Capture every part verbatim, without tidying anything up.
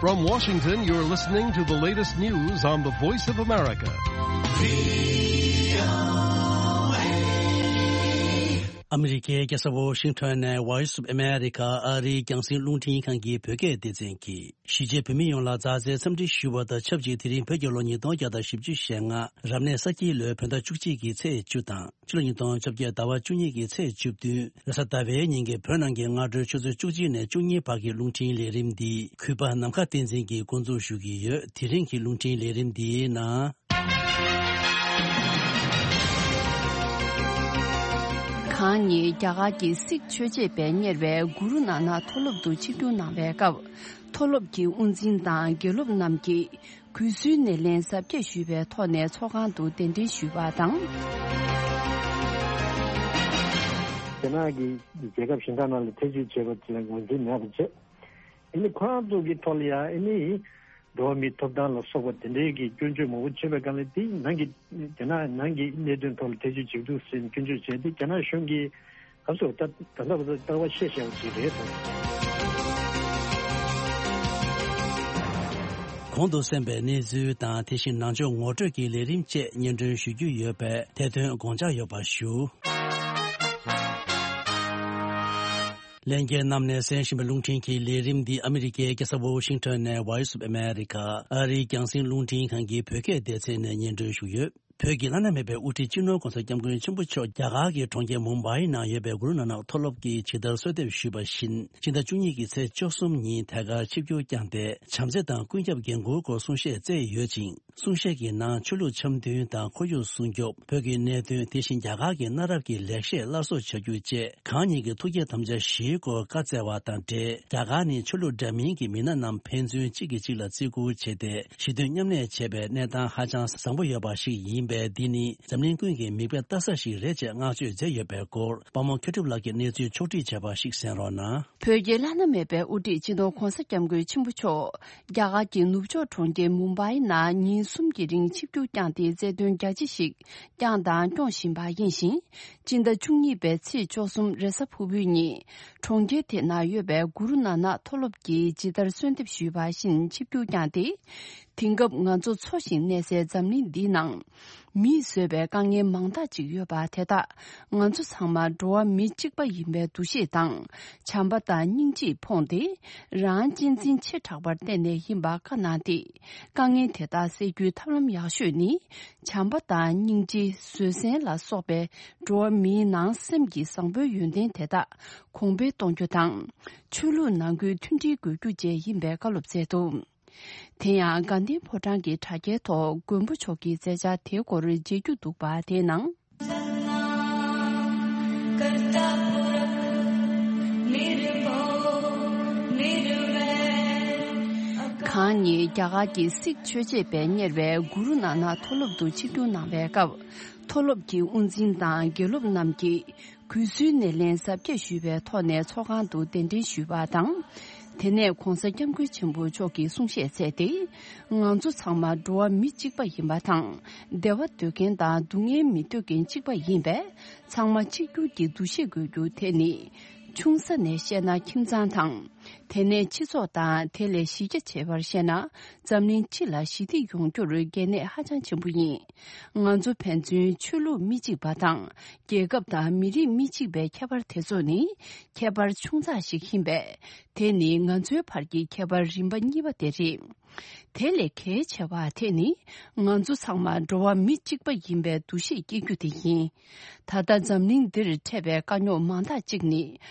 From Washington, you're listening to the latest news on the Voice of America. ཨ་མི་རི་ཀའི་རྒྱལ་ས་ཝོ་ཤིང་ཊོན་ནས་Voice of America ཨ་རིའི་རྒྱང་སྲིང་རླུང་འཕྲིན་ཁང་གི་བོད་སྐད་སྡེ་ཚན་གྱིས། གཞིས་བྱེས་བོད་མི་ཡོངས་ལ་མཛའ་བརྩེའི་འཚམས་འདྲི་ཞུ་བ་དང་ཆབས་ཅིག་དེ་རིང་བོད་ཀྱི་ལོ་ཉིས་སྟོང་བརྒྱ་དང་བཞི་བཅུ་ཞེ་ལྔ་རབ་གནས་ས་སྐྱིད་ལོའི་བོད་ཟླ་བཅུ་གཅིག་གི་ཚེས་བཅུ་དང་། ཕྱི་ལོ་ཉིས་སྟོང་བཅོ་བརྒྱད་ཟླ་བ་བཅུ་གཉིས་ཀྱི་ཚེས་བཅུ་བདུན། རེས་གཟའ་ཟླ་བའི་ཉིན་གྱི་བོད་ནང་གི་སྔ་དྲོའི་ཆུ་ཚོད་བཅུ་གཅིག་ནས་བཅུ་གཉིས་བར་གྱི་རླུང་འཕྲིན་ལས་རིམ་འདི་གུས་པ་ནམ་མཁའ་བསྟན་འཛིན་གྱིས་འགོ་འཛུགས་ཞུ་གི་ཡོད། དེ་རིང་གི་རླུང་འཕྲིན་ལས་རིམ་འདིའི་ནང་། གང་ཉིད་རྒྱ་གར་གྱི་སིག་ཆོས་བྱེད་པས་གཉེར་བའི་གུ་རུ་ནཱ་ནག་མཐོ་སློབ་ཏུ་ཆིབས་བསྒྱུར་གནང་བའི་སྐབས། མཐོ་སློབ་ཀྱི་དབུ་འཛིན་དང་དགེ་སློབ་རྣམས་ཀྱིས་གུས་བསུའི་སྣེ་ལེན་གཟབ་རྒྱས་ཞུས་པའི་ཐོག་ནས་ཚོགས་ཁང་དུ་གདན་འདྲེན་ཞུས་པ་དང་། རྒྱ་ནག་གི་རྒྱལ་ཁབ་གཞན་དག་ནང་ལ་ཐེ་བྱུས་བྱས་པ་དེ་ལ་ངོས་འཛིན་མེད་པ་བྱས། ཨ་ནི་ཁོ་རང་ཚོ་གི་ཐོག་ལ་ཡང་ཨ་ནི་འགྲོ་བ་མིའི་ཐོབ་ཐང་ལ་སོགས་པ་དེ་འདྲའི་གི་སྐྱོན་བརྗོད་མང་པོ་བྱས་པའི་སྒང་ལ་དེ་ནང་གི་རྒྱ་ནག་ནང་གི་གནད་དོན་ཐོག་ལ་ཐེ་བྱུས་བྱེད་འདུག་ཟེར་ནས་སྐྱོན་བརྗོད་བྱས་ཏེ་རྒྱ་ནག་གཞུང་གིས་ག་ཚོད་ད་ད་ལྟ་བར་དུ་ལྟ་བ་བཤད་བཞག་པ་ཞིག་རེད་དོ། གོང་དུ་གསན་པའི་གནས་ཚུལ་དང་དེ་བཞིན་ནང་ཆོས་ངོ་སྤྲོད་ཀྱི་ལས་རིམ་བཅས་སྙན་སྒྲོན་ཞུ་རྒྱུ་ཡོད་པས་དེ་དོན་དགོངས་འཇགས་ཡོད་པ་ཞུ། ལྷན་རྒྱས་རྣམས་ནས་གསན་བཞིན་པའི་རླུང་འཕྲིན་གྱི་ལས་རིམ་འདི་ཨ་མི་རི་ཀའི་རྒྱལ་ས་ཝོ་ཤིང་ཊོན་ནས་Voice of America ཨ་རིའི་རྒྱང་སྲིང་རླུང་འཕྲིན་ཁང་གི་བོད་སྐད་སྡེ་ཚན་ནས་སྙན་སྒྲོན་ཞུ་ཡོད། བོད་ཀྱི་བླ་ན་མེད་པའི་དབུ་ཁྲིད་སྤྱི་ནོར་༸གོང་ས་༸སྐྱབས་མགོན་ཆེན་པོ་མཆོག་རྒྱ་གར་གྱི་གྲོང་ཁྱེར་མུམ་བྷའི་ནང་ཡོད་པའི་གུ་རུ་ནཱ་ནག་མཐོ་སློབ་ཀྱིས་ཇི་ལྟར་གསོལ་འདེབས་ཞུས་པ་བཞིན། ཕྱི་ཟླ་བཅུ་གཉིས་ཀྱི་ཚེས་བཅུ་གསུམ་ཉིན་ཐད་ཀར་ཆིབས་བསྒྱུར་བསྐྱངས་ཏེ། བྱམས་བརྩེ་དང་ཀུན་ཁྱབ་འགན་འཁུར་སྐོར་གསུང་བཤད་སྩལ་ཡོད་ཅིང་། གསུང་བཤད་ཀྱི་ནང་ཆོས་ལུགས་འཆམ་མཐུན་དང་ཁོར་ཡུག་སྲུང་སྐྱོབ། བོད་ཀྱི་གནད་དོན། དེ་བཞིན་རྒྱ་གར་གྱི་གནའ་རབས་ཀྱི་ལེགས་བཤད་སླར་གསོ་བྱ་རྒྱུ་བཅས་གང་ཉིད་ཀྱི་ཐུགས་བསྐྱེད་དམ་བཅའ་བཞིའི་སྐོར་བཀའ་སྩལ་བ་དང་འབྲེལ། རྒྱ་གར་ནི་ཆོས་ལུགས་འདྲ་མིན་གྱི་མི་སྣ་རྣམས་ཕན་ཚུན་གཅིག་གིས་གཅིག་ལ་བརྩི་བཀུར་བྱས་ཏེ། ཞི་མཐུན་མཉམ་གནས་བྱེད་པའི་གནས་སྟངས་ཧ་ཅང་བཟང་པོ་ཡོད་པ་ཞིག་ཡིན་པས། འདི་ནི་འཛམ་གླིང་ཀུན་གྱིས་མིག་དཔེ་ལྟ་ས་ཞིག་རེད་ཅེས་བསྔགས་བརྗོད་མཛད་ཡོད་པའི་སྐོར། དཔའ་མོ་མཁས་གྲུབ་ལགས་ཀྱིས་གནས་ཚུལ་ཕྱོགས་བསྒྲིགས་བྱས་པ་ཞིག་གསན་རོགས་གནང་། བོད་ཀྱི་བླ་ན་མེད་པའི་དབུ་ཁྲིད་སྤྱི་ནོར་༸གོང་ས་༸སྐྱབས་མགོན་ཆེན་པོ་མཆོག་རྒྱ་གར་གྱི་ནུབ་ཕྱོགས་གྲོང་ཁྱེར་མུམ་བྷའི་ནང་ཉིན་གསུམ་གྱི་རིང་ཆིབས་བསྒྱུར་བསྐྱངས་ཏེ་རྩེད་འདོན་རྒྱ་ཆེ་ཞིག་བསྐྱངས་དང་སྐྱོང་བཞིན་པ་ཡིན་ཞིང་། སྤྱི་ཟླ་བཅུ་གཉིས་པའི་ཚེས་བཅུ་གསུམ་རེས་གཟའ་ཕུར་བུའི་ཉིན། གྲོང་ཁྱེར་དེ་ན་ཡོད་པའི་གུ་རུ་ནཱ་ནག་མཐོ་སློབ་ཀྱིས་ཇི་ལྟར་གསོལ་འདེབས་ཞུས་པ་བཞིན་ཆིབས་བསྒྱུར་བསྐྱངས་ཏེ། དེང་སྐབས་ང་ཚོ་འཚོ་ཞིང་གནས་སའི་འཛམ་གླིང་འདིའི་ནང་། མིས་བཟོས་པའི་དཀའ་ངལ་མང་དག་ཅིག་ཡོད་པ་དེ་དག་ང་ཚོ་ཚང་མ་འགྲོ་བ་མི་གཅིག་པ་ཡིན་པའི་འདུ་ཤེས་དང་། བྱམས་པ་དང་སྙིང་རྗེས་ཕོངས་ཏེ། རང་གཅེས་འཛིན་ཆེ་དྲགས་པར་བརྟེན་ནས་ཡིན་པ་བཀའ་གནང་སྟེ། དཀའ་ངལ་དེ་དག་སེལ་རྒྱུའི་ཐབས་ལམ་ཡག་ཤོས་ནི། བྱམས་པ་དང་སྙིང་རྗེ། བཟོད་བསྲན་ལ་སོགས་པའི་འགྲོ་བ་མིའི་ནང་སེམས་ཀྱི་བཟང་པོའི་ཡོན་ཏན་དེ་དག་གོང་འཕེལ་གཏོང་རྒྱུ་དང་། ཆོས་ལུགས་ནང་ཁུལ་མཐུན་སྒྲིལ་དགོས་རྒྱུ་བཅས་ཡིན་པའི་བཀའ་སློབ་སྩལ་འདུག་དེ་ཡང་དགའ་ལྡན་ཕོ་བྲང་གི་དྲ་རྒྱའི་ཐོག་མགོན་པོ་མཆོག་གི་མཛད་འཆར་དེའི་སྐོར་མཇལ་རྒྱུ་འདུག་པ་དེའི་ནང་། གང་ཉིད་རྒྱ་གར་གྱི་སིག་ཆོས་བྱེད་པས་གཉེར་བའི་གུ་རུ་ནཱ་ནག་མཐོ་སློབ་ཏུ་ཆིབས་བསྒྱུར་གནང་བའི་སྐབས། མཐོ་སློབ་ཀྱི་དབུ་འཛིན་དང་དགེ་སློབ་རྣམས་ཀྱིས། གུས་བསུའི་སྣེ་ལེན་གཟབ་རྒྱས་ཞུས་པའི་ཐོག་ནས་ཚོགས་ཁང་དུ་གདན་འདྲེན་ཞུས་པ་དང་། དེ་ནས་༸གོང་ས་༸སྐྱབས་མགོན་ཆེན་པོ་མཆོག་གིས་གསུང་བཤད་མཛད་དེ། ང་ཚོ་ཚང་མ་འགྲོ་བ་མི་གཅིག་པ་ཡིན་པ་དང་། བདེ་བ་འདོད་མཁན་དང་སྡུག་བསྔལ་མི་འདོད་མཁན་གཅིག་པ་ཡིན་པས། ཚང་མ་གཅིག་གྱུར་གྱི་འདུ་ཤེས་དགོས་རྒྱུ་དེ་ནི། ཆུང་ས་ནས་བཤད་ན་ཁྱིམ་ཚང་དང་། དེ་ནས་སྤྱི་ཚོགས་དང་དེ་ལས་གཞི་རྒྱ་ཆེ་བར་བཤད་ན། འཛམ་གླིང་སྤྱི་ལ་ཞི་བདེ་ཡོང་རྒྱུར་གལ་གནད་ཧ་ཅང་ཆེན་པོ་ཡིན། ང་ཚོ་ཕན་ཚུན་ཆོས་ལུགས་མི་གཅིག་པ་དང་། རྒྱལ་ཁབ་དང་མི་རིགས་མི་གཅིག་པའི་ཁྱད་པར་དེ་ཚོ་ནི། ཁྱད་པར་ཆུང་ཙག་ཞིག་ཡིན་པས། དེ་ནི་ང་ཚོའི་བར་གྱི་ཁྱད་པར་རིམ་པ་གཉིས་པ་དེ་རེད། དེ་ལས་གལ་ཆེ་བ་དེ་ནི། ང་ཚོ་ཚང་མ་འགྲོ་བ་མི་གཅིག་པ་ཡིན་པའི་འདུ་ཤེས་སྐྱེ་རྒྱུ་དེ་ཡིན། ད་ལྟ་འཛམ་གླིང་འདིར་འཕྲད་པའི་དཀའ་རྙོག་མང་དག་ཅིག་ནི།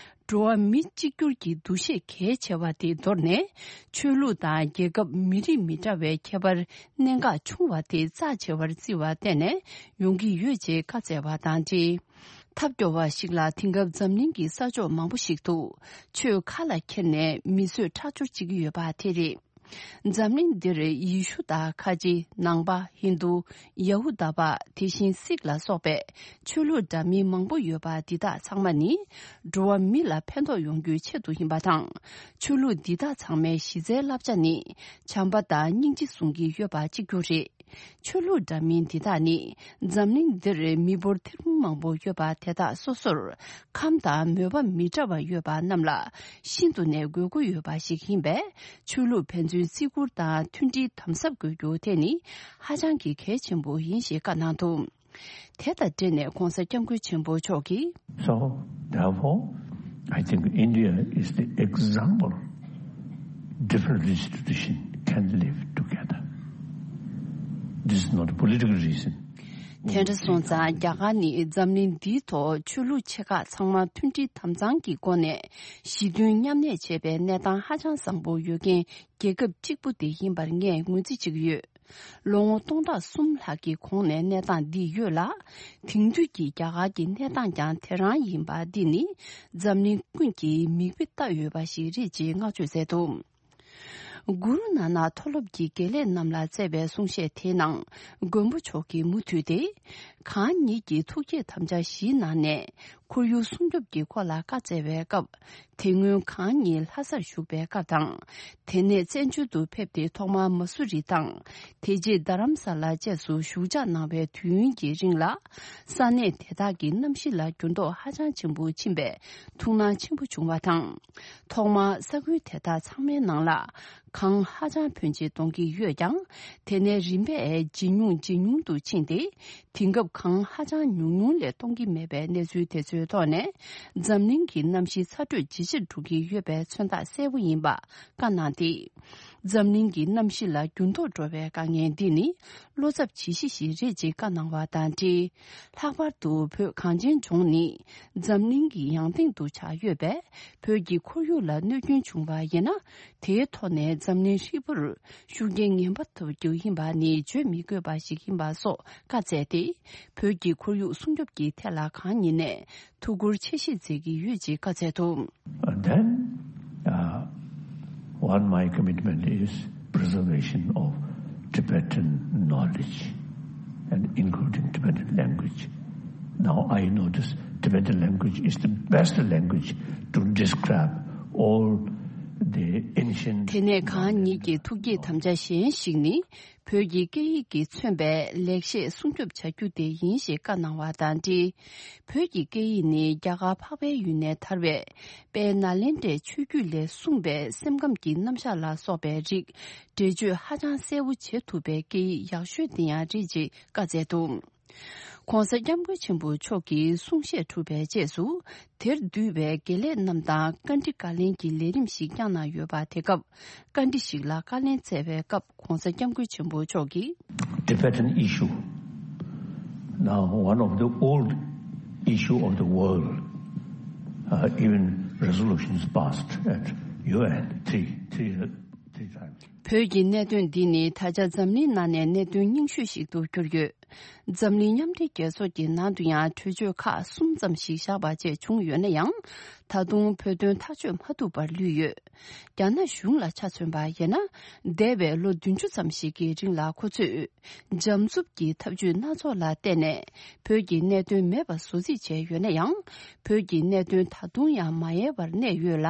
འགྲོ་བ་མི་གཅིག་གྱུར་གྱི་འདུ་ཤེས་གལ་ཆེ་བ་དེ་དོར་ནས། ཆོས་ལུགས་དང་རྒྱལ་ཁབ་མི་རིགས་མི་འདྲ་བའི་ཁྱད་པར་གནད་འགག་ཆུང་བ་དེ་རྩ་ཆེ་བར་བརྩི་བར་བརྟེན་ནས་ཡོང་གི་ཡོད་ཅེས་བཀའ་སྩལ་བ་དང་འབྲེལ། ཐབས་སྐྱོ་བ་ཞིག་ལ་དེང་སྐབས་འཛམ་གླིང་གི་ས་ཕྱོགས་མང་པོ་ཞིག་ཏུ་ཆོས་ཁ་ལ་འཁྱེར་ནས་མི་གསོད་ཁྲག་སྦྱོར་བྱེད་ཀྱི་ཡོད་པ་དེ་རེད། འཛམ་གླིང་འདིར་ཡེ་ཤུ་དང་ཁ་ཆེ་ནང་པ་ཧིན་རྡུ། ཡ་ཧུ་དཱ་པ། དེ་བཞིན་སིག་ལ་སོགས་པའི་ཆོས་ལུགས་འདྲ་མིན་མང་པོ་ཡོད་པ་འདི་དག་ཚང་མ་ནི་འགྲོ་བ་མི་ལ་ཕན་ཐོགས་ཡོང་རྒྱུའི་ཆེད་དུ་ཡིན་པ་དང་། ཆོས་ལུགས་འདི་དག་ཚང་མའི་གཞི་རྩའི་བསླབ་བྱ་ནི་བྱམས་པ་དང་སྙིང་རྗེ་བཟུང་གི་ཡོད་པ་གཅིག་གྱུར་རེད། ཆོས་ལུགས་འདྲ་མིན་འདི་དག་ནི་འཛམ་གླིང་འདིར་མི་འབོར་ཐེར་འབུམ་མང་པོ་ཡོད་པ་དེ་དག་སོ་སོར་ཁམས་དང་མོས་པ་མི་འདྲ་བ་ཡོད་པ་རྣམས་ལ་ཤིན་ཏུ་ནས་དགོས་མཁོ་ཡོད་པ་ཞིག་ཡིན་པས། ཆོས་ལུགས་ཕན་ཚུན་བརྩི་བཀུར་དང་མཐུན་སྒྲིལ་དམ་ཟབ་དགོས་རྒྱུ་དེ་ནི་ཧ་ཅང་གི་གལ་ཆེན་པོ་ཡིན་ཞེས་བཀའ་གནང་འདུག་དེ་དང་འབྲེལ་ནས་༧གོང་ས་༧སྐྱབས་མགོན་ཆེན་པོ་མཆོག་གིས། So, therefore, I think India is the example. Different religious tradition can live together. This is not a political reason. དེ་འདྲ་སོང་ཙང་རྒྱ་གར་ནི་འཛམ་གླིང་འདིའི་ཐོག་ཆོས་ལུགས་ཆེ་ཁག་ཚང་མ་མཐུན་སྒྲིལ་དམ་གཙང་གི་སྒོ་ནས་ཞི་མཐུན་མཉམ་གནས་བྱེད་པའི་གནས་སྟངས་ཧ་ཅང་བཟང་པོ་ཡོད་མཁན་རྒྱལ་ཁབ་གཅིག་པུ་དེ་ཡིན་པར་ངས་ངོས་འཛིན་བྱེད་ཀྱི་ཡོད། ལོ་ངོ་སྟོང་ཕྲག་གསུམ་ལྷག་གི་གོང་ནས་གནས་སྟངས་འདི་ཡོད་ལ། དེང་དུས་ཀྱི་རྒྱ་གར་གྱི་གནས་སྟངས་ཀྱང་དེ་རང་ཡིན་པ་འདི་ནི་འཛམ་གླིང་ཀུན་གྱིས་མིག་དཔེ་ལྟ་འོས་པ་ཞིག་རེད་ཅེས་བསྔགས་བརྗོད་མཛད་འདུག་གུ་རུ་ནཱ་ནག་མཐོ་སློབ་ཀྱི་དགེ་ལས་རྣམས་ལ་སྩལ་བའི་གསུང་བཤད་དེའི་ནང་མགོན་པོ་མཆོག་གིས་མུ་མཐུད་དེ། གང་ཉིད་ཀྱི་ཐུགས་བསྐྱེད་དམ་བཅའ་བཞིའི་ནང་ནས། ཁོར་ཡུག་སྲུང་སྐྱོབ་ཀྱི་སྐོར་ལ་བཀའ་སྩལ་བའི་སྐབས། དེ་སྔོན་གང་ཉིད་ལྷ་སར་བཞུགས་པའི་སྐབས་དང་། དེ་ནས་བཙན་བྱོལ་དུ་ཕེབས་ཏེ་ཐོག་མར་མ་སུ་རི་དང་། དེ་རྗེས་རྡ་རམ་ས་ལ་བཅས་སུ་བཞུགས་ཕྱག་གནང་བའི་དུས་ཡུན་གྱི་རིང་ལ། ས་གནས་དེ་དག་གི་གནམ་གཤིས་ལ་འགྱུར་ལྡོག་ཧ་ཅང་ཆེན་པོ་ཕྱིན་པས་ཐུགས་སྣང་ཆེན་པོ་བྱུང་བ་དང་། ཐོག་མར་ས་ཁུལ་དེ་དག་ཚང་མའི་ནང་ལ། གངས་ཧ་ཅང་ཕོན་ཆེ་གཏོང་གི་ཡོད་ཀྱང་། དེ་ནས་རིམ་པས་ཇེ་ཉུང་ཇེ་ཉུང་དུ་ཕྱིན་ཏེ། དེང་སྐབས་གངས་ཧ་ཅང་ཉུང་ཉུང་ལས་གཏོང་གི་མེད་པའི་གནས་ཚུལ་དེ་ཚོའི་ཐོག་ནས། འཛམ་གླིང་གི་གནམ་གཤིས་ཚ་དྲོད་ཇེ་ཆེར་འགྲོ་གི་ཡོད་པའི་མཚོན་རྟགས་གསལ་པོ་ཡིན་པ་བཀའ་གནང་སྟེ། འཛམ་གླིང་གི་གནམ་གཤིས་ལ་འགྱུར་ལྡོག་འགྲོ་བའི་དཀའ་ངལ་འདི་ནི། བློ་འཚབ་བྱེད་གཞི་ཞིག་རེད་ཅེས་བཀའ་གནང་བ་དང་འབྲེལ། ལྷག་པར་དུ་བོད་གངས་ཅན་ལྗོངས་ནི་འཛམ་གླིང་གི་ཡང་སྟེང་དུ་ཆགས་ཡོད་པས། བོད་ཀྱི་ཁོར་ཡུག་ལ་གནོད་སྐྱོན་བྱུང་བ་ཡིན་ན། དེའི་ཐོག་ནས་འཛམ་གླིང་ཧྲིལ་པོར་ཤུགས་རྐྱེན་ངན་པ་ཐེབས་རྒྱུ་ཡིན་པ་ནི་བརྗོད་མི་དགོས་པ་ཞིག་ཡིན་པ་སོགས་བཀའ་སྩལ་ཏེ། བོད་ཀྱི་ཁོར་ཡུག་སྲུང་སྐྱོབ་ཀྱི་ཐད་ལ་གང་ཉིད་ནས་ཐུགས་ཁུར་ཆེ་བཞེས་མཛད་ཀྱི་ཡོད་ཅེས་བཀའ་སྩལ་འདུག And then, uh, one, my commitment is preservation of Tibetan knowledge and including Tibetan language. Now I know this Tibetan language is the best language to describe all the ancient དེ་ནས་གང་ཉིད་ཀྱི་ཐུགས་བསྐྱེད་དམ་བཅའ་གཞན་ཞིག་ནི། བོད་ཀྱི་སྐད་ཡིག་གིས་མཚོན་པའི་ལེགས་བཤད་སྲུང་སྐྱོབ་བྱ་རྒྱུ་དེ་ཡིན་ཞེས་བཀའ་གནང་བ་དང་འབྲེལ། བོད་ཀྱི་སྐད་ཡིག་ནི་རྒྱ་གར་འཕགས་པའི་ཡུལ་ནས་དར་བའི་དཔལ་ནཱ་ལེནྡྲའི་ཆོས་བརྒྱུད་ལས་གསུངས་པའི་སེམས་ཁམས་ཀྱི་རྣམ་གཞག་ལ་སོགས་པའི་རིགས་འགྲེལ་བརྗོད་ཧ་ཅང་གསལ་པོ་བྱེད་ཐུབ་པའི་སྐད་ཡིག་ཡག་ཤོས་དེ་ཡང་རེད་ཅེས་བཀའ་སྩལ་འདུག ྋགོང་ས་ྋསྐྱབས་མགོན་ཆེན་པོ་མཆོག་གིས་གསུང་བཤད་གྲུབ་པའི་རྗེས་སུ། དེར་འདུས་པའི་དགེ་ལས་རྣམས་དང་བཀའ་འདྲི་བཀའ་ལན་གྱི་ལས་རིམ་ཞིག་བསྐྱངས་གནང་ཡོད་པ། དེ་སྐབས་བཀའ་འདྲི་ཞིག་ལ་བཀའ་ལན་སྩལ་བའི་སྐབས་༧གོང་ས་༧སྐྱབས་མགོན་ཆེན་པོ་མཆོག་གིས། Tibetan issue, now one of the old issue of the world, uh, even resolutions passed at U N three, three, three times. བོད་ཀྱི་གནད་དོན་འདི་ནི་ད་ཆ་འཛམ་གླིང་ནང་ནས་གནད་དོན་རྙིང་ཤོས་ཤིག་ཏུ་གྱུར་ཡོད། འཛམ་གླིང་མཉམ་འབྲེལ་རྒྱལ་ཚོགས་ཀྱི་ནང་དུ་ཡང་གྲོས་ཆོད་ཁག་གསུམ་ཙམ་ཞིག་བཞག་པ་བཅས་བྱུང་ཡོད་ན་ཡང་། ད་དུང་བོད་དོན་ཐག་གཅོད་མ་ཐུབ་པར་ལུས་ཡོད། རྒྱ་ནག་གཞུང་ལ་ཆ་མཚོན་པ་ཡིན་ན། འདས་པའི་ལོ་བདུན་ཅུ་ཙམ་ཞིག་གི་རིང་ལ་ཁོ་ཚོས་འཇམ་རྩུབ་ཀྱི་ཐབས་ཇུས་སྣ་ཚོགས་ལ་བརྟེན་ནས་བོད་ཀྱི་གནད་དོན་མེད་པ་བཟོ་རྩིས་བྱས་ཡོད་ན་ཡང་། བོད་ཀྱི་གནད་དོན་ད་དུང་ཡང་མ་ཡལ་བར་གནས་ཡོད་ལ།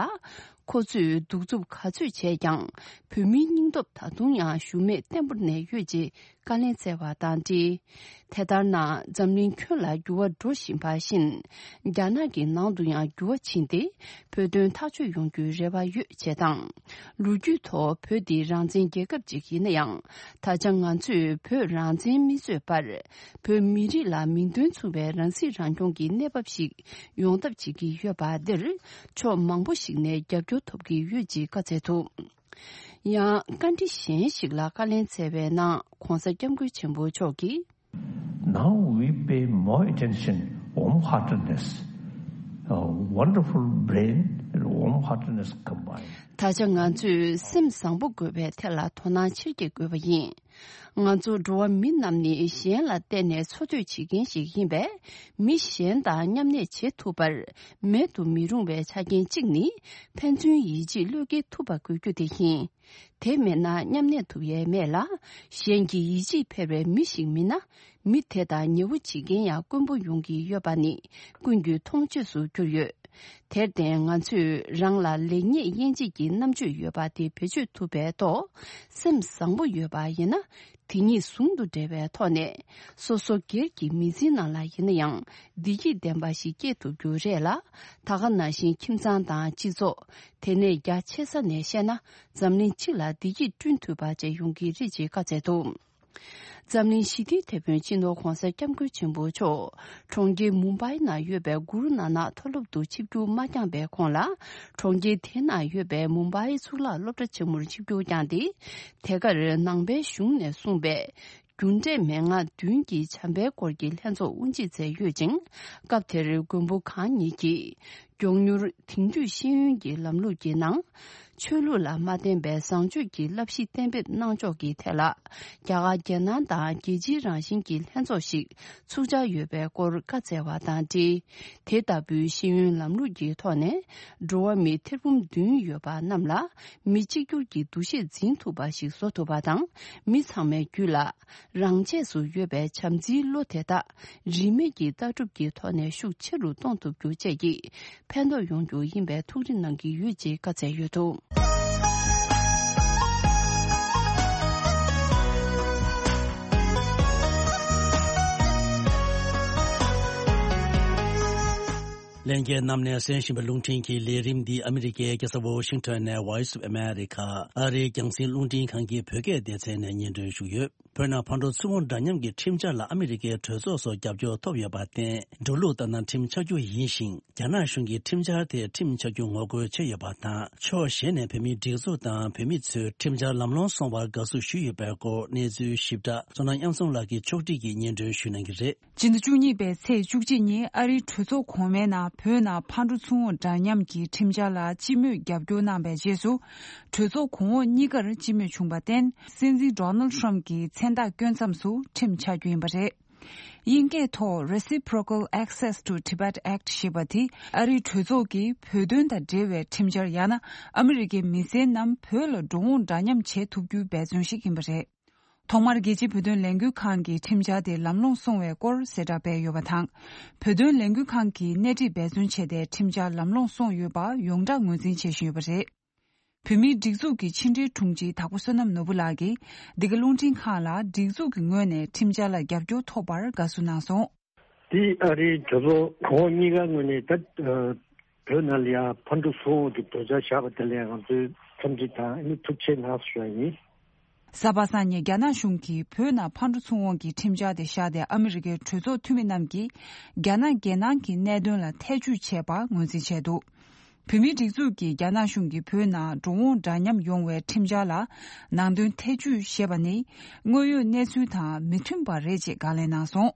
ཁོ་ཚོས་གདུག་རྩུབ་ག་ཚོད་བྱས་ཀྱང་། བོད་མིའི་སྙིང་སྟོབས་ད་དུང་ཡང་ཞུམ་མེད་བརྟན་པོར་གནས་ཡོད་ཅེས་བཀའ་ལན་སྩལ་བ་དང་འབྲེལ། དེ་ལྟར་ན། འཛམ་གླིང་ཁྱོན་ལ་འགྱུར་བ་འགྲོ་བཞིན་པ་བཞིན། རྒྱ་ནག་གི་ནང་དུ་ཡང་འགྱུར་བ་ཕྱིན་ཏེ། བོད་དོན་ཐག་གཅོད་ཡོང་རྒྱུའི་རེ་བ་ཡོད་ཅེས་དང་། ལོ་རྒྱུས་ཐོག་བོད་འདི་རང་བཙན་རྒྱལ་ཁབ་ཅིག་ཡིན་ན་ཡང་། ད་ཆ་ང་ཚོས་བོད་རང་བཙན་མི་རྩོད་པར། བོད་མི་རིགས་ལ་མིང་དོན་མཚུངས་པའི་རང་སྲིད་རང་སྐྱོང་གི་གནས་བབ་ཞིག་ཡོང་ཐབས་བྱེད་ཀྱི་ཡོད་པ་འདིར། ཕྱོགས་མང་པོ་ཞིག་ནས་རྒྱབ་སྐྱོར་ཐོབ་ཀྱི་ཡོད་ཅེས་བཀའ་སྩལ་འདུག་ཡང་བཀའ་འདྲི་གཞན་ཞིག་ལ་བཀའ་ལན་སྩལ་བའི་ནང་། ྋགོང་ས་ྋསྐྱབས་མགོན་ཆེན་པོ་མཆོག་གིས། Now we pay more attention, warm-heartedness, uh, wonderful brain and warm-heartedness combined. ད་ཆ་ང་ཚོས་སེམས་བཟང་པོ་དགོས་པའི་ཐད་ལ་དོ་སྣང་ཆེར་བསྐྱེད་དགོས་པ་ཡིན། ང་ཚོ་འགྲོ་བ་མི་རྣམས་ནི་གཞན་ལ་བརྟེན་ནས་འཚོ་སྡོད་བྱེད་མཁན་ཞིག་ཡིན་པས། མི་གཞན་དང་མཉམ་གནས་བྱེད་ཐུབ་པར་མེད་དུ་མི་རུང་བའི་ཆ་རྐྱེན་གཅིག་ནི། ཕན་ཚུན་ཡིད་ཆེས་བློས་འགེལ་ཐུབ་པ་དགོས་རྒྱུ་དེ་ཡིན། དེ་མེད་ན་མཉམ་གནས་ཐུབ་ཡས་མེད་ལ། གཞན་གྱི་ཡིད་ཆེས་འཕེར་བའི་མི་ཞིག་མིན་ན། མི་དེ་དང་ཉེ་བོ་བྱེད་མཁན་ཡང་དཀོན་པོ་ཡོང་གི་ཡོད་པ་ནི། ཀུན་གྱིས་མཐོང་ཆོས་སུ་གྱུར་ཡོད། དེར་བརྟེན་ང་ཚོས་རང་ལ་ལེགས་ཉེས་དབྱེ་འབྱེད་ཀྱི་རྣམ་དཔྱོད་ཡོད་པ་དེ་བེད་སྤྱོད་ཐུབ་པའི་ཐོག་སེམས་བཟང་པོ་ཡོད་པ་ཡིན་ན། དེ་གཉིས་ཟུང་དུ་འབྲེལ་བའི་ཐོག་ནས་སོ་སོ་སྒེར་གྱི་མི་ཚེའི་ནང་ལ་ཡིན་ན་ཡང་བདེ་སྐྱིད་ལྡན་པ་ཞིག་སྐྱེལ་ཐུབ་རྒྱུ་རེད་ལ། ད་ག་ནང་བཞིན་ཁྱིམ་ཚང་དང་སྤྱི་ཚོགས། དེ་ནས་རྒྱ་ཆེ་ས་ནས་བཤད་ན་འཛམ་གླིང་སྤྱི་ལ་བདེ་སྐྱིད་བསྐྲུན་ཐུབ་པ་བཅས་ཡོང་གི་རེད་ཅེས་བཀའ་སྩལ་འདུག་འཛམ་གླིང་ཞི་བདེའི་དེད་དཔོན་སྤྱི་ནོར་༧གོང་ས་༧སྐྱབས་མགོན་ཆེན་པོ་མཆོག་གྲོང་ཁྱེར་མུམ་བྷའི་ནང་ཡོད་པའི་གུ་རུ་ནཱ་ནག་མཐོ་སློབ་ཏུ་ཆིབས་བསྒྱུར་མ་བསྐྱངས་པའི་གོང་ལ། གྲོང་ཁྱེར་དེ་ནང་ཡོད་པའི་མུམ་བྷའི་གཙུག་ལག་སློབ་གྲྭ་ཆེན་མོར་ཆིབས་བསྒྱུར་བསྐྱངས་ཏེ། དེ་གར་ནང་པའི་གཞུང་ནས་གསུངས་པའི་རྒྱུ་འབྲས་མན་ངག་བདུན་གྱི་བྱམས་པའི་སྐོར་གྱི་ལྷན་ཚོགས་དབུ་འབྱེད་མཛད་ཡོད་ཅིང་། སྐབས་དེར་མགོན་པོ་གང་ཉིད་ཀྱིས། མགྱོགས་མྱུར་དེང་དུས་ཤེས་ཡོན་གྱི་ལམ་ལུགས་ཀྱི་ནང་། ཆོས་ལུགས་ལ་མ་བརྟེན་པའི་བཟང་སྤྱོད་ཀྱི་བསླབ་གཞི་གཏན་འབེབས་གནང་ཕྱོགས་ཀྱི་ཐད་ལ། རྒྱ་གར་རྒྱལ་ནང་དང་རྒྱལ་སྤྱིའི་རང་བཞིན་གྱི་ལྷན་ཚོགས་ཤིག་ཚུགས་འཆར་ཡོད་པའི་སྐོར་བཀའ་སྩལ་བ་དང་འབྲེལ། དེ་ལྟ་བུའི་ཤེས་ཡོན་ལམ་ལུགས་ཀྱི་ཐོག་ནས་འགྲོ་བ་མི་ཐེར་འབུམ་བདུན་ཡོད་པ་རྣམས་ལ་མི་གཅིག་གྱུར་གྱི་འདུ་ཤེས་འཛིན་ཐུབ་པ་ཞིག་བཟོ་ཐུབ་པ་དང་། མི་ཚང་མའི་རྒྱུད་ལ། རང་ཆས་སུ་ཡོད་པའི་བྱམས་བརྩེའི་བློ་དེ་དག་རིས་མེད་ཀྱི་ལྟ་གྲུབ་ཀྱི་ཐོག་ནས་ཤུགས་ཆེ་རུ་གཏོང་ཐུབ་རྒྱུ་བཅས་ཀྱིས་ཕན་ཐོགས་ཡོང་རྒྱུ་ཡིན་པའི་ཐུགས་རེ་གནང་གི་ཡོད་ཅེས་བཀའ་སྩལ་ཡོད་འདུག་ལྷན་རྒྱས་རྣམས་ནས་གསན་བཞིན་པའི་རླུང་འཕྲིན་གྱི་ལས་རིམ་འདི་ཨ་མི་རི་ཀའི་རྒྱལ་ས་ཝོ་ཤིང་ཊོན་ནས་Voice of America ཨ་རིའི་རྒྱང་སྲིང་རླུང་འཕྲིན་ཁང་གི་བོད་སྐད་སྡེ་ཚན་ནས་སྙན་སྒྲོན་ཞུས་ཡོད། བོད་ནང་ཕར་འགྲོ་ཚུར་འོང་འདྲ་མཉམ་གྱི་ཁྲིམས་འཆར་ལ་ཨ་མི་རི་ཀའི་གྲོས་ཚོགས་སུ་རྒྱབ་སྐྱོར་ཐོབ་ཡོད་པར་བརྟེན། འགྲོ་ལུགས་ལྟར་ན་ཁྲིམས་ཆགས་རྒྱུ་ཡིན་ཞིང་། རྒྱ་ནག་གཞུང་གིས་ཁྲིམས་འཆར་དེ་ཁྲིམས་ཆགས་རྒྱུ་ངོ་རྒོལ་བྱས་ཡོད་པ་དང་། ཕྱོགས་གཞན་ནས་བོད་མིའི་སྒྲིག་འཛུགས་དང་བོད་མི་ཚོས་ཁྲིམས་འཆར་ལམ་ལྷོང་སོང་བར་དགའ་བསུ་ཞུས་ཡོད་པའི་སྐོར་གནས་ཚུལ་ཞིབ་ཕྲ་བསོད་ནམས་དབྱངས་འཛོམས་ལགས་ཀྱིས་ཕྱོགས་སྒྲིག་གིས་སྙན་སྒྲོན་ཞུ་གནང་གི་རེད། སྤྱི་ཟླ་བཅུ་གཉིས་པའི་ཚེས་བཅུ་གཅིག་ཉིན་ཨ་རིའི་གྲོས་ཚོགས་གོང་མའི་ནང་བོད་ནང་ཕར་འགྲོ་ཚུར་འོང་འདྲ་མཉམ་གྱི་ཁྲིམས་འཆར་ལ་སྤྱི་མོས་རྒྱབ་སྐྱོར་གནང་བའི་རྗེས་སུ། གྲོས་ཚོགས་གོང་འོག་གཉིས་ཀར་སྤྱི་མོས་བྱུང་བར་བརྟེན། སྲིད་འཛིན་Donald Trump གྱི་མཚན་རྟགས་བསྐྱོན་མཚམས་སུ་ཁྲིམས་ཆགས་རྒྱུ་ཡིན་པ་རེད། དབྱིན་སྐད་ཐོག་Reciprocal Access to Tibet Act ཞེས་པ་དེ་ཨ་རིའི་གྲོས་ཚོགས་ཀྱིས་བོད་དོན་དང་འབྲེལ་བའི་ཁྲིམས་འཆར། ཡང་ན་ཨ་མི་རི་ཀའི་མི་སེར་རྣམས་བོད་ལ་འགྲོ་འོང་འདྲ་མཉམ་བྱེད་ཐུབ་རྒྱུའི་འབད་བརྩོན་ཞིག་ཡིན་པ་རེད། ཐོག་མར་རྒྱལ་སྤྱིའི་བོད་དོན་ལས་འགུལ་ཁང་གིས་ཁྲིམས་འཆར་དེ་ལམ་ལྷོང་སོང་བའི་སྐོར་གསལ་བསྒྲགས་སྤེལ་ཡོད་པ་དང་། བོད་དོན་ལས་འགུལ་ཁང་གིས་སྣེ་ཁྲིད་འབད་བརྩོན་བྱས་ཏེ་ཁྲིམས་འཆར་ལམ་ལྷོང་སོང་ཡོད་པ་ཡོངས་གྲགས་ངོས་འཛིན་བྱེད་བཞིན་ཡོད་པ་རེད། བོད་མིའི་སྒྲིག་འཛུགས་ཀྱི་ཕྱི་འབྲེལ་དྲུང་ཆེ་དྭགས་པོ་བསོད་ནམས་ནོར་བུ་ལགས་ཀྱིས་འདི་ག་རླུང་འཕྲིན་ཁང་ལ་སྒྲིག་འཛུགས་ཀྱི་ངོས་ནས་ཁྲིམས་འཆར་ལ་རྒྱབ་སྐྱོར་ཐོབ་པར་དགའ་བསུ་གནང་སོང་། དེ་ཨ་རིའི་གྲོས་ཚོགས་གོང་འོག་གཉིས་ཀ་ངོས་ནས་ད་ཨ་བོད་ནང་ལ་ཡང་ཕར་འགྲོ་ཚུར་འོང་གི་དོལ་རྒྱག་བཞག་པ་དེ་ལ་ཡང་ང་ཚོས་འཚམས་འདྲི་དང་ཨ་ནི་ཐུགས་རྗེ་གནང་ཞུ་བ་ཡིན། གཟའ་པ་སངས་ཉིན་རྒྱ་ནག་གཞུང་གིས་བོད་ནང་ཕར་འགྲོ་ཚུར་འོང་གི་ཁྲིམས་འཆར་དེ་བཞག་སྟེ་ཨ་མི་རི་ཀའི་གྲོས་ཚོགས་འཐུས་མི་རྣམས་ཀྱིས་རྒྱ་ནག་རྒྱལ་ནང་གི་གནད་དོན་ལ་ཐེ་ཇུས་བྱས་པ་ངོས་འཛིན་བྱས་འདུག་བོད་མིའི་སྒྲིག་འཛུགས་ཀྱིས་རྒྱ་ནག་གཞུང་གིས་བོད་ནང་འགྲོ་འོང་འདྲ་མཉམ་ཡོང་བའི་ཁྲིམས་འཆར་ལ་ནང་དོན་ཐེ་ཇུས་བྱས་པ་ནི་དངོས་ཡོད་གནས་ཚུལ་དང་མི་མཐུན་པ་རེད་ཅེས་དགག་ལན་གནང་སོང་།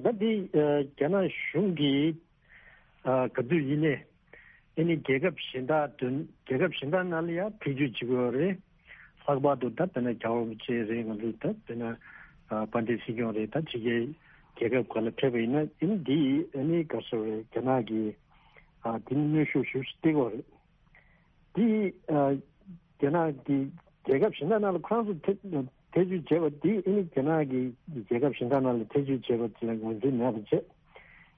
ད་འདི་རྒྱ་ནག་གཞུང་གིས་ག་དུས་ཡིན་ནའི་ཨ་ནི་རྒྱལ་ཁབ་གཞན་དག་དོན་རྒྱལ་ཁབ་གཞན་དག་ནང་ལ་ཡང་ཐེ་ཇུས་བྱེད་དགོས་རེད། ལྷག་པར་དུ་ད་དཔེར་ན་རྒྱལ་བ་རིན་པོ་ཆེ་རེད། ང་ཚོ་ད་དཔེར་ན་དཔལ་ལྡན་སྲིད་སྐྱོང་རེད། ད་ཕྱི་རྒྱལ་རྒྱལ་ཁབ་ཁག་ལ་ཕེབས་པ་ཡིན་ན་ཨ་ནི་འདི་ཨ་ནི་ག་ཟེར་རེད། རྒྱ་ནག་གི་ཨ་དེ་ནི་གནོན་ཤུགས་ཞེ་པོ་ཅིག་སྟེར་གྱི་ཡོད་རེད། དེ་ཨ་རྒྱ་ནག་གི་རྒྱལ་ཁབ་གཞན་དག་ནང་ལ་ཁོ་རང་ཚོ་ཐེ་ཐེ་ཇུས་བྱས་པ་དེ་ཨ་ནི་རྒྱ་ནག་གི་རྒྱལ་ཁབ་གཞན་དག་ནང་ལ་ཐེ་ཇུས་བྱས་པ་དེ་ལ་ངོས་འཛིན་མེད་པ་བྱས།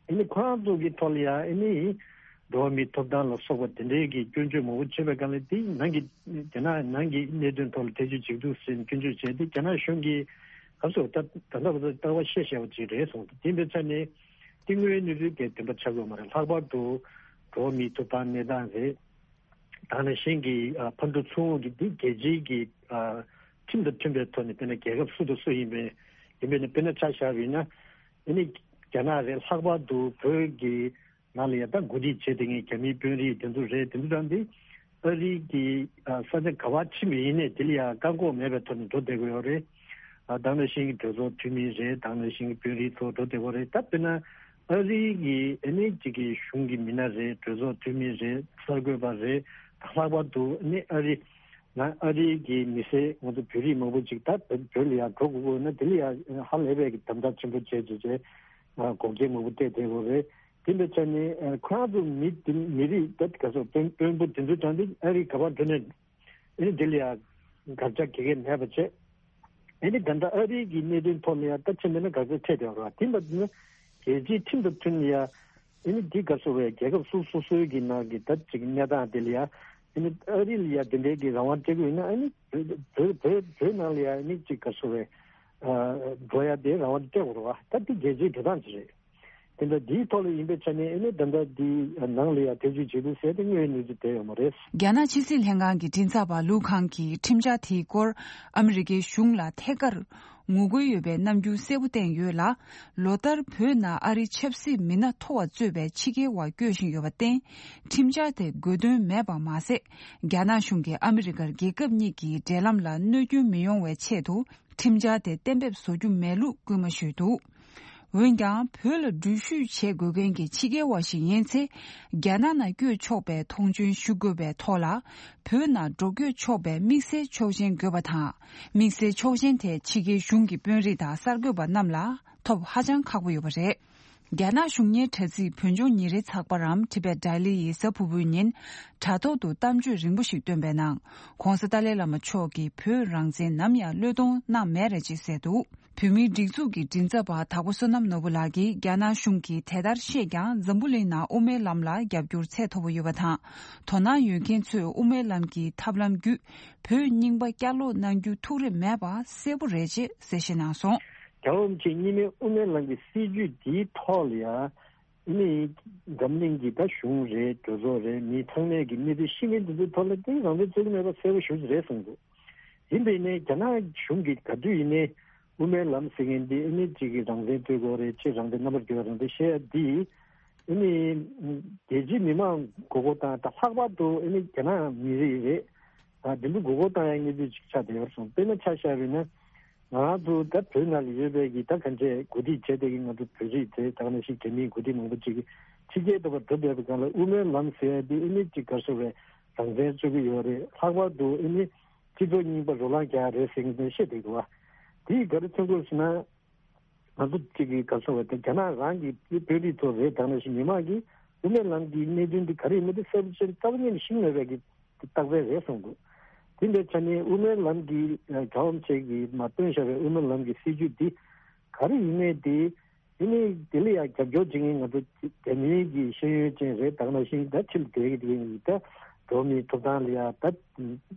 ཨ་ནི་ཁོ་རང་ཚོ་གི་ཐོག་ལ་ཡང་ཨ་ནི་འགྲོ་བ་མིའི་ཐོབ་ཐང་ལ་སོགས་པ་དེ་འདྲའི་གི་སྐྱོན་བརྗོད་མང་པོ་བྱས་པའི་སྒང་ལ་དེ་ནང་གི་རྒྱ་ནག་ནང་གི་གནད་དོན་ཐོག་ལ་ཐེ་ཇུས་བྱེད་འདུག་ཟེར་ནས་སྐྱོན་བརྗོད་བྱས་ཏེ་རྒྱ་ནག་གཞུང་གིས་ག་ཚོད་ད་ད་ལྟ་བར་དུ་ལྟ་བ་བཤད་བཤད་པ་ཅིག་རེད་སོང་། དེ་འདྲ་ཆ་ནས་དེ་དངོས་ཡོད་གནས་ཚུལ་དེ་བདེན་པ་ཆགས་ཀྱི་ཡོད་མ་རེད། ལྷག་པར་དུ་འགྲོ་བ་མིའི་ཐོབ་ཐང་གནས་སྟངས་རེད། དེ་ནང་བཞིན་གྱི་ཨ་ཕར་འགྲོ་ཚུར་འོང་གི་འདི་རྒྱལ་སྤྱིའི་གི་ཨ་ཁྲིམས་དང་མཐུན་པའི་ཐོག་ནས་དཔེར་ན་རྒྱལ་ཁབ་སུ་དང་སུ་ཡིན་པའི་ཡིན་པའི་ནི་དཔེར་ན་ཆ་བཞག་པ་ཡིན་ན་ཨ་ནི་རྒྱ་ནག་རེད། ལྷག་པར་དུ་བོད་ཀྱི་ནང་ལ་ཡང་ད་འགོ་ཁྲིད་བྱས་བསྡད་མཁན་རྒྱ་མིའི་དཔོན་རིགས་དེ་ཚོ་རེད། དེ་ཚོ་དང་དེ་ཨ་རི་གི་ཨ་ས་ཆ་ག་པར་ཕྱིན་པ་ཡིན་ནའི་དེ་ལ་ཡང་བཀག་འགོག་མེད་པའི་ཐོག་ནས་འགྲོ་བསྡད་དགོས་ཡོད་རེད། ཨ་དེ་ནང་བཞིན་གྱི་གྲོས་ཚོགས་འཐུས་མི་རེད། དེ་ནང་བཞིན་གྱི་དཔོན་རིགས་ཚོ་འགྲོ་བསྡད་དགོས་རེད། ད་དཔེར་ན་ཨ་རི་གི་ཨ་ནི་གཅིག་གི་གཞུང་གི་མི་སྣ་རེད། གྲོས་ཚོགས་འཐུས་མི་རེད། གསར་འགོད་པ་རེད། ད་ལྷག་པར་དུ་ཨ་ནི་ཨ་རི་ང་ཨ་རི་གི་མི་སེར་ང་ཚོ་བོད་རིགས་མང་པོ་ཅིག་ད་བོད་ལ་ཡར་འགྲོ་དགོས་དགོས་ན་དེ་ལ་ཡང་ཧ་ལས་པའི་གི་དམ་དྲག་ཆེན་པོ་བྱས་བྱས་བྱས་འགོག་རྐྱེན་མང་པོ་གཏད་བསྡད་དགོས་རེད། དེ་འདྲ་ཆ་ནས་ཁོ་རང་ཚོ་མི་དེ་མི་རིགས་ད་ག་ཚོད་དཔོན་དཔོན་པོ་དེ་ཚོ་དང་དེ་ཨ་རི་ག་པར་འགྲོ་ནས་ཨ་ནི་དེ་ལ་ཡང་དགག་བྱ་ག་གེ་མེད་པ་བྱས། ཨ་ནི་ད་ལྟ་ཨ་རི་གི་གནད་དོན་ཐོག་ནས་ཡང་ད་ཕྱིན་པ་ན་དགག་བྱ་འཕྲད་བསྡད་པ་རེད་བ། དེ་འདྲ་ན་རྒྱལ་སྤྱིའི་ཁྲིམས་དང་མཐུན་ནས་ཡང་ ཨ་ནི་འདི་ག་རེ་ཟེར་བས། རྒྱལ་ཁབ་སོ་སོ་སོའི་གི་ནང་གི་ད་ཅིག་གནས་སྟངས་དེ་ལ་ཡ། ཨ་ནི་ཨ་རི་ལ་ཡ་དེ་འདྲའི་གི་རང་དབང་སྤྲད་དགོས་ཡིན་ན། ཨ་ནི་བོད་བོད་བོད་ནང་ལ་ཡ་ཨ་ནི་ཅིག་ག་རེ་ཟེར་བས། ཨ་འགྲོ་ཡ་དེ་རང་དབང་སྤྲད་དགོས་རེད་བ། ད་འདི་རྒྱལ་སྤྱིའི་འགྲོ་སྟངས་ཅིག་རེད། དེ་འདྲ་འདིའི་ཐོག་ལ་ཡིན་པའི་ཆ་ནས་ཨ་ནི་ད་ལྟ་འདི་ནང་ལ་ཡ་ཐེ་བྱུས་བྱེད་འདུག་ཟེར་ཏེ་དངོས་ཡོད་གནས་ཚུལ་དེ་ཡོད་མ་རེད། རྒྱ་ནག་ཕྱི་སྲིད་ལྷན་ཁང་གི་མགྲིན་ཚབ་པ་ལུའུ་ཁང་གིས་ཁྲིམས་འཆར་དེའི་སྐོར་ཨ་མི་རི་ཀའི་གཞུང་ལ་ཐད་ཀར་ངོ་རྒོལ་ཡོད་པའི་རྣམ་འགྱུར་གསལ་པོ་བསྟན་ཡོད་ལ། ལོ་ལྟར་བོད་ནང་ཨ་རིའི་ཆབ་སྲིད་མི་སྣ་མཐོ་བ་གཙོས་པའི་ཕྱི་རྒྱལ་བ་བསྐྱོད་བཞིན་ཡོད་པར་བརྟེན། ཁྲིམས་འཆར་དེ་དགོས་དོན་མེད་པ་མ་ཟད། རྒྱ་ནག་གཞུང་གིས་ཨ་མི་རི་ཀར་རྒྱལ་ཁབ་གཉིས་ཀྱི་འབྲེལ་ལམ་ལ་གནོད་སྐྱོན་མི་ཡོང་བའི་ཆེད་དུ་ཁྲིམས་འཆར་དེ་གཏན་འབེབས་བཟོ་རྒྱུ་མེད་ལུགས་སྐུལ་མ་ཞུས་འདུག་འོན་ཀྱང་། བོད་ལ་འགྲུལ་བཞུད་བྱེད་དགོས་མཁན་གྱི་ཕྱི་རྒྱལ་བ་ཞིག་ཡིན་ཚེ། རྒྱ་ནག་ནང་བསྐྱོད་ཆོག་པའི་མཐོང་ཆེན་ཞུ་དགོས་པའི་ཐོག་ལ། བོད་ནང་འགྲོ་བསྐྱོད་ཆོག་པའི་དམིགས་བསལ་ཆོག་མཆན་དགོས་པ་དང་། དམིགས་བསལ་ཆོག་མཆན་དེ་ཕྱི་རྒྱལ་གཞུང་གི་དཔོན་རིགས་དང་གསར་འགོད་པ་རྣམས་ལ་ཐོབ་ཧ་ཅང་ཁག་པོ་ཡོད་པ་རེད། རྒྱ་ནག་གཞུང་གཉེར་དྲ་ཚིགས་བོད་ལྗོངས་ཉིན་རེའི་ཚགས་པར་འམ་Tibet Daily ཡིས་གཟའ་ཕུར་བུའི་ཉིན། དྲ་ཐོག་ཏུ་གཏམ་བརྗོད་རིང་པོ་ཞིག་བཏོན་པའི་ནང་། ྋགོང་ས་ཏཱ་ལའི་བླ་མ་མཆོག་གིས་བོད་རང་བཙན་ནམ་ཡང་བློས་གཏོང་གནང་མེད་རེད་ཅེས་གསལ་འདུག་བོད་མིའི་སྒྲིག་འཛུགས་ཀྱི་མགྲིན་ཚབ་པ་དྭགས་པོ་བསོད་ནམས་ནོར་བུ་ལགས་ཀྱིས། རྒྱ་ནག་གཞུང་གིས་དེ་ལྟར་བཤད་ཀྱང་། འཛམ་བུ་གླིང་ནང་དབུ་མའི་ལམ་ལ་རྒྱབ་སྐྱོར་ཚད་མཐོ་པོ་ཡོད་པ་དང་། དོ་སྣང་ཡོད་མཁན་ཚོས་དབུ་མའི་ལམ་གྱི་ཐབས་ལམ་བརྒྱུད་བོད་རྙིང་པ་བསྐྱར་ལོག་གནང་རྒྱུ་ཐུགས་རེ་མེད་པ་གསལ་པོ་རེད་ཅེས་གསལ་བཤད་གནང་སོང་། རྒྱལ་བ་རིན་པོ་ཆེ་གཉིས་སྨན་དབུ་མའི་ལམ་གྱི་སྲིད་བྱུས་འདིའི་ཐོག་ལ་ཡང་། ཨ་ནི་འཛམ་གླིང་གི་ད་གཞུང་རེད། གྲོས་ཚོགས་རེད། མི་ཚང་མས་ཀྱི་གནས་ཚུལ་ཤེས་མཁན་དེ་ཚོའི་ཐོག་ལ་དེ་རང་བཙན་རྩོད་ཀྱི་མེད་པ་གསལ་པོ་ཞེ་པོ་ཅིག་རེད་གསུངས་འདུག་ཡིན་པས་ནས་རྒྱ་ནག་གཞུང་གིས་ག་དུས་ཡིན་ནའི་དབུ་མའི་ལམ་ཟེར་མཁན་འདི་ཨ་ནི་གཅིག་གིས་རང་བཙན་རྩོད་དགོས་རེད། གཅིག་རང་བཙན་རྣམ་པར་རྒྱལ་བའི་རང་བཙན་བཤད་ཡ་འདི། ཨ་ནི་རྒྱལ་སྤྱིའི་མི་མང་མགོ་སྐོར་བཏང་། ད་ལྷག་པར་དུ་ཨ་ནི་རྒྱ་ནག་མི་རིགས་རེད། ད་འདི་ཚོ་མགོ་སྐོར་བཏང་ཡ་གནས་ཚུལ་ཅིག་ཆགས་བསྡད་ཡོད་རེད་གསུངས། དཔེར་ན་ཆ་བཞག་པ་ཡིན་ན། ང་རང་ཚོ་ད་བོད་ནང་ལ་ཡོད་པའི་གི་ད་གང་བྱས་འགོ་ཁྲིད་བྱས་བསྡད་མཁན་ང་ཚོ་བོད་རིགས་དེ་ད་ག་ནང་བཞིན་རྒྱ་མིའི་འགོ་ཁྲིད་མང་པོ་ཅིག་གིས་ཕྱི་རྒྱལ་དུ་བ་འགྲོ་བསྡད་པའི་སྒང་ལ་དབུ་མའི་ལམ་ཟེར་ཡ་དེ་ཨ་ནི་ཅིག་ག་རེ་ཟེར་བས་རང་བཙན་རྩོད་ཀྱི་ཡོད་རེད། ལྷག་པར་དུ་ཨ་ནི་སྤྱི་ཚོགས་རྙིང་པ་རོ་ལངས་རྒྱག་ཡ་རེད་ཟེར་མཁན་དེ་བཤད་བསྡད་འདུག་བ། དེ་ཡིས་ག་རེ་མཚོན་གྱི་ཡོད་ཟེར་ན། ང་ཚོ་གཅིག་གིས་ག་རེ་ཟེར་བས་དེ་རྒྱ་ནག་རང་གི་དཔོན་རིགས་ཚོ་རེད། ད་ག་ནང་བཞིན་མི་མང་གིས་དབུ་མའི་ལམ་གྱི་གནད་དོན་འདི་ག་རེ་ཡིན་མིན་དེ་གསལ་པོ་བྱས་རྩ་བ་ཉིད་ནས་ཤེས་མེད་པའི་གི་རྟགས་མཚན་རེད་གསུངས་འདུག་དེ་འདྲའི་ཆ་ནས་དབུ་མའི་ལམ་གྱི་རྒྱལ་བ་རིན་པོ་ཆེ་གིས་མར་བཏོན་བཞག་པའི་དབུ་མའི་ལམ་གྱི་སྲིད་བྱུས་འདི་ག་རེ་ཡིན་མིན་དེ། དེ་ནས་དེ་ལ་ཡང་རྒྱབ་སྐྱོར་བྱེད་མཁན་ང་ཚོ་རྒྱ་མིའི་གི་ཤེས་ཡོན་ཅན་རེད། ད་ག་ནང་བཞིན་ད་ཕྱི་ལ་བསྡད་ཀྱི་དེ་ཡིན་ད་འགྲོ་བ་མིའི་ཐོབ་ཐང་ལ་ཡང་ད་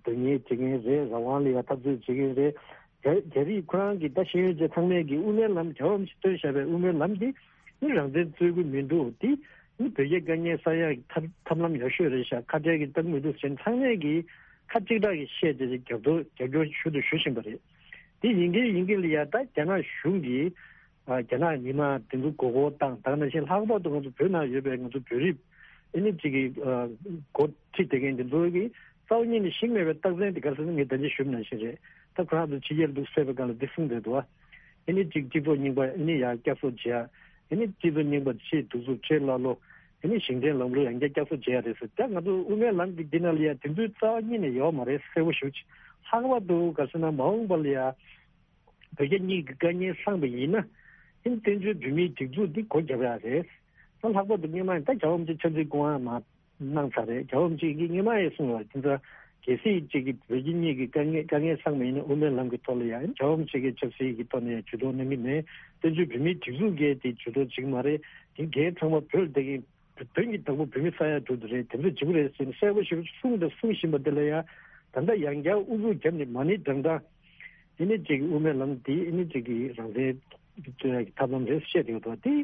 དོན་གཉེར་བྱེད་མཁན་རེད། རང་དབང་ལ་ཡང་འཐབ་རྩོད་བྱེད་མཁན་རེད། རྒྱ་རྒྱ་རིགས་ཁོ་རང་གི་ད་ཤེས་ཡོན་ཅན་ཚང་མས་ཀྱི་དབུ་མའི་ལམ་རྒྱལ་བ་རིན་པོ་ཆེས་བཏོན་བཞག་པའི་དབུ་མའི་ལམ་འདི་ནི་རང་བཙན་རྩོད་ཀྱི་མི་འདུག་འདི་ནི་བོད་རྒྱའི་དཀའ་ངལ་སེལ་ཡག་གི་ཐབས་ཐབས་ལམ་ཡག་ཤོས་རེད་ཤག་ཁ་བྲལ་གྱི་རྟགས་མི་འདུག་ཟེར་ཚང་མས་ཀྱི་ཁ་གཅིག་གྲགས་ཀྱིས་བཤད་དེ་རྒྱབ་སྐྱོར་རྒྱབ་སྐྱོར་ཞུ་དང་ཞུ་བཞིན་པ་རེད། དེ་ཡིན་གྱི་ཡིན་གྱི་ལ་ཡ་ད་རྒྱ་ནག་གཞུང་གིས་ཨ་རྒྱ་ནག་མི་མང་དེ་ཚོ་མགོ་སྐོར་བཏང་། ད་ག་ནང་བཞིན་ལྷག་པར་དུ་ང་ཚོ་བོད་ནང་ཡོད་པའི་ང་ཚོ་བོད་རིགས་ཨ་ནི་གཅིག་གི་ཨ་འགོ་ཁྲིད་བསྡད་མཁན་དེ་ཚོ་གིས་རྩ་བ་ཉིད་ནས་ཤེས་མེད་པའི་རྟགས་མཚན་དེ་ག་རེ་ཟེར་ན། ངས་ད་ཅི་ཞུས་ནང་བཞིན་རེད། ད་ཁོ་རང་ཚོ་ཕྱི་རྒྱལ་འདུག་ཟེར་བའི་སྒང་ལ་འདི་གསུངས་བསྡད་འདུག་ཨ། ཨ་ནི་གཅིག་སྤྱི་ཚོགས་རྙིང་པ་ཨ་ནི་ཡར་བསྐྱར་གསོ་བྱེད་ཡ། ཨ་ནི་སྤྱི་ཚོགས་རྙིང་པ་ཕྱིའི་གདུག་རྩུབ་ཕྱིའི་ཀླ་ཀློ། ཨ་ནི་ཞིང་བྲན་ལམ་ལུགས་ཡང་བསྐྱར་བསྐྱར་གསོ་བྱེད་ཡ་རེད་ཟེར། ད་ང་ཚོ་དབུ་མའི་ལམ་གྱི་འདི་ནང་ལ་ཡ་དེ་ཚོའི་རྩ་བ་ཉིད་ནས་ཡོད་མ་རེད། གསལ་པོ་ཞེ་པོ་ཅིག་ལྷག་པར་དུ་ག་རེ་ཟེར་ན་མ་འོངས་པ་ལ་ཡ་བོད་རྒྱ་གཉིས་ཀྱི་དཀའ་ངལ་སངས་པ་ཡིན་ན། ཨ་ནི་བཙན་བྱོལ་བོད་མིའི་སྒྲིག་འཛུགས་འདི་སྒོ་བརྒྱབ་ཡ་རེད། ད་ལྷག་པར་དུ་སྔོན་མ་ད་རྒྱལ་བ་རིན་པོ་ཆེ་ཕྱག་འཚལ་སྐུ་དབང་མར་གནང་ཚར་རེད། རྒྱལ་བ་རིན་པོ་ཆེ་གིས་སྔོན་མ་ཡང་གསུངས་ཡོད་རེད། དེ་ཚོ་གལ་སྲིད་ཅིག་གིས་བོད་རྒྱ་གཉིས་ཀྱི་དཀའ་ངལ་དཀའ་ངལ་སངས་པ་ཡིན་ན་དབུ་མའི་ལམ་གྱི་ཐོག་ལ་ཡང་རྒྱལ་བ་རིན་པོ་ཆེ་གིས་ཆབ་སྲིད་ཀྱི་ཐོག་ནས་ཡང་ཇུས་གཏོགས་གནང་གི་མེད། བཙན་བྱོལ་བོད་མིའི་སྒྲིག་འཛུགས་ཀྱིས་དེ་ཇུས་གཏོགས་བྱེད་ཀྱི་མ་རེད། དེ་འགན་ཚང་མ་བོད་ལ་བསྡད་མཁན་བོད་ཀྱི་བདག་པོ་བོད་མི་ས་ཡ་དྲུག་དེ་རེད། དེ་ཚོས་བྱེད་དགོས་རེད་ཟེར་ནས་གསལ་པོ་ཞེ་པོ་གསུངས་དང་གསུང་བཞིན་པ་དེ་ལ་ཡང་ད་ལྟ་ཡང་བསྐྱར་ཨུ་ཚུགས་བརྒྱབ་ནས་མ་ཎི་བགྲང་སྟངས། ཨ་ནི་ཅིག་དབུ་མའི་ལམ་འདི་ཨ་ནི་ཅིག་གི་རང་བཙན་རྩོད་ཡག་གི་ཐབས་ལམ་རེད་བཤད་ཡོད་དོ། དེ་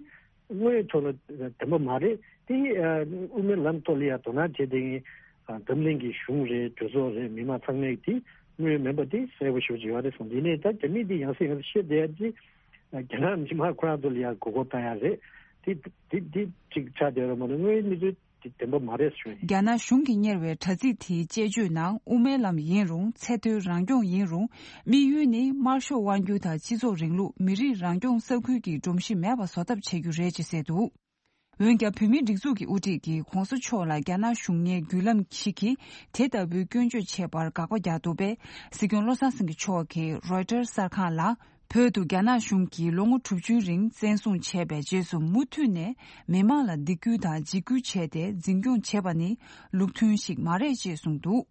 དངོས་ཡོད་ཐོག་ལ་བདེན་པ་མ་རེད། དེ་ཨ་དབུ་མའི་ལམ་ཐོག་ལ་ཡ་དོ་སྣང་བྱེད་བསྡད་མཁན་ཨ་འཛམ་གླིང་གི་གཞུང་རེད། གྲོས་ཚོགས་རེད། མི་མང་ཚང་མས་དེ་དངོས་ཡོད་མིན་པ་དེ་གསལ་པོ་ཞེ་པོ་ཅིག་ཡོད་རེད་གསུངས། དེ་ནས་ད་རྒྱ་མི་འདི་ཡང་སེ་ཡང་སེ་བཤད་བསྡད་ཡ་དེ་རྒྱ་ནག་མི་མང་ཁོ་རང་ཚོ་ལ་ཡ་མགོ་སྐོར་བཏང་ཡ་རེད། དེ་དེ་དེ་ཅིག་ཆགས་བསྡད་ཡོད་རེད་མ་གཏོགས་དངོས་ཡོད་གནས་ཚུལ་དེ་བདེན་པ་མ་རེད་ཞུ། རྒྱ་ནག་གཞུང་གིས་གཉེར་བའི་དྲ་ཚིགས་དེའི་དཔྱད་བརྗོད་ནང་དབུ་མའི་ལམ་ཡིན་རུང་། ཚད་མཐོའི་རང་སྐྱོང་ཡིན་རུང་། དམིགས་ཡུལ་ནི་དམར་ཤོག་དབང་སྒྱུར་དང་སྤྱི་ཚོགས་རིང་ལུགས། མི་རིགས་རང་སྐྱོང་ས་ཁུལ་གྱི་སྒྲོམ་གཞི་མེད་པ་བཟོ་ཐབས་བྱེད་རྒྱུ་རེད་ཅེས་གསལ་འདུག་འོན་ཀྱང་། བོད་མིའི་སྒྲིག་འཛུགས་ཀྱི་དབུ་ཁྲིད་ཀྱིས་ྋགོང་ས་མཆོག་ལ་རྒྱ་ནག་གཞུང་གཉེར་བརྒྱུད་ལམ་ཞིག་གིས་དེ་ལྟ་བུའི་སྐྱོན་བརྗོད་བྱས་པར་དགག་པ་རྒྱག་འདུག་པས། སྲིད་སྐྱོང་བློ་བཟང་སེང་གེ་མཆོག་གིས་རོའི་ཊར་གསར་ཁང་ལ། བོད་དུ་རྒྱ་ནག་གཞུང་གིས་ལོ་ངོ་དྲུག་ཅུའི་རིང་བཙན་བཟུང་བྱས་པའི་རྗེས་སུ་མུ་མཐུད་ནས་མི་མང་ལ་སྡིགས་སྐུལ་དང་འཇིགས་སྐུལ་བྱས་ཏེ་འཛིན་སྐྱོང་བྱེད་པ་ནི་ལུགས་མཐུན་ཞིག་མ་རེད་ཅེས་གསུངས་འདུག་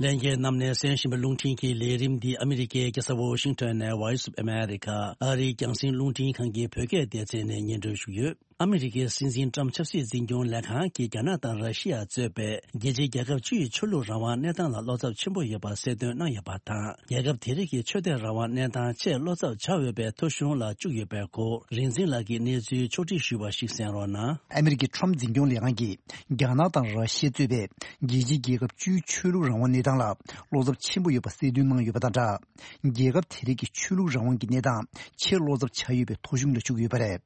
ལྷན་རྒྱས་རྣམས་ནས་གསན་བཞིན་པའི་རླུང་འཕྲིན་གྱི་ལས་རིམ་འདི་ཨ་མི་རི་ཀའི་རྒྱལ་ས་ཝོ་ཤིང་ཊོན་ནས་Voice of America ཨ་རིའི་རྒྱང་སྲིང་རླུང་འཕྲིན་ཁང་གི་བོད་སྐད་སྡེ་ཚན་ནས་སྙན་སྒྲོན་ཞུས་ཡོད། ཨ་མི་རི་ཀའི་སྲིད་འཛིན་ཊམ་ཆབ་སྲིད་འཛིན་སྐྱོང་ལས་ཁང་གིས་རྒྱ་ནག་དང་ར་ཤི་ཡ་གཙོས་པའི་རྒྱལ་སྤྱིའི་རྒྱལ་ཁབ་བཅུ་ཡི་ཆོས་ལུགས་རང་དབང་གནས་སྟངས་ལ་བློ་འཚབ་ཆེན་པོ་ཡོད་པ་གསལ་སྟོན་གནང་ཡོད་པ་དང་། རྒྱལ་ཁབ་དེ་རིགས་ཀྱི་ཆོས་དད་རང་དབང་གནས་སྟངས་ཆེས་བློ་འཚབ་བྱ་འོས་པའི་ཐོ་གཞུང་ལ་བཅུག་ཡོད་པའི་སྐོར་རིག་འཛིན་ལགས་ཀྱིས་གནས་ཚུལ་ཕྱོགས་སྒྲིག་ཞུས་པ་ཞིག་གསན་རོགས་གནང་། ཨ་མི་རི་ཀའི་ཊམ་འཛིན་སྐྱོང་ལས་ཁང་གིས་རྒྱ་ནག་དང་ར་ཤི་ཡ་གཙོས་པའི་རྒྱལ་སྤྱིའི་རྒྱལ་ཁབ་བཅུའི་ཆོས་ལུགས་རང་དབང་གནས་སྟངས་ལ་བློ་འཚབ་ཆེན་པོ་ཡོད་པ་གསལ་སྟོན་གནང་ཡོད་པ་དང་སྦྲགས། རྒྱལ་ཁབ་དེ་རིགས་ཀྱི་ཆོས་ལུགས་རང་དབང་གི་གནས་སྟངས་ཆེས་བློ་འཚབ་བྱ་ཡོད་པའི་ཐོ་གཞུང་ལ་བཅུག་ཡོད་པ་རེད།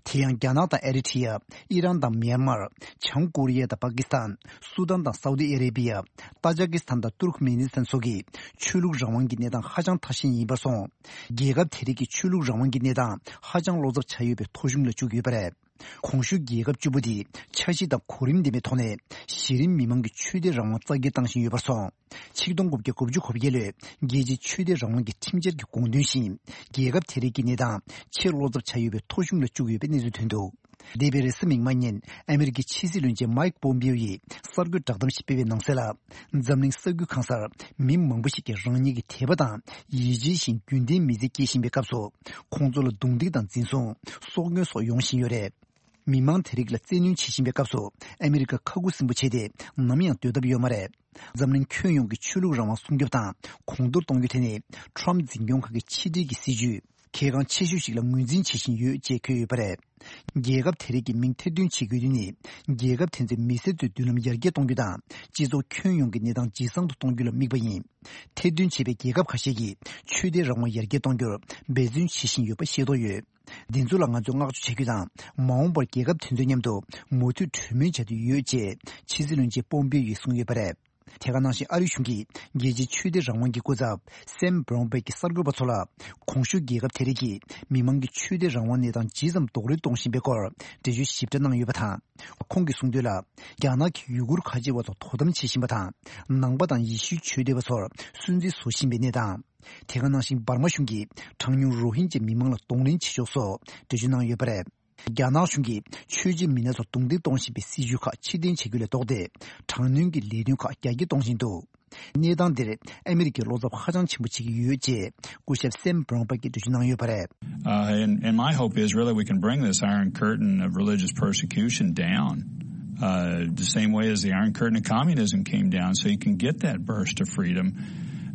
དེ་ཡང་རྒྱ་ནག་དང་ཨེ་རི་ཊི་ཡ། ཨི་རན་དང་མྱན་མར། བྱང་ཀོ་རི་ཡ་དང་པ་ཀི་སི་ཐན། སུ་དཱན་དང་སའུ་ཏི་ཨ་རེ་བི་ཡ། ཏཱ་ཇ་ཀི་སི་ཐན་དང་ཏུར་ཁ་མེ་ནི་སི་ཐན་སོགས་ཀྱི་ཆོས་ལུགས་རང་དབང་གི་གནས་སྟངས་ཧ་ཅང་ཐ་ཞན་ཡིན་པར་སོང་། རྒྱལ་ཁབ་དེ་རིགས་ཀྱི་ཆོས་ལུགས་རང་དབང་གི་གནས་སྟངས་ཧ་ཅང་བློ་འཚབ་བྱ་ཡོད་པའི་ཐོ་གཞུང་ལ་བཅུག་ཡོད་པ་རེད། གོང་ཞུས་རྒྱལ་ཁབ་བཅུ་པོ་དེས་འཆར་གཞི་དང་གོ་རིམ་ལྡན་པའི་ཐོག་ནས་གཞི་རིམ་མི་མང་གི་ཆོས་དད་རང་དབང་རྩ་འགེངས་བཏང་བཞིན་ཡོད་པར་སོང་། ཆིག་སྟོང་དགུ་བརྒྱ་དགུ་བཅུ་གོ་བརྒྱད་ལོའི་རྒྱལ་སྤྱིའི་ཆོས་དད་རང་དབང་གི་ཁྲིམས་འཆར་གྱི་དགོངས་དོན་བཞིན། རྒྱལ་ཁབ་དེ་རིགས་ཀྱི་གནས་སྟངས་ཆེས་བློ་འཚབ་བྱ་ཡོད་པའི་ཐོ་གཞུང་ལ་བཅུག་ཡོད་པའི་གནས་ཚུལ་ཐོན་འདུག་འདས་པའི་རེས་གཟའ་མིག་དམར་ཉིན་ཨ་མི་རི་ཀའི་ཕྱི་སྲིད་བློན་ཆེན་མའིག་པོམ་པིའོ་ཡིས་གསར་འགོད་བསྒྲགས་གཏམ་ཞིག་སྤེལ་བའི་ནང་གསལ་ལ། འཛམ་གླིང་ས་ཁུལ་གང་སར་མི་མང་པོ་ཞིག་གིས་རང་ཉིད་ཀྱི་དད་པ་དང་ཡིད་ཆེས་བཞིན་རྒྱུན་ལྡན་མི་ཚེ་སྐྱེལ་བཞིན་པའི་སྐབས་སུ། ཁོང་ཚོ་ལ་རྡུང་རྡེག་དང་འཛིན་བཟུང་། སྲོག་སྐྱོན་སོགས་ཡོང་བཞིན་ཡོད་རེད། མི་མང་དེ་རིགས་ལ་བཙན་གནོན་བྱེད་བཞིན་པའི་སྐབས་སུ་ཨ་མི་རི་ཀ་ཁ་ཁུ་སིམ་པོ་བྱས་ཏེ་ནམ་ཡང་སྡོད་ཐབས་ཡོད་མ་རེད། འཛམ་གླིང་ཁྱོན་ཡོངས་ཀྱི་ཆོས་ལུགས་རང་དབང་སྲུང་སྐྱོབ་དང་གོང་མཐོར་གཏོང་རྒྱུ་དེ་ནི་ཊམ་འཛིན་སྐྱོང་ཁང་གི་ཕྱི་འབྲེལ་གྱི་སྲིད་ཇུས་གལ་འགངས་ཆེ་ཤོས་ཤིག་ལ་ངོས་འཛིན་བྱེད་བཞིན་ཡོད་ཅེས་འཁོད་ཡོད་པ་རེད། རྒྱལ་ཁབ་དེ་རིགས་ཀྱི་མིང་ཐེར་འདོན་བྱེད་དགོས་དོན་ནི་རྒྱལ་ཁབ་དེ་ཚོའི་མི་སེར་ཚོའི་མདུན་ལམ་ཡར་རྒྱས་གཏོང་རྒྱུ་དང་སྤྱི་ཚོགས་ཁྱོན་ཡོངས་ཀྱི་གནས་སྟངས་ཇེ་བཟང་དུ་གཏོང་རྒྱུ་ལ་དམིགས་པ་ཡིན། ཐེར་འདོན་བྱས་པའི་རྒྱལ་ཁབ་ཁ་ཤས་ཀྱིས་ཆོས་དད་རང་དབང་ཡར་རྒྱས་གཏོང་རྒྱུར་འབད་བརྩོན་བྱེད་བཞིན་ཡོད་པ་ཤེས་རྟོགས་ཡོད། འདི་ཚོ་ལ་ང་ཚོས་བསྔགས་བརྗོད་བྱ་རྒྱུ་དང་མ་འོངས་པར་རྒྱལ་ཁབ་དེ་ཚོའི་མཉམ་དུ་མུ་མཐུད་གྲོས་མོལ་བྱ་འདོད་ཡོད་ཅེས་ཕྱི་སྲིད་བློན་ཆེན་པོམ་པིའོ་ཡིས་གསུངས་ཡོད་པ་རེད། དེ་ག་ནང་བཞིན་ཨ་རི་གཞུང་གིས་རྒྱལ་སྤྱིའི་ཆོས་དད་རང་དབང་གི་སྐུ་ཚབ་སེམ་བྷ་རོན་པེག་གིས་གསར་འགོད་པ་ཚོ་ལ་གོང་ཞུས་རྒྱལ་ཁབ་དེ་རིགས་ཀྱིས་མི་མང་གི་ཆོས་དད་རང་དབང་གནས་སྟངས་ཇི་ཙམ་རྡོག་རོལ་གཏོང་བཞིན་པའི་སྐོར་འགྲེལ་བརྗོད་ཞིབ་ཕྲ་གནང་ཡོད་པ་དང་། ཁོང་གིས་གསུངས་དོན་ལ། རྒྱ་ནག་གིས་ཡུ་གུར་ཁ་ཆེ་བ་ཚོར་དོ་དམ་བྱེད་བཞིན་པ་དང་། ནང་པ་དང་ཡེ་ཤུའི་ཆོས་དད་པ་ཚོར་སུན་གཙེར་བཟོ་བཞིན་པའི་གནས་སྟངས། དེ་ག་ནང་བཞིན་འབར་མ་གཞུང་གིས་གྲངས་ཉུང་རོ་ཧིན་ཇ་མི་མང་ལ་གདོང་ལེན་བྱེད་ཕྱོགས་སོགས་འགྲེལ་བརྗོད་གནང་ཡོད་པ་རེད། རྒྱ་ནག་གཞུང་གིས་ཆོས་བྱེད་མི་སྣ་ཚོར་རྡུང་རྡེག་གཏོང་བཞིན་པའི་སྲིད་བྱུས་ཁག་ཕྱིར་འཐེན་བྱེད་རྒྱུ་ལས་ལྡོག་སྟེ། དྲག་གནོན་གྱི་ལས་དོན་ཁག་རྒྱ་སྐྱེད་གཏོང་བཞིན་འདུག་གནས་སྟངས་འདིར་ཨ་མི་རི་ཀས་བློ་འཚབ་ཧ་ཅང་ཆེན་པོ་བྱེད་ཀྱི་ཡོད་ཅེས་སྐུ་ཞབས་སེམ་བྷ་རོན་པེག་གིས་འགྲེལ་བརྗོད་གནང་ཡོད་པ་རེད། Uh, and, and my hope is really we can bring this Iron Curtain of religious persecution down, uh, the same way as the Iron Curtain of communism came down, so you can get that burst of freedom.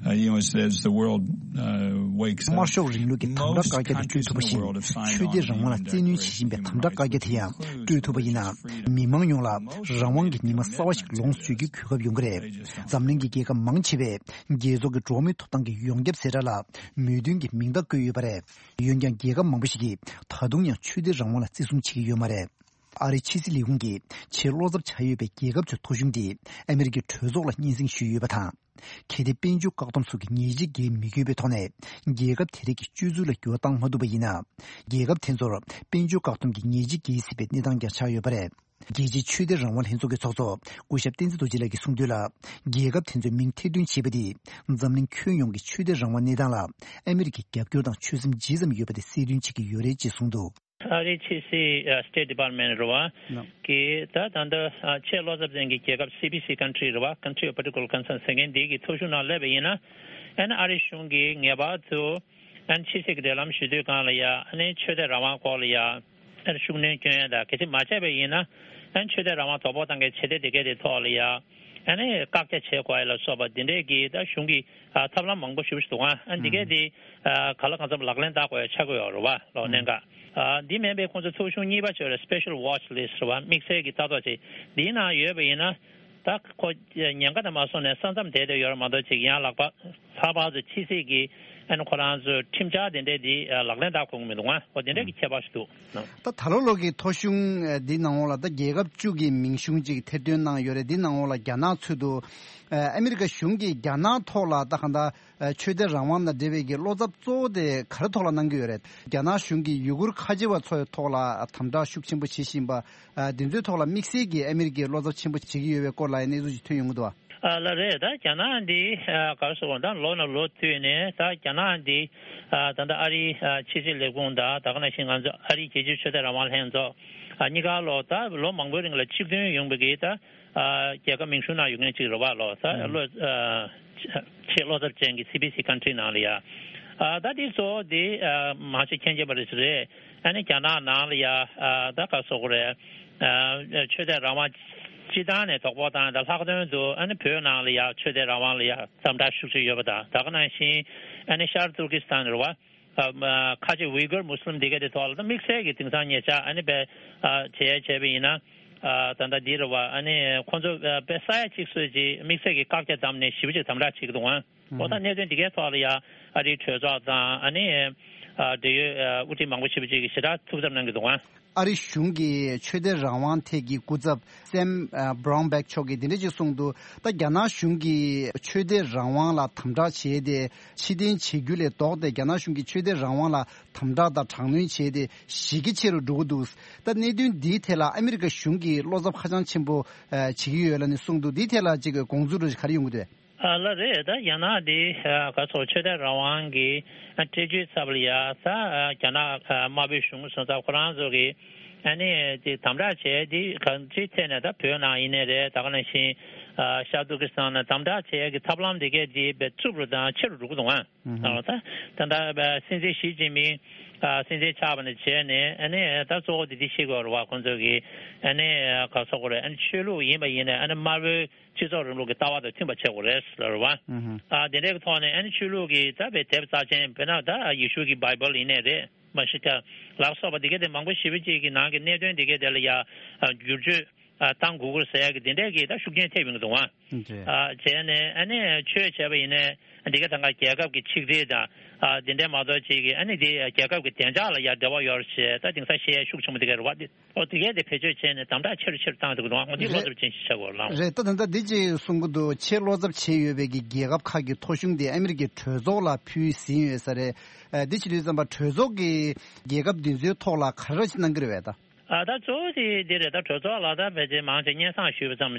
Uh, you know, as, as the world, uh, wakes up, དམར་ཤོག་རིང་ལུགས་ཀྱི་དམ་དྲག་བཀའ་རྒྱ་དེ་སྤྲོད་ཐུབ་པ་བཞིན། ཆོས་དད་རང་དབང་ལ་བཙན་གནོན་བྱེད་བཞིན་པའི་དམ་དྲག་བཀའ་རྒྱ་དེ་ཡང་སྤྲོད་ཐུབ་པ་ཡིན་ན། མི་མང་ཡོངས་ལ་རང་དབང་གི་ཉི་མ་གསར་བ་ཞིག་ལོངས་སུ་སྤྱོད་རྒྱུའི་གོ་སྐབས་ཡོང་གི་རེད། འཛམ་གླིང་གི་རྒྱལ་ཁབ་མང་ཆེ་བས་རྒྱལ་ཚོགས་ཀྱི་འགྲོ་བ་མིའི་ཐོབ་ཐང་གི་ཡོངས་ཁྱབ་གསལ་བསྒྲགས་ལ་མོས་མཐུན་གྱི་མིང་རྟགས་བཀོད་ཡོད་པ་རེད། འོན་ཀྱང་རྒྱལ་ཁབ་མང་པོ་ཞིག་གིས་ད་དུང་ཡང་ཆོས་དད་རང་དབང་ལ་བརྩི་སྲུང་བྱེད་ཀྱི་ཡོད་མ་རེད། ཨ་རིའི་ཕྱི་སྲིད་ལས་ཁུངས་ཀྱིས་ཆེས་བློ་འཚབ་ཆགས་ཡོད་པའི་རྒྱལ་ཁབ་ཚོའི་ཐོ་གཞུང་དེ་ཨ་མི་རི་ཀའི་གྲོས་ཚོགས་ལ་སྙན་སེང་ཞུས་ཡོད་པ་དང་། གལ་ཏེ་དཔལ་འབྱོར་བཀག་སྡོམ་སོགས་ཀྱི་ཉེས་ཆད་འགེལ་མི་དགོས་པའི་ཐོག་ནས་རྒྱལ་ཁབ་དེ་རིགས་ཀྱི་སྤྱོད་ཚུལ་ལ་འགྱུར་བ་བཏང་མ་ཐུབ་པ་ཡིན་ན། རྒྱལ་ཁབ་དེ་ཚོར་དཔལ་འབྱོར་བཀག་སྡོམ་གྱི་ཉེས་ཆད་འགེལ་སྲིད་པའི་གནས་སྟངས་ཀྱང་ཆགས་ཡོད་པ་རེད། རྒྱལ་སྤྱིའི་ཆོས་དད་རང་དབང་ལྷན་ཚོགས་ཀྱི་ཚོགས་གཙོ་སྐུ་ཞབས་བསྟན་འཛིན་རྡོ་རྗེ་ལགས་ཀྱིས་གསུངས་དོན་ལ། རྒྱལ་ཁབ་དེ་ཚོས་མིང་ཐེར་འདོན་བྱས་པ་དེས་འཛམ་གླིང་ཁྱོན་ཡོངས་ཀྱི་ཆོས་དད་རང་དབང་གནས་སྟངས་ལ་ཨ་མི་རི་ཀའི་རྒྱབ་སྐྱོར་དང་ཆོད་སེམས་ཇི་ཙམ་ཡོད་པ་དེ་གསལ་སྟོན་བྱེད་ཀྱི་ཡོད་རེད་ཅེས་གསུངས་འདུག་ཨ་རིའི་ཕྱི་སྲིད་ཨ་State Department རེད་བ། ནོ། གིས་ད་ད་ལྟ་ཨ་ཆེས་བློ་འཚབ་ཅན་གྱི་རྒྱལ་ཁབ་སི་པི་སི་country རེད་བ། Country of Particular Concern ཟེར་མཁན་འདི་གི་ཐོ་གཞུང་ནང་སླེབས་པ་ཡིན་ན། ཨ་ནི་ཨ་རི་གཞུང་གིས་ངེས་པར་དུ་ཨ་ནི་ཕྱི་སྲིད་ཀྱི་འབྲེལ་ལམ་ཞུ་དུས་སྒང་ལ་ཡ། ཨ་ནི་ཆོས་དད་རང་དབང་སྐོར་ལ་ཡ། ཨ་ནི་ཤུགས་སྣོན་སྐྱོན་ཡ་དང་། གལ་སྲིད་མ་བྱས་པ་ཡིན་ན། ཨ་ནི་ཆོས་དད་རང་དབང་དོ་ཕོག་བཏང་མཁན་བྱེད་གཏེ་དེ་གའི་དེ་ཐོག་ལ་ཡ། ཨ་ནི་བཀག་རྒྱ་བྱེད་དགོས་ཡ་ལ་སོགས་པ་འདི་འདྲས་ཀྱི་ད་གཞུང་གི་ཨ་ཐབས་ལམ་མང་པོ་ཞེ་པོ་ཞིག་འདུག་ཨ། ཨ་ནི་འདི་གའི་དེ་ཨ་ག་ལ་གང་འཚམ་ལག་ལེན་བསྟར་དགོས་ཡ་ཆགས་ཀྱི་ཡོད་རེད་བ། ལོ་གནད་འགག་ཨ་འདི་མིན་པའི་ཁོང་ཚོ་ཐོ་གཞུང་གཉིས་པ་ཅིག་ཡོད་རེད། Special Watch List རེད་བ། དམིགས་བསལ་གྱི་ལྟ་རྟོག་ཅིག་འདིའི་ནང་ཡོད་པ་ཡིན་ན། ད་ཁོ་ཉེན་ཁ་དེ་མ་སོང་ནས་ས་མཚམས་དེད་དེ་ཡོད་རེད་མ་གཏོགས་ཅིག་ཡང་ལག་པ་ལྷག་པར་དུ་ཕྱི་སྲིད་ཀྱི་ཨ་ནི་ཁོ་རང་ཚོའི་ཁྲིམས་འཆར་དེ་འདྲས་འདི་ལག་ལེན་བསྟར་དགོས་ཀྱི་མི་འདུག་ཨ། འོ་དེ་འདྲས་ཀྱི་ཁྱད་པར་ཞིག་འདུག་ད་ད་ལོ་ལོ་གི་ཐོ་གཞུང་འདི་ནང་ལོགས་ལ་ད་རྒྱལ་ཁབ་བཅུ་གི་མིང་གཞུང་ཅིག་ཐེར་འདོན་གནང་ཡོད་རེད། འདི་ནང་ལོགས་ལ་རྒྱ་ནག་ཚུད་འདུག་ཨ་མི་རི་ཀ་གཞུང་གིས་རྒྱ་ནག་ཐོག་ལ་ད་གང་ལྟར་ཆོས་དད་རང་དབང་དང་འབྲེལ་བའི་གི་བློ་འཚབ་གཙོ་བོ་དེ་ག་རེ་ཐོག་ལ་གནང་གི་ཡོད་རེད། རྒྱ་ནག་གཞུང་གིས་ཡུ་གུར་ཁ་ཆེ་བ་ཚོའི་ཐོག་ལ་དམ་དྲག་ཤུགས་ཆེན་པོ་བྱེད་བཞིན་པ། ཨ་དེ་ཚོའི་ཐོག་ལ་དམིགས་བསལ་གྱིས་ཨ་མི་རི་ཀས་བློ་འཚབ་ཆེན་པོ་བྱེད་ཀྱི་ཡོད་པའི་སྐོར་ལ་ཡང་གནས་ཚུལ་ཅིག་ཐོན་ཡོང་གི་འདུག་ཨ། ཨ་ལགས་རེད། ད་རྒྱ་ནག་འདི་ཨ་ག་རེ་ཟེར་དགོས། ད་ལོ་ནས་ལོ་བསྟུད་ནས་ད་རྒྱ་ནག་འདི་ཨ་ད་ལྟ་ཨ་རིའི་ཨ་ཕྱི་སྲིད་ལས་ཁུངས་དང་། ད་ག་ནང་བཞིན་ང་ཚོ་ཨ་རིའི་རྒྱལ་སྤྱིའི་ཆོས་དད་རང་དབང་ལྷན་ཚོགས་ཨ་གཉིས་ཀ་ལོ་ད་ལོ་མང་པོའི་རིང་ལ་གཅིག་མཐུན་ཡོང་བའི་གི་ད་ ཨ་རྒྱལ་ཁབ་མིང་གཞུང་ནང་ཡོད་མཁན་ཅིག་རེད་བ་ལོ། ས་ཨ་བློ་ཨ་ཆེས་བློ་འཚབ་ཅན་གྱི་སི་བི་སི་ཀན་ཊི་རི་ནང་ལ་ཡ། ཨ་ད་དེ་གཙོ་བོ་དེ་ཨ་མང་ཆེ་མཁྱེན་མཁྱེན་པ་རེད་ཟེར་རེད། ཨ་ནི་རྒྱ་ནག་ནང་ལ་ཡ་ཨ་ད་ག་སོག་རེད། ཨ་ཆོས་དད་རང་དབང་སྤྱི་བཏང་ནས་དོགས་པ་བཏང་ཡ་ད་ལྷག་དོན་དུ་ཨ་ནི་བོད་ནང་ལ་ཡ་ཆོས་དད་རང་དབང་ལ་ཡ་འཛམ་དྲག་ཤུགས་ཆེ་ཡོད་པ་དང་། ད་ག་ནང་བཞིན་ཨ་ནི་ཤར་ཏུར་ཀི་སི་ཐན་རེད་བ། ཨ་མ་ཁ་ཆེ་ཝི་གུར་མུ་སི་ལིམ་འདི་ག་དེ་ཐོག་ལ་ད་དམིགས་བསལ་གྱི་དེང་སང་ཉེ་ཆར་ཨ་ནི་བས་ཨ་བྱས་བྱས་པ་ཡིན་ན། ཨ་ད་ལྟ་འདི་རེད་བ། ཨ་ནི་ཁོང་ཚོ་ཨ་བས་ས་ཡ་གཅིག་ཙམ་ཅིག་དམིགས་བསལ་གྱི་བཀག་རྒྱ་བསྡམས་ནས་ཞེ་པོ་ཅིག་དམ་དྲག་བྱེད་ཀྱི་འདུག་ཨང་། འོ་ད་གནད་དོན་འདི་གའི་ཐོག་ལ་ཡ་ཨ་རིའི་གྲོས་ཚོགས་དང་ཨ་ནི་ཨ་འབྲེལ་ཡོད་ཨ་དབུ་ཁྲིད་མང་པོ་ཞེ་པོ་ཅིག་གིས་ཞེ་དྲག་ཐུགས་འཚབ་གནང་གི་འདུག་ཨང་། ཨ་རི་གཞུང་གི་ཆོས་དད་རང་དབང་ཐད་ཀྱི་སྐུ་ཚབ་སེམ་ཨ་བྷ་རའུན་བྷེག་མཆོག་གིས་འདི་འདྲ་ཅིག་གསུངས་འདུག་ད་རྒྱ་ནག་གཞུང་གིས་ཆོས་དད་རང་དབང་ལ་དམ་དྲག་བྱས་ཏེ། ཕྱིར་འཐེན་བྱེད་རྒྱུ་ལས་ལྡོག་སྟེ་རྒྱ་ནག་གཞུང་གིས་ཆོས་དད་རང་དབང་ལ་དམ་དྲག་དང་དྲག་གནོན་བྱས་ཏེ་གཞི་རྒྱ་ཆེ་རུ་འགྲོ་གི་འདུག་ད་གནད་དོན་འདིའི་ཐད་ལ་ཨ་མི་རི་ཀ་གཞུང་གིས་བློ་འཚབ་ཧ་ཅང་ཆེན་པོ་ཨ་བྱེད་ཀྱི་ཡོད་ལབ་ནས་གསུངས་འདུག་འདིའི་ཐད་ལ་ཅིག་དགོངས་ཚུལ་རེ་ག་རེ་ཡོང་གི་འདུག་ཨ་ལ་རེད། ད་རྒྱ་ནག་འདི་ཨ་ག་ཚོད་ཆོས་དད་རང་དབང་གི་ཨ་སྤྲད་རྒྱུའི་ཚབ་ལ་ཡ་ད་ཨ་རྒྱ་ནག་ཨ་དམར་པོའི་གཞུང་སོང་ཙང་ཁོ་རང་ཚོ་གི་ཨ་ནི་དེ་དམ་དྲག་བྱས་དེ་གང་ཅིའི་ཐད་ནས་ད་བོད་ནང་ཡིན་ནའི་རེད། ད་ག་ནང་བཞིན་ཨ་ཤར་ཏུར་ཀི་སི་ཐན་ནང་དམ་དྲག་བྱས་ཀྱི་ཐབས་ལམ་དེ་གས་དེ་བས་རྩུབ་རུ་དང་ཆེ་རུ་འགྲོ་གི་འདུག་ཨང་། ཨོ་ད་ད་ལྟ་སྲིད་འཛིན་ཞི་ཅིན་ཕིང་ཨ་སྲིད་འཛིན་ཆགས་པ་ནས་བྱས་ནས་ཨ་ནི་ད་གཙོ་བོ་དེ་དེ་ཤེས་དགོས་རེད་བ། ཁོང་ཚོ་གིས་ཨ་ནི་ག་སོག་རེད། ཨ་ནི་ཆོས་ལུགས་ཡིན་པ་ཡིན་ནའི་ཨ་ནི་དམར་པོའི་སྤྱི་ཚོགས་རིང་ལུགས་ཀྱི་ལྟ་བ་དང་མཐུན་པ་བྱེད་དགོས་རེད་ཟེར་བ། ཨ་དེ་འདྲའི་ཐོག་ནས་ཨ་ནི་ཆོས་ལུགས་ཀྱི་ད་བའི་དེབ་རྩ་ཆེན་དཔེར་ན་ད་ཡེ་ཤུ་གི་བྷའི་བལ་ཡིན་ནའི་རེད། མ་ཤི་ཀ་ལ་སོགས་པ་དེ་ག་དེ་མང་པོ་ཞེ་པོ་ཅིག་གི་ནང་གི་གནད་དོན་དེ་ག་དེ་ལ་ཡ་བསྒྱུར་བཅོས་བཏང་དགོས་ཀྱི་ཟེར་ཡ་གི་དེ་འདྲའི་གི་ད་ཤུགས་རྐྱེན་ཐེབས་ཡོང་གི་འདུག་ཨང་། ཨ་བྱས་ནས་ཨ་ནི་ཆོས་བྱས་པ་ཡིན་ནའི་འདི་ག་ད་ག་རྒྱལ་ཁབ་ཀྱི་ཆིག་སྒྲིལ་དང་ཨ་དེ་འདྲའི་མ་གཏོགས་ཅིག་གི་ཨ་ནི་དེ་རྒྱལ་ཁབ་ཀྱི་བདེ་འཇགས་ལ་ཡ་འབྲེལ་བ་ཡོད་རེད་ཅེས་ད་དེང་སང་བཤད་ཡ་ཤུགས་ཆེན་པོ་དེ་ག་རེད་བ། དེ་ཨོ་དེ་གས་དེ་བེད་སྤྱོད་བྱས་ནས་དམ་དྲག་ཆེ་རུ་ཆེ་རུ་བཏང་འདུག་གི་འདུག་ཨང་། འོ་དེ་བློ་འཚབ་ཅན་ཞིག་ཆགས་དགོས་ལགས། རེད། ད་ད་ལྟ་འདི་ཅིག་གསུང་གི་འདུག་ཆེས་བློ་འཚབ་བྱས་ཡོད་པའི་གི་རྒྱལ་ཁབ་ཁག་གི་ཐོ་གཞུང་དེ་ཨ་མི་རི་ཀའི་གྲོས་ཚོགས་ལ་ཕུལ་ཟིན་ཡོད་ས་རེད། ཨ་འདི་བྱེད་དུས་ཙམ་པ་གྲོས་ཚོགས་ཀྱི་རྒྱལ་ཁབ་འདི་ཚོའི་ཐོག་ལ་ག་རེ་ཅིག་གནང་གི་རེད་པས་ད། ཨ་ད་གཙོ་བོ་དེ་འདི་རེད། ད་གྲོས་ཚོགས་ལ་ད་ཕལ་ཆེར་མང་ཆེ་སྙན་སེང་ཞུས་པ་ཙམ་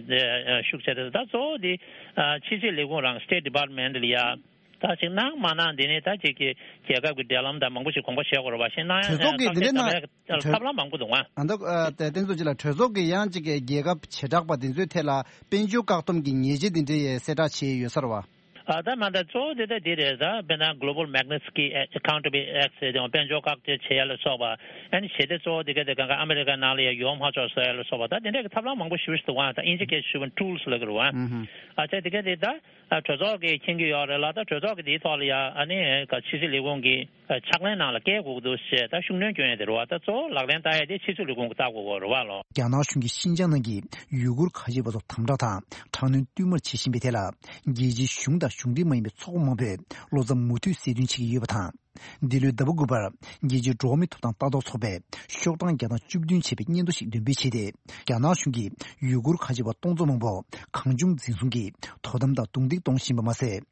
ཨ་ཤུགས་ཆེ་རེད། ད་གཙོ་བོ་དེ་ཨ་ཕྱི་སྲིད་ལས་ཁུངས་རང་State Department ལ་ཡ་ད་ཅིག་གནང་མ་གནང་འདི་ནི་ད་ཅིག་གི་རྒྱལ་ཁབ་ཀྱི་འབྲེལ་ལམ་དང་མང་པོ་ཞིག་དགོངས་པ་བཞེས་དགོས་རེད་བ། ཞེ་གནང་ཡ་གྲོས་ཚོགས་ཀྱི་འདི་འདྲ་གཏམ་བཤད་གནང་། གཏམ་བཤད་ཐབས་ལམ་མང་པོ་འདུག་ཨང་། ཨ་ད་ཨ་ད་བསྟན་འཛིན་ལགས་གྲོས་ཚོགས་ཀྱི་ཡང་ཅིག་གི་རྒྱལ་ཁབ་བྱེ་བྲག་པ་འདི་ཚོའི་ཐད་ལ་དཔལ་འབྱོར་བཀག་སྡོམ་གྱི་ཉེས་ཆད་འདི་འདྲའི་གསལ་བསྒྲགས་བྱས་ཡོད་ས་རེད་བ། ཨ་ད་མ་ད་གཙོ་བོ་དེ་ད་འདི་རེད། ད་དཔེར་ན་Global Magnitsky Accountability Act ཟེར་དེ་དཔལ་འབྱོར་བཀག་སྡོམ་བྱེད་ཡ་ལ་སོགས་པ་ཨ་ནི་བྱེད་དེ་གཙོ་བོ་དེ་ག་དེ་གང་ག་ཨ་མི་རི་ཀ་ནང་ལ་ཡ་ཡོང་མ་ཆོག་ཟེར་ཡ་ལ་སོགས་པ་ད་དེ་འདྲ་གི་ཐབས་ལམ་མང་པོ་ཞེ་པོ་ཞིག་འདུག་ཨང་། ད་དབྱིན་ཇི་སྐད་ཞུ་བ་tools ལབ་ཀྱི་རེད་བ། ཨ་ཅག་དེ་ག་དེ་ད་ཨ་གྲོས་ཚོགས་ཀྱིས་མཁྱེན་གྱི་ཡོད་རེད་ལ། ད་གྲོས་ཚོགས་ཀྱིས་དེའི་ཐོག་ལ་ཡ་ཨ་ནི་ག་ཕྱི་སྲིད་ལས་ཁུངས་ཀྱི་ཕྱག་ལེན་ནང་ལ་བཀལ་དགོས་ཀྱི་འདུག་ཞེས་ད་ཤུགས་སྣོན་སྐྱོན་ཡ་དེ་རེད་བ། ད་གཙོ་བོ་ལག་ལེན་བསྟར་ཡ་དེ་ཕྱི་སྲིད་ལས་ཁུངས་ཀྱིས་བལྟ་དགོས་ཀྱི་རེད་བ་ལོ། རྒྱ་ནག་གཞུང་གིས་ཤིན་ཅང་ནང་གི་ཡུ་གུར་ཁ་ཆེ་བ་ཚོར་དམ་དྲག་དང་དྲག་གནོན་བསྟུད་མར་བྱེད་བཞིན་པའི་ཐད་ལ། རྒྱལ་སྤྱིའི་གཞུང་དང་གཞུང་འབྲེལ་མ་ཡིན་པའི་ཚོགས་པ་མང་པོས་བློ་འཚབ་མུ་མཐུད་གསལ་སྟོན་བྱེད་ཀྱི་ཡོད་པ་དང་། འདི་ལོའི་ཟླ་བ་དགུ་པར་རྒྱལ་སྤྱིའི་འགྲོ་བ་མིའི་ཐོབ་ཐང་ལྟ་རྟོག་ཚོགས་པས་ཤོག་གྲངས་བརྒྱ་དང་བཅུ་བདུན་བྱས་པའི་སྙན་ཐོ་ཞིག་འདོན་སྤེལ་བྱས་ཏེ། རྒྱ་ནག་གཞུང་གིས་ཡུ་གུར་ཁ་ཆེ་བ་སྟོང་ཚོ་མང་པོ་གང་བྱུང་འཛིན་བཟུང་གིས་དོ་དམ་དང་རྡུང་རྡེག་གཏོང་བཞིན་པ་མ་ཟད།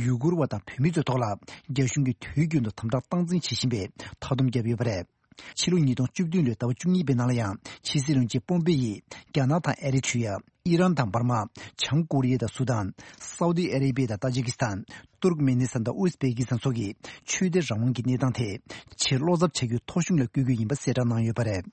ཡུ་གུར་བ་དང་བོད་མི་ཚོའི་ཐོག་ལ་རྒྱ་གཞུང་གིས་དུས་རྒྱུན་དུ་དམ་དྲག་སྟངས་འཛིན་བྱེད་བཞིན་པའི་མཐའ་སྡོམ་བརྒྱབ་ཡོད་པ་རེད། ཕྱི་ལོ་ཉིས་སྟོང་བཅུ་བདུན་ལོའི་ཟླ་བ་བཅུ་གཉིས་པའི་ནང་ལ་ཡང་ཕྱི་སྲིད་བློན་ཆེན་པོམ་པེ་ཡིས་རྒྱ་ནག་དང་ཨེ་རི་ཊི་རི་ཡ། ཨི་རན་དང་འབར་མ། བྱང་ཀོ་རི་ཡ་དང་སུ་དཱན། སའུ་ཏི་ཨ་རེ་བི་ཡ་དང་ཏཱ་ཇི་ཀི་སི་ཐན། ཏུར་ཀ་མེ་ནི་སི་ཐན་དང་ཨུ་ཛི་བེ་ཀི་སི་ཐན་སོགས་ཀྱི་ཆོས་དད་རང་དབང་གི་གནས་སྟངས་ཐད་ཆེས་བློ་འཚབ་བྱ་རྒྱུའི་ཐོ་གཞུང་ལ་བསྐོས་རྒྱུ་ཡིན་པ་གསལ་བསྒྲགས་གནང་ཡོད་པ་རེད།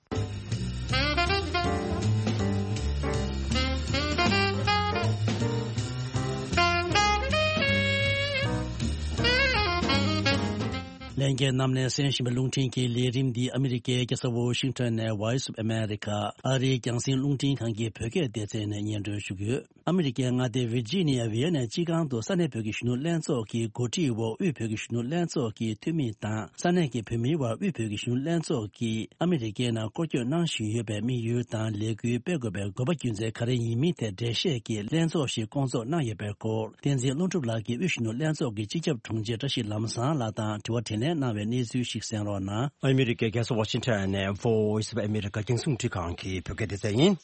ལྷན་རྒྱས་རྣམས་ནས་གསན་བཞིན་པའི་རླུང་འཕྲིན་གྱི་ལས་རིམ་འདི་ཨ་མི་རི་ཀའི་རྒྱལ་ས་ཝོ་ཤིང་ཊོན་ནས་Voice of America ཨ་རིའི་རྒྱང་སྲིང་རླུང་འཕྲིན་ཁང་གི་བོད་སྐད་སྡེ་ཚན་ནས་སྙན་སྒྲོན་ཞུ་གི་ཡོད། ཨ་མི་རི་ཀའི་མངའ་སྡེ་ཝིར་ཇི་ནི་ཡ་ཝི་ཡ་ནས་སྤྱི་ཁང་དུ་ས་གནས་བོད་ཀྱི་གཞོན་ནུ་ལྷན་ཚོགས་ཀྱི་གོ་སྒྲིག་འོག་དབུས་བོད་ཀྱི་གཞོན་ནུ་ལྷན་ཚོགས་ཀྱི་འཐུས་མི་དང་ས་གནས་ཀྱི་བོད་མིའི་དབར་དབུས་བོད་ཀྱི་གཞོན་ནུ་ལྷན་ཚོགས་ཀྱིས་ཨ་མི་རི་ཀའི་ནང་སྐོར་སྐྱོད་གནང་བཞིན་ཡོད་པའི་དམིགས་ཡུལ་དང་ལས་འགུལ་སྤེལ་དགོས་པའི་དགོས་པ་རྒྱུ་མཚན་ག་རེ་ཡིན་མིན་ཐད་འགྲེལ་བཤད་ཀྱི་ལྷན་ཚོགས་ཤིག་བསྐོང་ཚོགས་གནང་ཡོད་པའི་སྐོར་བསྟན་འཛིན་ཀླུ་སྒྲུབ་ལགས་ཀྱིས་དབུས་གཞོན་ནུ་ལྷན་ཚོགས་ཀྱི་སྤྱི་ཁྱབ་དྲུང་ཆེ་བཀྲ་ཤིས་ལམ་བཟང་ལགས་དང་དྲི་བ་དྲིས་ལན་གནང་བའི་གནས་ཚུལ་ཞིག་གསན་རོགས་གནང་། ཨ་མི་རི་ཀའི་རྒྱལ་ས་ཝ་ཤིང་ཊོན་ནས་Voice of America རྒྱང་སྲིང་རླུང་འཕྲིན་ཁང་གི་བོད་སྐད་སྡེ་ཚན་ཡིན།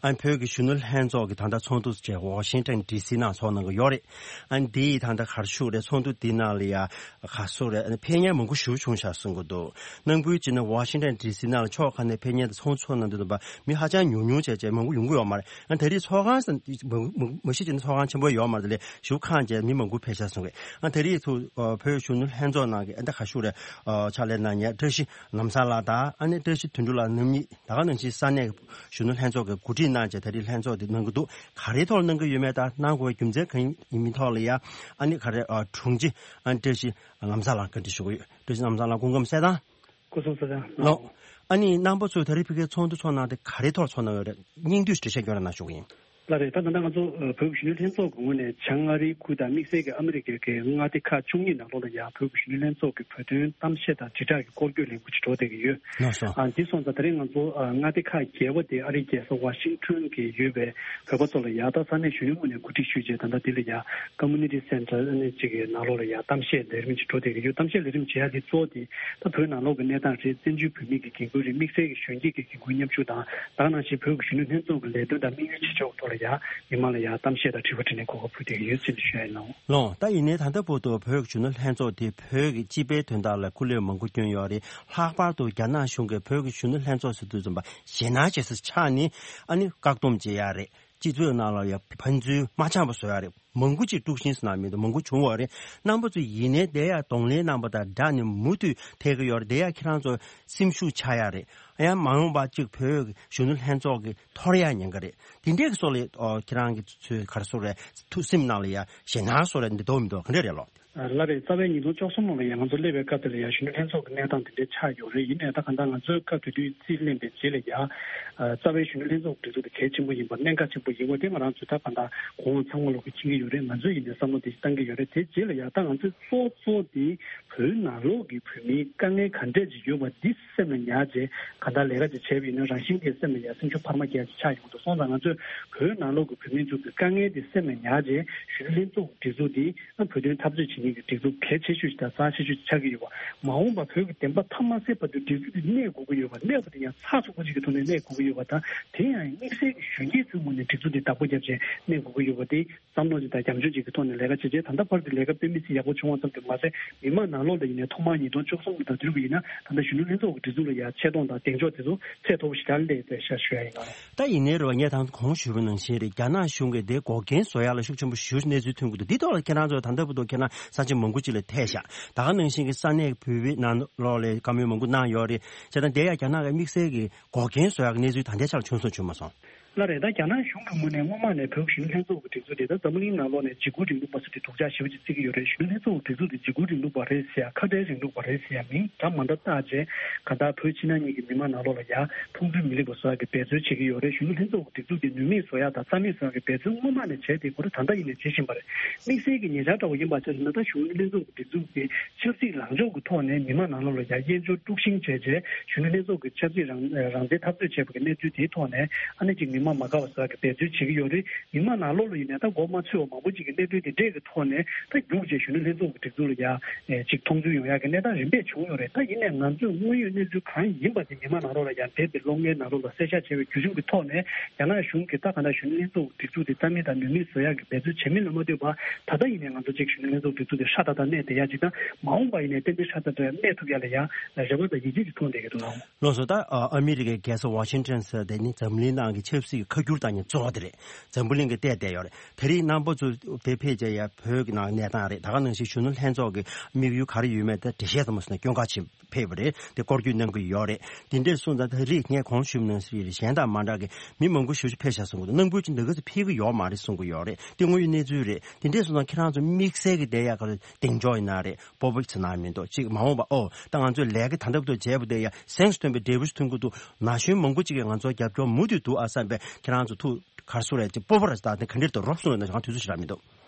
ཨ་བོད་ཀྱི་གཞོན་ནུ་ལྷན་ཚོགས་ཀྱི་ད་ལྟ་ཚོགས་འདུ་བཅས་ཝ་ཤིང་ཊོན་ཌི་སི་ནང་ཚོགས་གནང་གི་ཡོད་རེད། ཨ་འདི་ད་ལྟ་ག་རེ་ཞུ་རེད། ཚོགས་འདུ་འདི་ནང་ལ་ཡ་ག་སོ་རེད། ཨ་ཕེབས་མཁན་མང་པོ་ཞེ་པོ་བྱུང་ཤག་གསུང་གི་འདུག་ནང་ཁུལ་བྱས་ན་ཝ་ཤིང་ཊོན་ཌི་སི་ནང་ལ་ཕྱོགས་ཁག་ནས་ཕེབས་མཁན་དང་ཚོགས་ཚོགས་གནང་དུས་ཙམ་པ་མི་ཧ་ཅང་ཉུང་ཉུང་བྱས་བྱས་མང་པོ་ཡོང་གི་ཡོད་མ་རེད། ཨ་ད་རེས་ཚོགས་ཁང་ས་མ་མ་གཞི་བྱས་ན་ཚོགས་ཁང་ཆེན་པོ་ཡོད་མ་རེད། དེ་ལས་ཞེ་པོ་ཁང་བྱས་མི་མང་པོ་ཕེབས་ཤག་གསུང་གི། ཨ་ད་རེས་ཚོ་བོད་གཞོན་ནུ་ལྷན་ཚོགས་ནང་གི་ཨ་ད་ག་ཞུ་རེད། ཕྱག་ལས་གནང་མཁན་བཀྲ་ཤིས་ལམ་བཟང་ལགས་དང་ཨ་ནི་བཀྲ་ཤིས་དོན་གྲུབ་ལགས་རྣམ་གཉིས་ད་ག་ནང་བཞིན་ས་གནས་གཞོན་ནུ་ལྷན་ཚོགས་ཀྱི་འགོ་ཁྲིད། གནང་བྱས་ད་རེས་ལྷན་ཚོགས་དེ་གནང་གི་འདུག་ག་རེའི་ཐོག་ལ་གནང་གི་ཡོད་མེད་དང་གནང་དགོས་པའི་རྒྱུ་མཚན་གང་ཡིན་མིན་ཐོག་ལ་ཡ་ཨ་ནི་ག་རེ་ཨ་དྲུང་ཆེ་ཨ་བཀྲ་ཤིས་ངམ་ཚ་ལགས་བཀའ་འདྲི་ཞུ་གི་ཡོད། བཀྲ་ཤིས་ངམ་ཚ་ལགས་སྐུ་ཁམས་གསལ་ཐང་། སྐུ་གཟུགས་གསལ་ཐང་། ལགས། ཨ་ནི་རྣམ་པ་ཚོས་ད་རེས་ཕ་གིའི་ཚོགས་འདུ་ཚོགས་གནང་དེ་ག་རེའི་ཐོག་ཚོགས་གནང་ཡོད་རེད། སྙིང་བསྡུས་འགྲེལ་བཤད་སྐྱོན་ར་གནང་ཞུ་གི་ཡིན། ལགས་རེད། ད་ད་ལྟ་ང་ཚོ་ཨ་བོད་ཀྱི་གཞོན་ནུ་ལྷན་ཚོགས་ཀྱི་ངོས་ནས་བྱང་ཨ་རིའི་ཁུལ་དང་དམིགས་བསལ་གྱི་ཨ་མི་རི་ཀའི་གི་མངའ་སྡེ་ཁག་བཅུ་གཉིས་ནང་ལོགས་ལ་ཡང་བོད་ཀྱི་གཞོན་ནུ་ལྷན་ཚོགས་ཀྱི་བོད་དོན་གཏམ་བཤད་དང་དྲིལ་བསྒྲགས་ཀྱི་སྐོར་སྐྱོད་ལས་འགུལ་ཅིག་འགྲོ་བསྡད་ཀྱི་ཡོད། ལགས་སོ། ཨ་འདི་སོང་ཙང་ད་རེས་ང་ཚོ་ཨ་མངའ་སྡེ་ཁག་བརྒྱད་པ་དེ་ཨ་རིའི་རྒྱལ་ས་ཝ་ཤིང་ཊོན་གྱི་ཡོད་པའི་བོད་པ་ཚོ་ལ་ཡང་ད་ས་གནས་གཞོན་ནུའི་ངོས་ནས་གོ་སྒྲིག་ཞུས་རྗེས་ད་ལྟ་འདི་ལ་ཡང་ཀོ་མུ་ནི་ཊི་སེན་ཊར་ཨ་ནི་གཅིག་གི་ནང་ལོགས་ལ་ཡང་གཏམ་བཤད་ལས་རིམ་ཅིག་འགྲོ་བསྡད་ཀྱི་ཡོད། གཏམ་བཤད་ལས་རིམ་བྱེད་ཡ་དེ་གཙོ་བོ་དེ་ད་བོད་ནང་ལོགས་ཀྱི་གནས་སྟངས་རེད། བཙན་བྱོལ་བོད་མི་གི་འགན་ཁུར་རེད། དམིགས་བསལ་གྱི་གཞོན་སྐྱེས་ཀྱི་འགན་ཁུར་མཉམ་ཞུགས་དང་། ད་ག་ནང་བཞིན་བོད་ཀྱི་གཞོན་ནུ་ལྷན་ཚོགས་ཀྱི་ལས་དོན་དང་དམིགས་ཡུལ་ཆེ་ཆུང་ཐོག་ལ་ཡང་མི་མང་ལ་ཡང་གཏམ་བཤད་དང་དྲི་བ་དྲིས་ལན་གོ་སྐབས་ཕུལ་བསྡད་ཀྱི་ཡོད་ཅེས་ཞུ་ཡ་ཡིན། ལགས་ལགས། ད་ཡིན་ནའི་ད་ལྟ་བར་དུ་བོད་ཀྱི་གཞོན་ནུ་ལྷན་ཚོགས་དེ་བོད་ཀྱི་སྤྱི་པའི་དོན་དག་ལ་སྐུ་ལས་མང་པོ་བསྐྱོན་ཡོད་རེད། ལྷག་པར་དུ་རྒྱ་ནག་གཞུང་གིས་བོད་ཀྱི་གཞོན་ནུ་ལྷན་ཚོགས་ཟེར་དུས་ཙམ་པ་ཞེད་སྣང་བྱེད་ས་ཆགས་ནས་ཨ་ནི་བཀག་སྡོམ་བྱེད་ཡ་རེད། སྤྱི་ཚོགས་ནང་ལ་ཡང་ཕན་ཚུན་མ་འཆམ་པ་བཟོ་ཡ་རེད། མང་པོ་ཅིག་དཀྲུག་ཤིང་ཟེར་ན་མི་འདུག་མང་པོ་བྱུང་བ་རེད། རྣམ་པ་ཚོ་ཡིན་ནའི་དེ་ཡང་གདོང་ལེན་རྣམ་པ་དང་སྦྲགས་ནས་མུ་མཐུད་ཐེག་གི་ཡོད་རེད། དེ་ཡང་ཁྱེད་རང་ཚོ་སེམས་ཤུགས་ཆག་ཡ་རེད། ཡང་མ་འོངས་པ་ཅིག་བོད་གཞོན་ནུ་ལྷན་ཚོགས་ཀྱི་འཐོར་ཡ་ཉེན་ཁ་རེད། དེ་འདྲའི་གི་སོགས་ལ་ཨོ་ཁྱེད་རང་གི་ཚོས་ག་རེ་ཟེར་རེད། ཐུགས་སེམས་ནང་ལ་ཡ་ཞེད་སྣང་སོགས་རེད་འདི་འདུག་མི་འདུག་ག་འདྲ་རེད་ལགས། ལགས་རེད། རྩ་བའི་ཉིས་སྟོང་བཅུ་གསུམ་ལོ་ལ་ཡང་ང་ཚོ་སླེབས་པའི་སྐབས་དེ་ལ་ཡང་གཞོན་ནུ་ལྷན་ཚོགས་ཀྱི་གནས་སྟངས་དེ་འདྲའི་ཆགས་ཡོད་རེད། ཡིན་ནའི་ད་གང་ལྟར་ང་ཚོའི་སྐབས་དེ་དུས་རྩིས་ལེན་པའི་རྗེས་ལ་ཡང་རྩ་བའི་གཞོན་ནུ་ལྷན་ཚོགས་སྒྲིག་འཛུགས་དེ་གལ་ཆེན་པོ་ཡིན་པ་གནད་འགག་ཆེན་པོ་ཡིན་པ་དེ་ང་རང་ཚོས་ད་གང་ལྟར་གོང་འོག་ཚང་མ་ལོག་གིས་མཁྱེན་གྱི་ཡོད་རེད། ང་ཚོས་ཡིན་ནའི་བསམ་བློ་དེ་བཏང་གི་ཡོད་རེད། དེ་རྗེས་ལ་ཡང་ད་ང་ཚོས་གཙོ་གཙོ་དེ་བོད་ནང་ལོགས་ཀྱི་བོད་མིའི་དཀའ་ངལ་ག་འདྲས་ཅིག་ཡོད་པ་འདི་སེམས་ལ་ཉར་རྗེས་གང་ལྟར་ལས་ཀ་ཅིག་བྱས་པ་ཡིན་ན་རང་བཞིན་གྱིས་སེམས་ལ་ཡང་སེམས་ཤུགས་འཕར་མ་རྒྱག་ཅིག་ཆགས་ཡོང་འདུག་སོང་ཙང་ང་ཚོས་བོད་ནང་ལོགས་ཀྱི་བོད་མི་ཚོ་གི་དཀའ་ངལ་དེ་སེམས་ལ་ཉར་རྗེས་གཞོན་ནུ་ལྷན་ཚོགས་སྒྲིག་འཛུགས་འདི་བོད་དོན་འཐབ་རྩོད་བྱེད་མཁན་གྱི་སྒྲིག་འཛུགས་གལ་ཆེ་ཤོས་ཤིག་དང་རྩ་ཆེ་ཤོས་ཤིག་ཆགས་ཀྱི་ཡོད་པ། མ་འོངས་པ་བོད་ཀྱི་བདེན་པ་མཐའ་མ་གསལ་བར་དུ་སྒྲིག་འཛུགས་འདི་གནས་དགོས་ཀྱི་ཡོད་པ། གནས་པ་དེ་ཡང་ཚགས་ཚུད་པོ་ཅིག་གི་ཐོག་ནས་གནས་དགོས་ཀྱི་ཡོད་པ་དང་། དེ་ཡང་དམིགས་བསལ་གྱི་གཞོན་སྐྱེས་ཚོའི་ངོས་ནས་སྒྲིག་འཛུགས་འདི་བདག་པོ་བརྒྱབ་བྱས་གནས་དགོས་ཀྱི་ཡོད་པ་དེ་བསམ་བློ་ཅིག་དང་རྒྱབ་ལྗོངས་ཅིག་གི་ཐོག་ནས་ལས་ཀ་བྱས་རྗེས་ད་ལྟ་བར་དུ་ལས་ཀ་དཔེ་མི་སྲིད་ཡག་པོ་བྱུང་བ་ཙམ་དུ་མ་ཟད། མི་མང་ནང་ལོགས་ལ་ཡིན་ནའི་ཐོག་མར་ཉིས་སྟོང་བཅུ་གསུམ་ལོ་དང་དེ་རིང་གི་ཡིན་ན་ད་ལྟ་གཞོན་ནུ་ལྷན་ཚོགས་ཀྱི་སྒྲིག་འཛུགས་ལ་ཡང་ཆེ་མཐོང་དང་གདེང་འཇོག་དེ་ཚོ་ཚད་མཐོ་པོ་ཞིག་ལ་སླེབས་པའི་ཤ་ཞུ་ཡ་ཡིན་ལགས། ད་ཡིན་ནའི་རེད་བ། ངས་ད་གོང་ཞུས་པ་ནང་བཞིན་རེད། རྒྱ་ནག་གཞུང་གིས་དེ་འགོག་རྐྱེན་བཟོ་ཡ་ལ་ཤུགས་ཆེན་པོ་ཞེ་པོ་གནས་ཚུལ་ཐོན་གྱི་འདུག་འདི་ཐོག་ལ་ཁྱེད་རང་ཚོ་ད་ལྟ་བར་དུ་ཁྱེད་རང་ས་ཆ་མང་པོ་ཅིག་ལ་ཐད་ཤག་ད་ག་ནང་བཞིན་གྱི་ས་གནས་བོད་པའི་ནང་ལོགས་ལ་བཀའ་མོལ་མང་པོ་གནང་ཡོད་རེད། བྱས་ཙང་དེ་ཡང་རྒྱ་ནག་གི་དམིགས་བསལ་གྱི་འགོག་རྐྱེན་བཟོ་ཡག་གི་གནས་ཚུལ་ད་ལྟའི་ཆར་ལ་བྱུང་སོང་བྱུང་མ་སོང་། ལགས་རེད། ད་རྒྱ་ནག་གཞུང་གི་ངོས་ནས་སྔོན་མ་ནས་བོད་གཞོན་ནུ་ལྷན་ཚོགས་ཀྱི་སྒྲིག་འཛུགས་དེ་ད་འཛམ་བུ་གླིང་ནང་ལོགས་ནས་འཇིགས་སྐུལ་རིང་ལུགས་པ་ཟེར་དེ་སྡུག་ཅག་ཞེ་པོ་ཅིག་བརྩི་གི་ཡོད་རེད། གཞོན་ནུ་ལྷན་ཚོགས་ཀྱི་སྒྲིག་འཛུགས་དེ་འཇིགས་སྐུལ་རིང་ལུགས་པ་རེད་ཟེར་ཡ། ཁ་བྲལ་རིང་ལུགས་པ་རེད་ཟེར་ཡ་མིང་འདྲ་མ་འདྲ་བཏགས་བྱས་གང་ལྟར་བོད་ཕྱི་ནང་གཉིས་ཀྱི་མི་མང་ནང་ལོགས་ལ་ཡ་ཕུགས་འདུན་མི་ལེགས་པ་བཟོ་ཡ་གི་འབད་རྩོལ་བྱེད་ཀྱི་ཡོད་རེད། གཞོན་ནུ་ལྷན་ཚོགས་ཀྱི་སྒྲིག་འཛུགས་དེ་ནུས་མེད་བཟོ་ཡ་དང་རྩ་མེད་བཟོ་ཡ་གི་འབད་རྩོལ་སྔོན་མ་ནས་བྱས་དེ་ཁོ་རང་ད་ལྟ་ཡིན་ནས་བྱེད་བཞིན་པ་རེད། དམིགས་བསལ་གྱི་ཉེ་ཆར་འདྲ་བོ་ཡིན་པ་ཆ་བཞག་ན་ད་གཞོན་ནུ་ལྷན་ཚོགས་ཀྱི་སྒྲིག་འཛུགས་དེ་ཆབ་སྲིད་ལངས་ཕྱོགས་ཀྱི་ཐོག་ནས་མི་མང་ནང་ལོགས་ལ་ཡ་དབྱེན་སྦྱོར་དཀྲུག་ཤིང་བྱས་རྗེས་གཞོན་ནུ་ལྷན་ཚོགས་ཀྱི་ཆབ་སྲིད་རང་རང་བཙན་འཐབ་རྩོད་བྱས་པ་གི་གནས་ཚུལ་དེའི་ཐོག་ནས་ཨ་ནེ་ཅིག་མི་མང་མ་དགའ་བ་བཟོ་ཡ་གི་འབད་རྩོལ་བྱེད་ཀྱི་ཡོད་རེད། མི་མང་ནང་ལོགས་ལ་ཡིན་ནའི་ད་མགོ་མ་ཚོས་པ་མང་པོ་ཅིག་གི་གནད་དོན་དེ་འདྲས་ཀྱི་ཐོག་ནས་ད་རྒྱུགས་རྗེས་གཞོན་ནུ་ལྷན་ཚོགས་ཀྱི་སྒྲིག་འཛུགས་ལ་ཡ་ཅིག་མཐོང་ཚུལ་ཡོང་ཡ་གི་གནས་སྟངས་རིམ་པས་བྱུང་ཡོད་རེད། ད་ཡིན་ནའི་ང་ཚོས་དངོས་ཡོད་གནས་ཚུལ་གང་ཡིན་པ་དེ་མི་མང་ནང་ལོགས་ལ་ཡ་འདས་པའི་ལོ་ལྔའི་ནང་ལོགས་ལ་གསལ་བཤད་བྱས་པའི་བརྒྱུད་རིམ་གྱི་ཐོག་ནས་རྒྱ་ནག་གཞུང་གིས་ད་ག་ནང་གཞོན་ནུ་ལྷན་ཚོགས་ཀྱི་སྒྲིག་འཛུགས་དེ་རྩ་མེད་དང་ནུས་མེད་བཟོ་ཡ་གི་འབད་རྩོལ་བྱེད་མིན་ལ་མ་ལྟོས་པར་ད་ལྟ་ཡིན་ནའི་ང་ཚོ་གཅིག་གཞོན་ནུ་ལྷན་ཚོགས་སྒྲིག་འཛུགས་དེ་ཧྲ་ཏག་ཏག་གནས་བསྡད་ཡ་ཅིག་དང་མ་འོངས་པ་ཡིན་ནའི་ཏན་ཏན་ཧྲ་ཏག་ཏག་གནས་ཐུབ་ཡ་ལ་ཡ་རེ་བ་དང་ཡིད་ཆེས་ཅིག་མཐོང་བསྡད་ཀྱི་འདུག་ལགས། ལགས་སོ། ད་ཨ་མི་རི་ཀའི་རྒྱལ་ས་ཝ་ཤིང་ཊོན་ཟེར་དེ་ནི་འཛམ་གླིང་ནང་གི་ཆབ་སྲིད་ཀྱི་ཁ་སྒྱུར་བཏང་མཁན་གཙོ་བོ་དེ་རེད། འཛམ་བུ་གླིང་གི་བལྟས་བསྡད་ཡོད་རེད། དེ་རིང་རྣམ་པ་ཚོ་དེ་ཕེབས་བྱས་ཡ་བོད་ཀྱི་ནང་གནས་སྟངས་རེད། ད་ག་ནང་བཞིན་གཞོན་ནུ་ལྷན་ཚོགས་ཀྱི་དམིགས་ཡུལ་ག་རེ་ཡོད་མེད་དེ་འགྲེལ་བཤད་ཙམ་ཞུས་ན་སྐྱོན་ག་ཆེ་ཕེབས་པ་རེད། དེ་སྐོར་སྐྱོད་གནང་གི་ཡོད་རེད། དེ་འདྲས་སོང་ཙང་ད་རེས་ངས་གོང་ཞུས་ནང་བཞིན་གཞན་དང་མ་འདྲ་གི་མི་མང་པོ་ཞེ་པོ་ཅིག་ཕེབས་ཤག་གསུང་གི་འདུག་ནང་ཁུལ་གྱི་འདི་ག་ཚོད་ཕེབས་ཀྱི་ཡོད་མ་རེད་གསུང་གི་ཡོད་རེད། དེ་དངོས་ཡོད་གནས་ཚུལ་རེད། དེ་འདྲས་སོང་ཙང་ཁྱེད་རང་ཚོ་དམིགས་བསལ་གྱི་བསྡད་ཡ་ག་ཚོད་གདེང་འཇོག་ཡིན་ན་རེད། སྤོབས་པ་ཟེར་ན་མི་འདུག་གཅིག་མ་འོངས་པ་ཨོ་ད་ང་ཚོས་ལས་ཀ་ད་ལྟ་བར་དུ་བྱས་པ་དེ་ཡ་གཟེངས་སུ་ཐོན་པའི་འབྲས་བུ་ཞིག་ཐོན་གྱི་འདུག་ན་གཞོན་མང་པོ་ཅིག་གིས་ང་ཚོར་རྒྱབ་སྐྱོར་མུ་མཐུད་འདུག་ཨ་བསམ་པའི་ཁྱེད་རང་ཚོ་ཐུགས་ག་རེ་ཟེར་རེད་ཅིག་སྤོབས་པ་རེད་ད་དེ་ག་འདྲས་འདུག་རོབ་གསུངས་རེད་ན་ང་དུས་ཚོད་ཞིག་རག་མི་འདུག་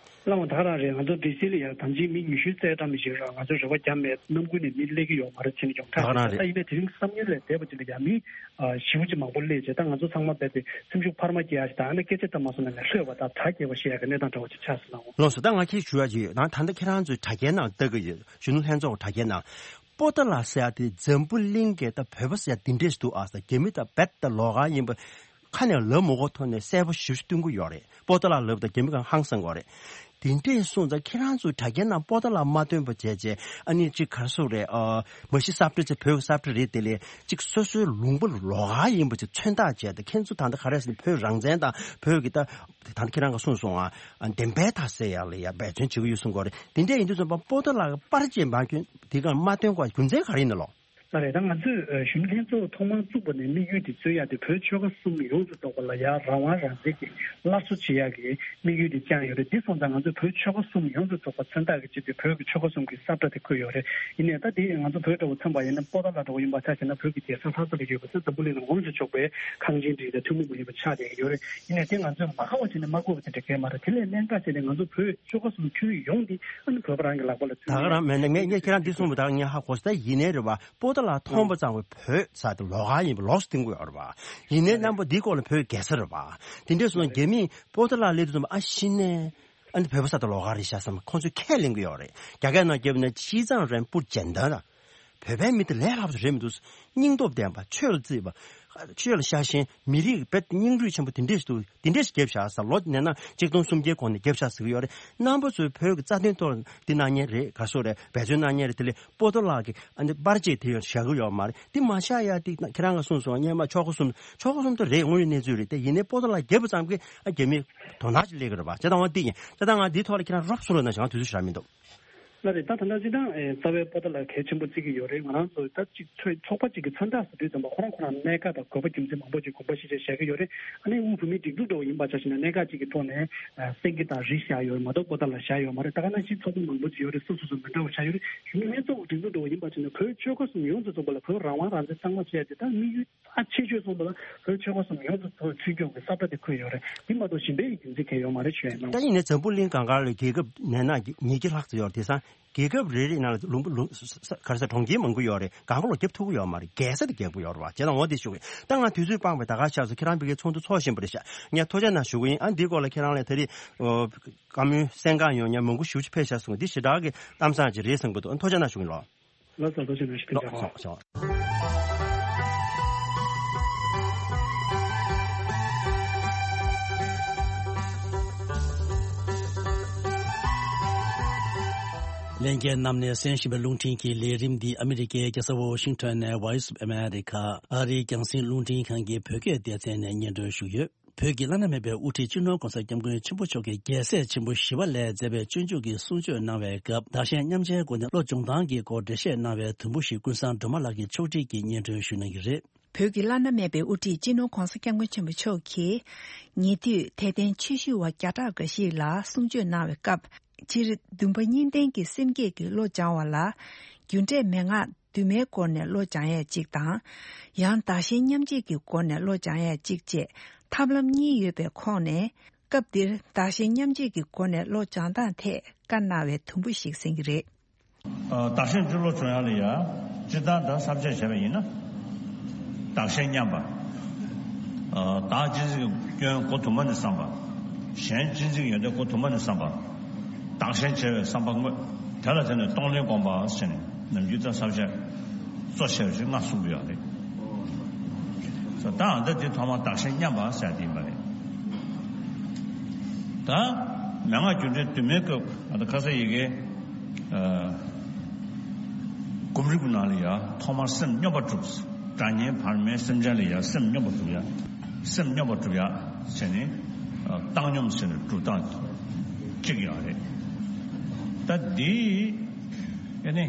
བླ་མ་ད་ག་རང་རེད། ང་ཚོ་ཌི་སི་ལ་ཡང་དམ་ཅིག་མི་ཉི་ཤུ་རྩ་གྲངས་མི་ཞིག་རང་ང་ཚོ་རེ་བ་བརྒྱབ་མེད། ནམ་རྒྱུན་ནས་མི་སླེབས་ཀྱི་ཡོད་མ་རེད་ཟེར་ནས་ཡོངས་གྲགས་རེད། ད་ཡིན་ནའི་དེ་རིང་བསམ་ཡུལ་ལས་འདས་པ་ཅིག་ལ་ཡང་མི་ཞེ་པོ་ཅིག་མང་པོ་སླེབས་བྱས་ད་ང་ཚོ་ཚང་མ་རྦད་དེ་སེམས་ཤུགས་འཕར་མ་སྐྱེ་ཡ་ཞིག་དང་ཨ་ནི་སྐད་ཆ་ད་མ་སོང་ན་ནས་ལྷོད་པ་དང་གྲ་རྒྱས་པ་ཞེས་ཡ་གི་གནས་སྟངས་འདྲ་བོ་ཅིག་ཆགས་སོང་ན་འོང་། ལགས་སོ། ད་ང་ཁྱེད་ཞུ་ཡ་ཅིག་ཡོད། ད་ད་ལྟ་ཁྱེད་རང་ཚོའི་དྲ་རྒྱའི་ནང་ལྟ་གི་ཡོད། གཞོན་ནུ་ལྷན་ཚོགས་དྲ་རྒྱའི་ནང་པོ་ཏཱ་ལ་ཟེར་ཡ་དེ་འཛམ་བུ་གླིང་གི་ད་བོད་པ་ཟེར་ཡ་འདི་འདྲས་ཤིག་འདུག་ཨ་ཟེར་རྒྱ་མི་ད་རྦད་དེ་ལོགས་ཀ་ཡིན་པ་ཁ་ནས་ལབ་མ་དགོས་ཐོག་ནས་གསལ་པོ་ཞེ་པོ་ཞིག་སྟོན་གྱི་ཡོད་རེད། པོ་ཏཱ་ལ་ལབ་དང་རྒྱ་མི་གང་ཧང་སང་གི་ཡོད་རེད། དེ་འདྲས་སོང་ཙང་ཁྱེད་རང་ཚོའི་དྲ་རྒྱའི་ནང་པོ་ཏཱ་ལ་མ་སྟོན་པ་བྱས་བྱས་ཨ་ནི་ཅིག་ག་རེ་ཟེར་རེད། ཨ་མ་གཞི་གསར་སྤྲོས་བྱས་བོད་ཀྱི་གསར་སྤྲོས་རེད་དེ་ལས་ཅིག་སོ་སོའི་ལུང་པ་ལོགས་ཀ་ཡིན་པ་ཅིག་མཚོན་རྟགས་བྱས་ད་ཁྱེད་ཚོ་ད་ལྟ་ག་རེ་ཟེར་ན་བོད་རང་བཙན་དང་བོད་ཀྱི་ད་ད་ལྟ་ཁྱེད་རང་གིས་གསུངས་སོང་ཨ་བདེན་པའི་མཐའ་གསལ་ཡག་ལ་ཡ་འབད་བརྩོན་བྱེད་ཀྱི་ཡོད་གསུང་གི་ཡོད་རེད། དེ་འདྲས་ཡིན་དུས་ཙམ་པ་པོ་ཏཱ་ལ་གི་པར་ཅིག་མ་སྐྱོན་དེ་ག་མ་སྟོན་དགོས་རྒྱུ་མཚན་ག་རེ་ཡིན་ན་ལོ། རེད། ད་ང་ཚོས་ཨ་གཞོན་ནུ་ལྷན་ཚོགས་ཐོག་མར་བཙུགས་པ་ནས་དམིགས་ཡུལ་དེ་རྩོད་ཡ་དེ་བོད་ཆོལ་ཁ་གསུམ་ཡོངས་སུ་རྫོགས་པ་ལ་ཡ་རང་དབང་རང་བཙན་གྱི་སླར་གསོ་བྱེད་ཡ་གི་དམིགས་ཡུལ་དེ་བཅངས་ཡོད་རེད། འདི་སོང་ཙང་ང་ཚོས་བོད་ཆོལ་ཁ་གསུམ་ཡོངས་སུ་རྫོགས་པ་མཚོན་རྟགས་ཀྱི་ཆེད་དུ་བོད་ཀྱི་ཆོལ་ཁ་གསུམ་གྱི་ས་བཀྲ་དེ་བཀོད་ཡོད་རེད། ཡིན་ནའི་ད་དེ་ང་ཚོ་བོད་འདྲ་བོ་མཚོན་པ་ཡིན་ན་པོ་ཏཱ་ལ་འདྲ་བོ་ཡིན་པ་ཆ་བཞག་ན་བོད་ཀྱི་རྒྱལ་ས་ལྷ་ས་ལ་ཡོད་པ་ས་འཛམ་བུ་གླིང་ལ་ངོམས་སུ་ཆོག་པའི་ཁང་ཆེན་འདི་དང་ཐུན་མོང་མ་ཡིན་པ་ཆགས་བསྡད་ཀྱི་ཡོད་རེད། ཡིན་ནའི་དེ་ང་ཚོས་མ་ཁ་བ་བྱས་ནས་མ་བཀོད་པ་དེ་འདྲ་གལ་མ་རེད། དེ་ལས་གནད་འགག་བྱས་ནས་ང་ཚོ་བོད་ཆོལ་ཁ་གསུམ་ཁྱོན་ཡོངས་འདི་ཨ་ནི་བོད་པ་རང་གི་ལག་པ་ལ་ད་ག་རང་མེད་ན་ངས་ངས་ཁྱེད་རང་འདི་གསུངས་པ་ད་ངས་ཧ་གོ་སོང་། ད་ཡིན་ནའི་རེད་བ། པོ་ཏཱ་ལ་མཐོང་པ་ཙམ་གྱིས་བོད་ས་དེ་ལོགས་ཀ་ཡིན་པ་ལོགས་སུ་བསྟན་གྱི་ཡོད་རེད་བ། ཡིན་ནའི་རྣམ་པ་འདིའི་སྐོར་ལ་བོད་རྒྱལ་ས་རེད་བ། དེ་འདྲས་སོང་ན་རྒྱ་མིས་པོ་ཏཱ་ལ་སླེབས་དུས་ཙམ་པ་ཨ་ཤི་ནས་ཨ་ནི་བོད་པ་ས་དེ་ལོགས་ཀ་རེད་ཤག་བསམ་ཁོང་ཚོས་ཁས་ལེན་གྱི་ཡོད་རེད། རྒྱ་སྐད་ནང་བརྒྱབ་ན་ཅི་ཙང་རན་པུར་ཇན་ད་ར། བོད་པའི་མི་དེ་ལས་སླ་པོ་རེད་མི་འདུག་སྙིང་སྟོབས་ལྡན་པ། ཆོས་ལ་བརྩིས་པ། ཆོས་ལ་ཤ་ཞེན། མི་རིགས་དཔེ་སྙིང་རུས་ཆེན་པོ་དེ་འདྲས་འདུག་དེ་འདྲས་ཤིག་བརྒྱབ་བཞག་ཟེར། ལོ་ནས་ན་ཆིག་སྟོང་སུམ་བརྒྱའི་གོང་ནས་བརྒྱབ་བཞག་ཟེར་གྱི་ཡོད་རེད། རྣམ་པ་ཚོས་བོད་ཀྱི་རྩ་དོན་ཐོག་འདི་གནང་མཁན་རེད། ག་སོ་རེད། འབད་བརྩོན་གནང་མཁན་རེད། དེ་ལས་པོ་ཏཱ་ལ་གི་ཨ་ནི་པར་ཆས་དེ་ཡང་བཞག་གི་ཡོད་མ་རེད། འདི་མ་བཞག་ཡ་དེ་ཁྱེད་རང་གིས་གསུངས་སོང་། སྔོན་མ་ཆོལ་ཁ་གསུམ། ཆོལ་ཁ་གསུམ་དུ་རེད། དངོས་ཡོད་གནས་ཚུལ་རེད། དེ་ཡིན་ནའི་པོ་ཏཱ་ལ་བརྒྱབ་པ་ཙམ་གྱིས་ཨ་རྒྱ་མི་དོ་སྣང་ཅིག་སླེབས་ཀྱི་རེད་པ། བྱས་ཙང་འོ་འདི་ཡིན། བྱས་ཙང་ང་འདིའི་ཐོག་ལ་ཁྱེད་རང་རོབ་གསུང་རོགས་གནང་། བྱས་ཙང་དུས་ཚོད་ཞེ་དྲག་མི་འདུག་ལགས་རེད། ད་ད་ལྟ་སྤྱིར་བཏང་ཨེ་རྩ་བའི་པོ་ཏཱ་ལ་གལ་ཆེན་པོ་བརྩི་གི་ཡོད་རེད། ང་རང་ཚོ་ད་གཅིག་ཚོ་ཚོགས་པ་གཅིག་གི་མཚོན་རྟགས་སུ་དུས་ཙམ་པ་ཁོ་རང་ཁོ་རང་གནད་འགག་དང་དགོས་པ་རྒྱུ་མཚན་མང་པོ་ཅིག་དགོངས་པ་བཞེས་བྱས་བཞག་གི་ཡོད་རེད། ཨ་ནི་དབུས་བོད་མིའི་སྒྲིག་འཛུགས་འདྲ་བོ་ཡིན་པ་ཆ་བཞག་ན་གནད་འགག་ཅིག་གི་ཐོག་ནས་ཨ་སེང་གེ་དང་རི་བཞག་ཡོད་རེད་མ་གཏོགས་པོ་ཏཱ་ལ་བཞག་ཡོད་མ་རེད། ད་ག་ནང་བཞིན་ཚོགས་པ་མང་པོ་ཅིག་ཡོད་རེད། སོ་སོ་སོ་མི་འདྲ་བ་བཞག་ཡོད་རེད། གཞོན་ནུ་ལྷན་ཚོགས་ཀྱི་སྒྲིག་འཛུགས་འདྲ་བོ་ཡིན་པ་ཆ་བཞག་ན་བོད་ཆོལ་ཁ་གསུམ་ཡོངས་སུ་རྫོགས་པ་ལ་བོད་རང་དབང་རང་བཙན་གཙང་མ་བྱས་ཏེ་ད་དམིགས་ཡུལ། ཨ་ཆེ་ཤོས་གསུངས་པ་ལ་བོད་ཆོལ་ཁ་གསུམ་ཡོངས་སུ་ཚུར་ཚུར་སྐྱོང་གི་ས་བཀྲ་དེ་འཁོད་ཡོད་རེད། དེ་མ་གཏོགས་གཞན་པའི་རྒྱུ་མཚན་གང་ཡང་ཡོད་མ་རེད། ཞུ་ཡ་ཡིན་ན། ད་ཡིན་ནའི་འཛམ་བུ་གླིང་སྒང་ག་ལ་རྒྱལ་ཁབ་ནས་ན་ཉིས་བརྒྱ་ལྷག་ཙམ་ཡོད་རེད། དེང་སང་རྒྱལ་ཁབ་རེ་རེ་ནང་ལ་ལུང་པ་ལུང་ས་ས་ག་རེ་ཟེར། གྲོང་ཁྱེར་མང་པོ་ཡོད་རེད། སྒང་ག་ལ་རྒྱབ་ཐུབ་ཀྱི་ཡོད་མ་རེད། རྒྱལ་ས་དེ་རྒྱག་གི་ཡོད་རེད་བ། བྱས་ཙང་འོ་དེ་ཞུ་གི་ཡིན། ད་ང་དུས་ཚོད་སྤངས་པས་ད་ག་ཆགས་སོང་། ཁྱེད་རང་ཕ་གིའི་ཚོགས་འདུ་ཚོགས་བཞིན་པ་རེད་ཤག་ངས་ཐུགས་རྗེ་གནང་ཞུ་གི་ཡིན། ཨ་འདིའི་སྐོར་ལ་ཁྱེད་རང་ལ་ད་རེས་ཨོ་བཀའ་མོལ་གསན་གང་ཡོང་མཁན་མང་པོ་ཞེ་པོ་ཅིག་ཕེབས་ཤག་གསུངས། འདི་ཞེ་དྲག་གི་གཏམ་བཟང་ཅིག་རེད་བསམ་གྱི་འདུག་ཨ་ཐུགས་རྗེ་གནང་ཞུ་གི་ཡིན་ལགས། ལགས་སོ། ཐུགས་རྗེ་གནང་། ཞུ་རྒྱུ་ལགས་སོ། ཞོག་ཞོག། ལྷན་རྒྱས་རྣམས་ནས་གསན་བཞིན་པའི་རླུང་འཕྲིན་གྱི་ལས་རིམ་འདི་ཨ་མི་རི་ཀའི་རྒྱལ་ས་ཝོ་ཤིང་ཊོན་ནས་Voice of America ཨ་རིའི་རྒྱང་སྲིང་རླུང་འཕྲིན་ཁང་གི་བོད་སྐད་སྡེ་ཚན་ནས་སྙན་སྒྲོན་ཞུས་ཡོད། བོད་ཀྱི་བླ་ན་མེད་པའི་དབུ་ཁྲིད་སྤྱི་ནོར་༧གོང་ས་༧སྐྱབས་མགོན་ཆེན་པོ་མཆོག་གིས་རྒྱལ་སྲས་ཆེན་པོ་ཞི་བ་ལྷས་མཛད་པའི་སྤྱོད་འཇུག་གི་གསུང་ཆོས་གནང་བའི་སྐབས། བདག་གཞན་མཉམ་བརྗེའི་སྒོ་ནས་བློ་སྦྱོང་སྟངས་ཀྱི་སྐོར་འགྲེལ་བཤད་གནང་བའི་དོན་པོ་ཞིག་ཀུན་བཟང་སྒྲོལ་མ་ལགས་ཀྱིས་ཕྱོགས་སྒྲིག་གིས་སྙན་སྒྲོན་ཞུ་གནང་གི་རེད། བོད་ཀྱི་བླ་ན་མེད་པའི་དབུ་ཁྲིད་སྤྱི་ནོར་༧གོང་ས་༧སྐྱབས་མགོན་ཆེན་པོ་མཆོག་གིས་ཉེ་དུས་དད་ལྡན་ཆོས་ཞུ་བ་བརྒྱ་ཕྲག་འགའ་ཞིག་ལ་གསུང་ཆོས་གནང་བའི་སྐབས། སྤྱིར་འདུན་པ་གཉིས་ལྡན་གྱི་སེམས་བསྐྱེད་ཀྱིས་བློ་སྦྱང་བ་ལ། རྒྱུ་འབྲས་མན་ངག་འདུས་མའི་སྒོ་ནས་བློ་སྦྱང་ཡས་གཅིག་དང་། ཡང་བདག་གཞན་མཉམ་བརྗེ་གི་སྒོ་ནས་བློ་སྦྱང་ཡས་གཅིག་བཅས་ཐབས་ལམ་གཉིས་ཡོད་པའི་ཁོངས་ནས། སྐབས་འདིར་བདག་གཞན་མཉམ་བརྗེ་གི་སྒོ་ནས་བློ་སྦྱང་སྟངས་ཐད་བཀའ་གནང་བའི་དུམ་བུ་ཞིག་གསན་གྱི་རེད། ཨ། བདག་གཞན་གཅིག་བློ་སྦྱོང་ཡག་ལ་ཡ། སྤྱིར་བཏང་ད་བསམ་གཞིག་བྱས་པ་ཡིན་ན། བདག་གཞན་མཉམ་པ། ཨ། བདག་གཅེས་འཛིན་གྱི་སྐྱོན་སྒོ་དུ་མ་ནས་བསམ་པ། གཞན་གཅེས་འཛིན་གྱི་ཡོན་ཏན་སྒོ་དུ་མ་ནས་བསམ་པ། བདག་གཞན་བརྗེ་བའི་བསམ་པ་དངོས། དེ་ལ་བརྟེན་ནས་གཏོང་ལེན་སྒོམ་པ་ཟེར་ནས་ནམ་རྒྱུན་ད་བསམ་གཞིག་གཙོ་ཆེ་བ་ཞིག་ང་གསུང་གི་ཡོད་རེད། ད་ཨ་ད་འདི་ཐོག་མར་བདག་གཞན་མཉམ་པ་ཟེར་དེ་ཡིན་པ་རེད། ད་མན་ངག་རྒྱུ་འབྲས་འདུས་མའི་སྐབས་ཨ་ད་ཁ་སང་ཡི་གེ། ཨ། སྒོམ་རིམ་གྱི་ནང་ལ་ཡ་ཐོག་མར་སེམས་སྙོམས་པར་སྒྲུབ། དགྲ་གཉེན་བར་མའི་སེམས་ཅན་ལ་ཡ་སེམས་སྙོམས་པར་སྒྲུབ་ཡ། སེམས་སྙོམས་པར་སྒྲུབ་ཡ་བྱས་ནས། ཨ། བཏང་སྙོམས་ཟེར་ནས་སྒྲུབ་སྟངས་གཅིག་ཡོད་རེད། ད་འདི་ཨ་ནི་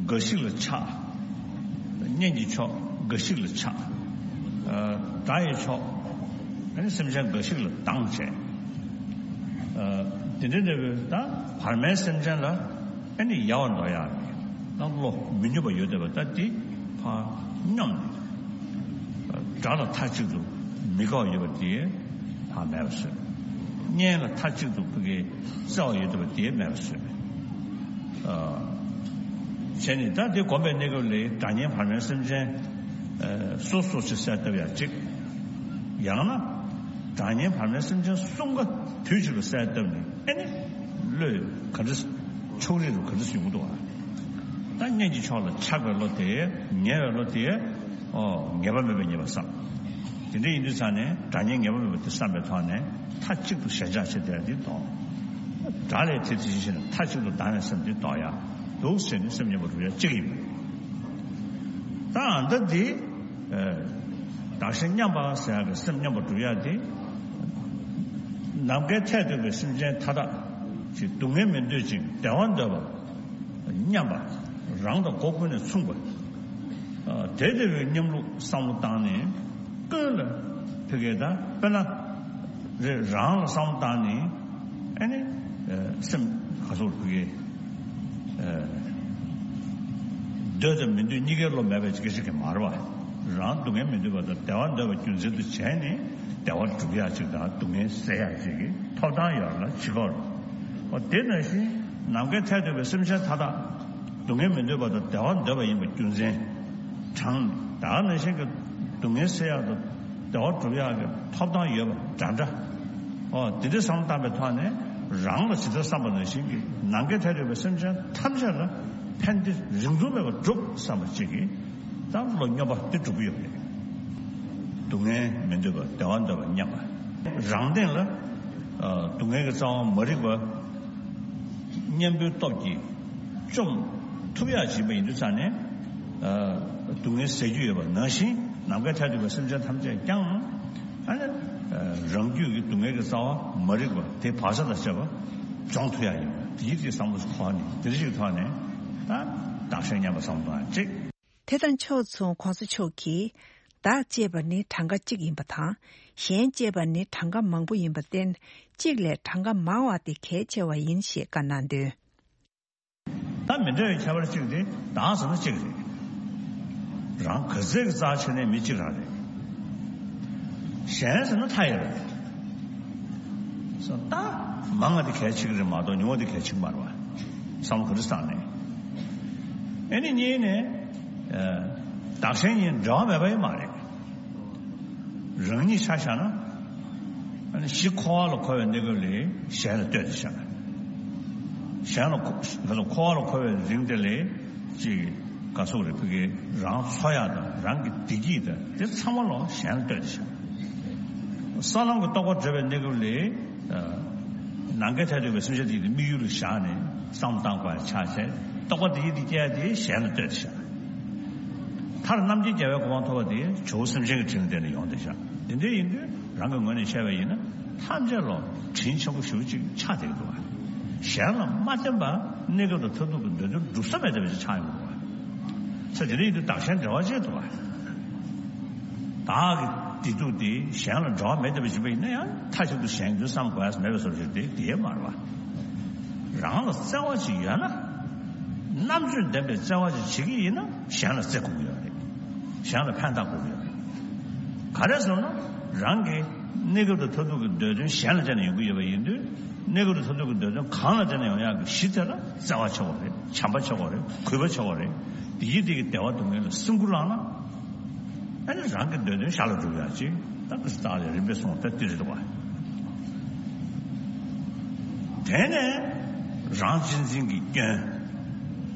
འགའ་ཞིག་ལ་ཆགས། གཉེན་གྱི་ཕྱོགས་འགའ་ཞིག་ལ་ཆགས། ཨ། དགྲ་ཡི་ཕྱོགས་ཨ་ནི་སེམས་ཅན་འགའ་ཞིག་ལ་སྡང་བྱས། ཨ། དེ་འདྲའི་འདྲ་བའི་ད་བར་མའི་སེམས་ཅན་ལ་ཨ་ནི་ཡལ་བར་འགྲོ་ཡག་གི་ད་བློ་མི་ནུས་པ་ཡོད་བསྡད་པ་ད་འདི་ཕར་སྙོམས་ནས། དགྲ་ལ་མཐའ་གཅིག་ཏུ་མི་དགའ་བ་ཡོད་པ་དེ་ཕར་མེད་པ་བཟོས། གཉེན་ལ་མཐའ་གཅིག་ཏུ་ཕ་གིའི་བརྩེ་བ་ཡོད་བསྡད་པ་དེ་མེད་པ་བཟོས། ཨ། བྱས་ནས་ད་དེ་སྒོམ་པའི་གནས་སྐབས་ལ་དགྲ་གཉེན་བར་མའི་སེམས་ཅན། ཨ། སོ་སོ་ཞིག་གསལ་བཏབ་ཡག་གཅིག་ཡང་ན་དགྲ་གཉེན་བར་མའི་སེམས་ཅན་གསུམ་ཀ་དུས་གཅིག་ལ་གསལ་བཏབ་ནས་ཨ་ནི་བློས་ག་འདྲ་ཕྱོགས་རིས་རུ་ག་འདྲ་ཡོང་གི་འདུག་ཨ། ད་གཉེན་གྱི་ཕྱོགས་ལ་ཆགས་པའི་བློ་དེ། ངལ་བའི་བློ་དེ། ཨོ། ངེས་པ་མེད་པའི་ཉེས་པ་བསགས། དེ་འདྲ་ཡིན་དུས་ཙང་ནས་དགྲ་གཉེན་ངེས་པ་མེད་པ་དེ་བསམ་པའི་ཐོག་ནས་མཐའ་གཅིག་ཏུ་ཞེན་ཆགས་བྱེད་བསྡད་དེ་ལྡོག་དགྲ་ལས་དེ་དེ་བཞིན་གཤེགས་ནས་མཐའ་གཅིག་ཏུ་དག་ནས་སེམས་དེ་ལྡོག་ཡག་འདུག་ཟེར་ནས་སེམས་སྙོམས་པར་སྒྲུབ་ཡག་གཅིག་ཡིན་པ་རེད། ད་ཨ་ད་འདི། ཨ། བདག་གཞན་མཉམ་པ་ཟེར་ཡག་གི་སེམས་སྙོམས་པར་སྒྲུབ་ཡག་དེ། ནམ་མཁའི་མཐས་གཏུགས་པའི་སེམས་ཅན་མཐའ་དག་ཅིག་སྡུག་བསྔལ་མི་འདོད་ཅིང་བདེ་བ་འདོད་པ། མཉམ་པ། རང་དང་སྒོ་ཀུན་ནས་མཚུངས་པ། དེ་ལྟ་བུའི་མཉམ་ལུགས་བསམ་བློ་བཏང་ནས་ཀུན་ལ་ཕ་གི་ད་དཔེར་ན་རེ་རང་ལ་བསམ་བློ་བཏང་ནས་ཨ་ནི་སེམས་ག་སོགས་ཕ་གི་འདོད་དང་མི་འདོད་གཉིས་ཀའི་བློ་མེད་པའི་སྐད་ཆ་གི་མ་རེད་བ། རང་སྡུག་བསྔལ་མི་འདོད་པ་དང་བདེ་བ་འདོད་པ་རྒྱུ་མཚན་དུ་བྱས་ནས་བདེ་བ་སྒྲུབ་ཡག་ཅིག་དང་སྡུག་བསྔལ་སེལ་ཡག་ཅིག་གི་ཐོབ་ཐང་ཡོད་ལ་བྱེད་དགོས་རེད། འོ་དེ་ནང་བཞིན་ནམ་མཁའི་མཐས་གཏུགས་པའི་སེམས་ཅན་མཐའ་དག་སྡུག་བསྔལ་མི་འདོད་པ་དང་བདེ་བ་འདོད་པ་ཡིན་པ་རྒྱུ་མཚན་དྲང་། ད་ག་ནང་བཞིན་གྱི་སྡུག་བསྔལ་སེལ་ཡག་དང་བདེ་བ་སྒྲུབ་ཡག་གི་ཐོབ་ཐང་ཡོད་པ་འདྲ་འདྲ། འོ་དེ་འདྲའི་བསམ་བློ་བཏང་པའི་ཐོག་ནས་རང་ལ་ཇི་ལྟར་བསམ་པ་ནང་བཞིན་གྱི་ནམ་མཁའི་མཐས་གཏུགས་པའི་སེམས་ཅན་ཐམས་ཅད་ལ་ཕན་བདེ་རིང་ཐུང་མེད་པར་སྒྲུབ་བསམ་པ་གཅིག་གིས་ད་བློ་སྙོམས་པ་དེ་སྒྲུབ་ཀྱི་ཡོད་རེད། སྡུག་བསྔལ་མི་འདོད་པ་བདེ་བ་འདོད་པ་མཉམ་པ། རང་སྟེང་ལ་ཨ་སྡུག་བསྔལ་གྱི་རྩ་བ་མ་རིག་པ་གཉེན་པོའི་སྟོབས་ཀྱིས་བཅོམ་ཐུབ་ཡག་བྱེད་པ་ཡིན་དུས་ཙང་ནས་ཨ་སྡུག་བསྔལ་ཟད་རྒྱུ་ཡོད་པ་ནང་བཞིན་ནམ་མཁའི་མཐས་གཏུགས་པའི་སེམས་ཅན་ཐམས་ཅད་ཀྱང་ཨ་ནི་ཨ་རང་རྒྱུད་ཀྱི་སྡུག་བསྔལ་གྱི་རྩ་བ་མ་རིག་པ་དེ་བག་ཆགས་དང་བཅས་པ་སྦྱོང་ཐུབ་ཡག་ཡིན་པ་དེའི་ཚེ་བསམ་བློ་འཁོར་ནས་དེ་འདྲ་ཞིག་ཐོག་ནས་ད་བདག་གཞན་མཉམ་པ་བསམ་བློ་གཏོང་ཡག་གཅིག་དེ་དང་ཕྱོགས་མཚུངས་གོང་ས་མཆོག་གིས། བདག་ཅེས་པ་ནི་གྲངས་ཀ་གཅིག་ཡིན་པ་དང་། གཞན་ཅེས་པ་ནི་གྲངས་ཀ་མང་པོ་ཡིན་པར་བརྟེན། གཅིག་ལས་གྲངས་ཀ་མང་བ་དེ་གལ་ཆེ་བ་ཡིན་ཞེས་བཀའ་གནང་དོན། ད་མི་འདྲ་བའི་ཁྱད་པར་གཅིག་དེ་བདག་ཟེར་ན་གཅིག་རེད། རང་ག་ཚད་ཀྱི་རྩ་ཆེ་ནའི་མི་གཅིག་རང་རེད། གཞན་ཟེར་ན་མཐའ་ཡས་རེད། སོ་ད་མང་བ་དེ་གལ་ཆེ་གི་རེད་མ་གཏོགས་ཉུང་བ་དེ་གལ་ཆེ་གི་མ་རེད་བ། བསམ་བློ་ག་རེ་བཏང་ནས། ཨེ་ནི་གཉིས་ནས་ཨ་བདག་གཞན་གཉིས་འབྲེལ་བ་མེད་པ་ཡང་མ་རེད། རང་ཉིད་ཆ་བཞག་ན་ཨ་ནི་གཞི་འཁོར་བ་ལ་འཁོར་བའི་གནས་སྐབས་ལས་གཞན་ལ་ལྟོས་ཏེ་བཞག་གཞན་ལ་འཁོ་ག་ཚོད་འཁོར་བ་ལ་འཁོར་བའི་རིང་དེ་ལས་ཅིག་ག་སོགས་རེད་ཕ་གི་རང་འཚོ་ཡག་དང་རང་གི་བདེ་སྐྱིད་དང་དེ་ཚང་མ་ལ་གཞན་ལ་ལྟོས་ཏེ་བཞག་ས་ལམ་གྱི་རྟོགས་པ་བགྲོད་པའི་གནས་སྐབས་ལས་ནམ་མཁའི་མཐས་གཏུགས་པའི་སེམས་ཅན་དེ་ཡི་དམིགས་ཡུལ་ལ་བཞག་ནས་བསམ་བཏང་དགོས་ཡ་ཆགས་བྱས་རྟོགས་པ་དེ་ཡི་དེ་སྐྱེ་ཡ་དེ་གཞན་ལ་ལྟོས་ཏེ་བཞག་མཐར་རྣམ་མཁྱེན་རྒྱལ་བའི་གོ་འཕང་ཐོབ་པ་དེ་ཇོ་བོ་སེམས་ཅན་གྱི་དྲིན་ལ་བརྟེན་ནས་ཡོང་བསྡད་བཞག་དེ་འདྲ་ཡིན་དུས་རང་གི་ངོས་ནས་བཤད་པ་ཡིན་ན་ཐམས་ཅད་ལ་དྲིན་ཆེན་པོ་ཞེ་པོ་ཅིག་ཆགས་བསྡད་ཀྱི་འདུག་བ། གཞན་ལ་མ་བརྟེན་པར་གནས་སྐབས་དང་མཐར་ཐུག་གི་འདོད་དོན་སྒྲུབ་ས་མེད་བསྡད་པ་ཅིག་ཆགས་ཡོང་གི་འདུག་བ། ས་དེ་འདྲ་ཡིན་དུས་བདག་གཞན་འབྲེལ་བ་ཅིག་འདུག་བ། བདག་གི་བདེ་སྡུག་དེ་གཞན་ལ་འབྲེལ་བ་མེད་བསྡད་པ་ཞིག་ཡིན་ན་ཡང་མཐའ་གཅིག་ཏུ་གཞན་དོན་བསམ་དགོས་ཡ་མེད་པའི་བཟོ་ཞིག་དེ་དེ་མ་རེད་བ། རང་ལ་བརྩེ་བ་ཅིག་ཡོད་ན། རྣམ་དཔྱོད་ལྡན་པའི་བརྩེ་བ་ཅིག་བྱེད་ཀྱི་ཡིན་ན་གཞན་ལ་བརྩེ་དགོས་ཀྱི་ཡོད་རེད། གཞན་ལ་ཕན་བཏགས་དགོས་ཀྱི་ཡོད་རེད། ག་རེ་ཟེར་ན་རང་གི་གནས་སྐབས་དང་མཐར་ཐུག་གི་འདོད་དོན་གཞན་ལ་བརྟེན་ནས་ཡོང་གི་ཡོད་པ་ཡིན་དུས་གནས་སྐབས་དང་མཐར་ཐུག་གི་འདོད་དོན་གང་ལ་བརྟེན་ནས་ཡོང་ཡག་གི་གཞི་དེ་ལ་བརྩེ་བ་ཆགས་དགོས་རེད། བྱམས་པ་ཆགས་དགོས་རེད། གུས་པ་ཆགས་དགོས་རེད། དེ་ཡིས་དེ་གི་བདེ་བ་སྡུག་བསྔལ་ལ་སེམས་ཁུར་བླངས་ན། ཨ་ནི་རང་གི་འདོད་དོན་ཞར་ལ་འགྲུབ་ཡག་ཅིག་ད་གི་སྟག་ལས་རིམ་པས་སོང་ད་དེ་རེད་འདུག་བ། དེ་ནས་རང་གཅེས་འཛིན་གྱི་སྐྱོན།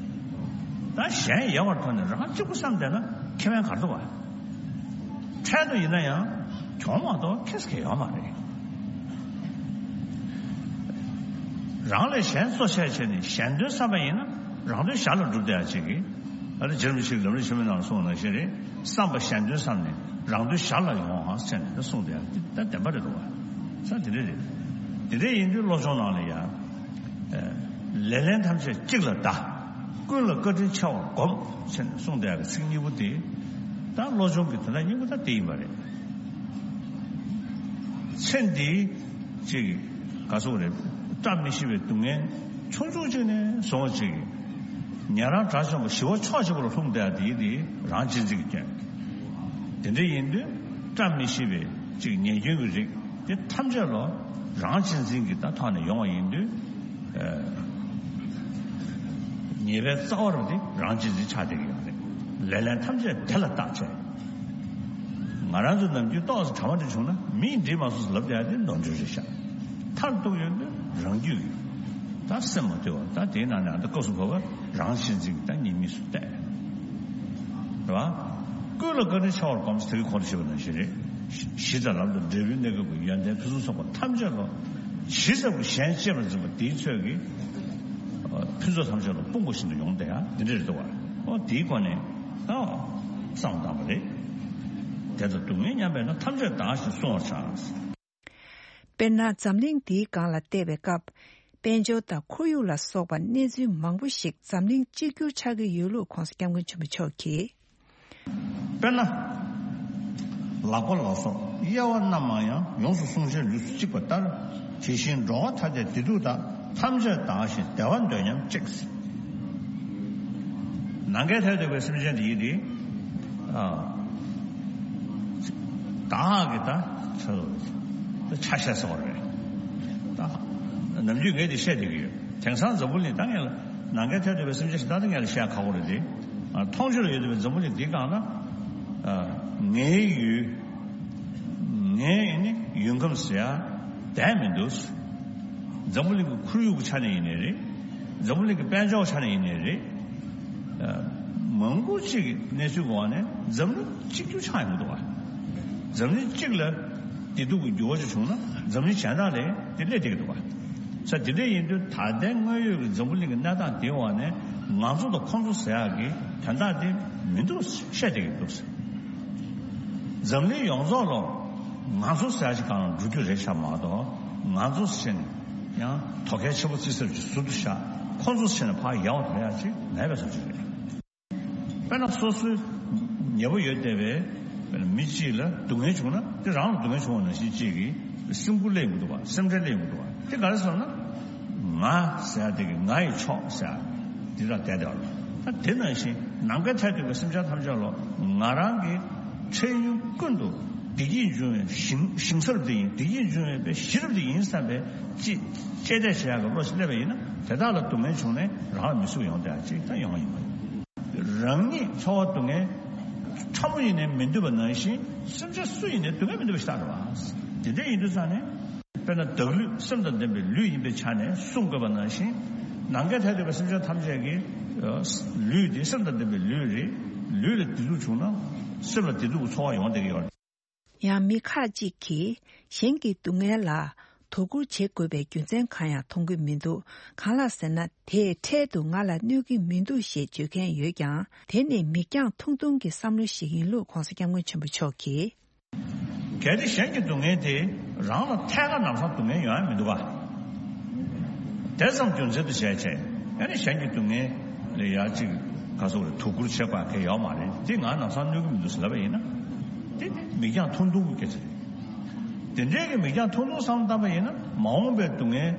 ད་གཞན་ཡལ་བར་ཐོག་ནས་རང་གཅིག་པུ་བསམ་བསྡད་ན་ཁེ་ཕན་ག་རེ་འདུག་བ། འཕྲལ་དུ་ཡིན་ན་ཡང་གྱོང་མ་གཏོགས་ཁེ་སི་ཁེ་ཡོད་མ་རེད། རང་ལས་གཞན་གཙོ་ཆེ་བྱས་ནས་གཞན་དོན་བསམ་པ་ཡིན་ན་རང་དོན་ཞར་ལ་འགྲུབ་བསྡད་ཡག་ཅིག་གི་ཨ་ནི་རྗེ་རིན་པོ་ཆེས་ལམ་རིམ་ཆེན་མོའི་ནང་ལ་གསུངས་པ་ནང་བཞིན་རེད། བསམ་པ་གཞན་དོན་བསམ་ནས་རང་དོན་ཞར་ལ་ཡོང་ཨང་ཟེར་ནས་ད་གསུངས་བསྡད་ཡག་འདི་ད་བདེན་པ་རེད་འདུག་བ། ས་དེ་འདྲ་རེད། དེ་འདྲ་ཡིན་དུས་བློ་སྦྱོང་ནང་ལ་ཡང་ལེ་ལན་ཐམས་ཅད་གཅིག་ལ་བཟླ། ཀུན་ལ་བཀའ་དྲིན་ཆེ་བར་སྒོམ་ཟེར་ནས་གསུངས་བསྡད་ཡག་གི་ཚིག་གཉིས་པོ་དེ་ད་བློ་སྦྱོང་གི་དོན་དག་སྙིང་པོ་ད་དེ་ཡིན་པ་རེད། ཚེ་འདིའི་ཅིག་ག་སོགས་རེད། བཀྲ་མི་ཤིས་པའི་སྡུག་བསྔལ་ཆུང་ཆུང་ཅིག་ནས་བཟུང་ཅིག་ཉན་རང་དགྲ་བཅོམ་པ་ཞི་བ་ཕྱོགས་གཅིག་པུ་ལ་ལྷུང་བསྡད་དེ་དེ་རང་གཅེས་འཛིན་གྱི་སྐྱོན། དེ་འདྲ་ཡིན་དུས་བཀྲ་མི་ཤིས་པའི་ཅིག་ཉེས་སྐྱོན་གྱི་རིགས་དེ་ཐམས་ཅད་ལ་རང་གཅེས་འཛིན་གྱི་ད་ཐོག་ནས་ཡོང་བ་ཡིན་དུས། ཉེས་པའི་རྩ་བ་རུ་དེ་རང་གཅེས་འཛིན་ཆགས་བསྡད་ཀྱི་ཡོད་རེད། ལེ་ལན་ཐམས་ཅད་དེ་ལ་བརྟག་དཔྱད། ང་རང་ཚོ་ནམ་རྒྱུན་ཏོག་ཙམ་དྲ་མ་འདྲ་བྱུང་ན་མིས་འགྲིག་མ་སོང་ཟེར་ལབ་བསྡད་ཡ་དེ་ནོར་འཁྲུལ་རེད་ཤག་མཐར་གཏུགས་ཡོང་དུས་རང་རྒྱུད་ཀྱི་ད་སེམས་མ་དུལ་བ་ད་དེའི་ནང་ནས་ཨ་ད་སྐབས་སུ་བབ་པ་རང་གཅེས་འཛིན་གྱི་ད་ཉེས་དམིགས་སུ་བལྟས། རེད་བ། ཀུན་ལ་བཀའ་དྲིན་ཆེ་བར་སྒོམ་ཟེར་གྱི་གོང་དུ་བཤད་པ་ནང་བཞིན་རེད། གཞི་དང་ལམ་དང་འབྲས་བུའི་གནས་སྐབས་ཀྱི་ཡོན་ཏན་ཕུན་སུམ་ཚོགས་པ་ཐམས་ཅད་ལ་ཇི་ཙམ་གྱིས་གཞན་གཅེས་པར་འཛིན་པ་དེའི་ཚོད་ཀྱིས་ཕུན་ཚོགས་ཐམས་ཅད་ལ་སྤུངས་པ་བཞིན་དུ་ཡོང་བསྡད་ཡ་འདི་འདྲ་རེད་འདུག་བ། ཨོ་དེའི་སྒོ་ནས་ཨོ་བསམ་བཏང་བ་རེད། དེ་ལྟར་སྡུག་བསྔལ་མཉམ་པས་ན་ཐམས་ཅད་བདག་ཞེས་གསུང་བར་བྱ། དཔེར་ན་འཛམ་གླིང་འདིའི་སྒང་ལ་བལྟས་པའི་སྐབས། དཔལ་འབྱོར་དང་ཁོར་ཡུག་ལ་སོགས་པ་གནས་ཚུལ་མང་པོ་ཞིག་འཛམ་གླིང་གཅིག་གྱུར་ཆགས་ཀྱི་ཡོད་ལུགས་༧གོང་ས་༧སྐྱབས་མགོན་ཆེན་པོ་མཆོག་གིས། དཔེར་ན། ལག་པ་ལ་སོགས་དབྱེ་བ་རྣམ་མང་ཡང་། ཡོངས་སུ་བསྲུང་བྱའི་ལུས་སུ་གཅིག་པ་ལྟར། དེ་བཞིན་འགྲོ་བ་ཐ་དད་བདེ་སྡུག་དག །ཐམས་ཅད་བདག་གཞན་བདེ་བ་འདོད་སྙམ་གཅིག །ནམ་མཁའི་མཐས་གཏུགས་པའི་སེམས་ཅན་དེ་ཡིན་ཏེ། ཨ། བདག་གི་ད་ཆ་ད་ཆ་ཤས་ཟེར་བ་རེད། ད་ནམ་རྒྱུན་ངས་དེ་བཤད་བསྡད་ཀྱི་ཡོད། དེང་སང་འཛམ་བུ་གླིང་ད་ངས་ལ་ནམ་མཁའི་མཐས་གཏུགས་པའི་སེམས་ཅན་ཞིག་ད་ད་ངས་ལ་བཤད་ཁག་པོ་རེད་དེ། ཨ། མཐོང་ཆོས་ལ་ཡོད་བསྡད་པའི་འཛམ་བུ་གླིང་འདི་སྒང་ལ། ཨ། ངའི་ཡུལ། ངའི་ནི་ཡུལ་ཁམས་ཟེར་ཡ་བསྡད་མི་འདུག་འཛམ་བུ་གླིང་གི་ཁོར་ཡུག་གི་ཆ་ནས་ཡིན་ནའི་རེད། འཛམ་བུ་གླིང་གི་དཔལ་འབྱོར་ཆ་ནས་ཡིན་ནའི་རེད། ཨ། མང་པོ་ཅིག་གི་གནས་ཚུལ་གི་འོག་ནས་འཛམ་གླིང་གཅིག་གྱུར་ཆགས་ཡོང་གི་འདུག་བ། འཛམ་གླིང་གཅིག་ལ་བདེ་སྡུག་གི་འགྱུར་བ་ཅིག་བྱུང་ན་འཛམ་གླིང་གཞན་དག་ལ་དེ་སླེབས་བསྡད་ཀྱི་འདུག་བ། ས་དེ་འདྲ་ཡིན་དུས་ད་ལྟའི་དངོས་ཡོད་ཀྱི་འཛམ་བུ་གླིང་གི་གནས་སྟངས་དེའི་འོག་ནས་ང་ཚོ་དང་ཁོང་ཚོ་ཟེར་ཡག་གི་དོན་དག་དེ་མི་འདུག་བཤད་བསྡད་ཀྱི་འདུག་འཛམ་གླིང་ཡོངས་རྫོགས་ལ་ང་ཚོ་ཟེར་ཡག་ཅིག་སྒང་ལ་འགྲོ་རྒྱུ་རེད་ཤག་མ་གཏོགས། ང་ཚོ་ཟེར་ནས་ཡང་དོ་གལ་ཆེ་པོ་བརྩི་ས་ཅིག་ཟུར་དུ་བཞག་ཁོང་ཚོ་ཟེར་ནས་ཕར་ཡལ་བ་དོར་ཡག་ཅིག་མེད་པའི་བཟོ་ཅིག་རེད། དཔེར་ན་སོ་སོའི་ཉེ་པོ་ཡོད་བསྡད་པའི་མི་གཅིག་ལ་སྡུག་བསྔལ་བྱུང་ན་དེ་རང་ལ་སྡུག་བསྔལ་བྱུང་བ་ནང་བཞིན་གཅིག་གིས་སེམས་ཁུར་སླེབས་ཡོང་གི་འདུག་བ། སེམས་ཁྲལ་སླེབས་ཡོང་གི་འདུག་བ། དེ་ག་རེ་ཟེར་ན། ང་ཟེར་ཡ་དེ་གི་ང་ཡི་ཕྱོགས་ཟེར་ཡ་འདི་ལ་བསྡད་བསྡད་པ་རེད། ད་དེ་ནང་བཞིན་ནམ་མཁའི་མཐས་གཏུགས་པའི་སེམས་ཅན་ཐམས་ཅད་ལ་ང་རང་གི་འཕྲལ་ཡུན་ཀུན་ཏུ་བདེ་སྐྱིད་འབྱུང་བའི་ཞིང་ཞིང་ས་རབ་དེ་ཡིན། བདེ་སྐྱིད་འབྱུང་བའི་གཞི་རབ་དེ་ཡིན་བསམ་པའི་ཅི་གཅེས་སྤྲས་བྱེད་ཡག་གི་བློ་ཞིག་སླེབས་པ་ཡིན་ན། དེ་དག་ལ་སྡུག་བསྔལ་བྱུང་ནས་རང་ལ་མི་བཟོད་ཡོང་བསྡད་ཡག་ཅིག་ད་ཡོང་བ་ཡིན་པ་རེད། རང་ཉིད་ཚོར་བ་སྡུག་བསྔལ་ཕྲ་མོ་ཡིན་ནའི་མི་འདོད་པ་ནང་བཞིན་སེམས་ཅན་སུ་ཡིན་ནའི་སྡུག་བསྔལ་མི་འདོད་པ་ཞིག་ཆགས་འགྲོ་བ། དེ་འདྲ་ཡིན་དུས་ཙང་ནས་དཔེར་ན་བདག་ལུས་སེམས་དང་ལྡན་པའི་ལུས་ཡིན་པའི་ཆ་ནས་གསུང་དགོས་པ་ནང་བཞིན། ནམ་མཁའི་མཐས་གཏུགས་པའི་སེམས་ཅན་ཐམས་ཅད་ཀྱི་ལུས་དེ་སེམས་དང་ལྡན་པའི་ལུས་རེད། ལུས་ལ་བདེ་སྡུག་བྱུང་ན་སེམས་ལ་བདེ་སྡུག་གི་ཚོར་བ་ཡོང་བསྡད་ཀྱི་ཡོད་རེད། ཡང་མི་ཁག་ཅིག་གིས་གཞན་གྱི་སྡུག་བསྔལ་ལ་དོ་ཁུར་བྱེད་དགོས་པའི་རྒྱུ་མཚན་གང་ཡང་མཐོང་གི་མི་འདུག་གང་ལགས་ཟེར་ན། དེས་འཕྲལ་དུ་ང་ལ་གནོད་ཀྱི་མི་འདུག་ཞེས་བརྗོད་མཁན་ཡོད་ཀྱང་། དེ་ནི་མིག་རྒྱང་ཐུང་ཐུང་གི་བསམ་བློ་ཞིག་ཡིན་ལུགས་༧གོང་ས་༧སྐྱབས་མགོན་ཆེན་པོ་མཆོག་གིས། གལ་ཏེ་གཞན་གྱི་སྡུག་བསྔལ་དེ་རང་ལ་ཐད་ཀར་ལམ་སང་སྡུག་བསྔལ་ཡོང་ཡ་མི་འདུག་ག་དེ་ཙམ་རྒྱུ་མཚན་དུ་བྱས་བྱས། ཨ་ནི་གཞན་གྱི་སྡུག་བསྔལ་ལ་ཡ་གཅིག་ག་སོགས་རེ་དོ་ཁུར་བྱེད་དགོས་གལ་ཡོད་མ་རེད། དེ་ང་ལམ་སང་གནོད་ཀྱི་མི་འདུག་ཟེར་ལབ་པ་ཡིན་ན། དེ་ནི་མིག་རྒྱང་ཐུང་ཐུང་གི་སྐད་ཆ་རེད། དེ་འདྲའི་གི་མིག་རྒྱང་ཐུང་ཐུང་བསམ་བཏང་པ་ཡིན་ན། མ་འོངས་པའི་སྡུག་བསྔལ་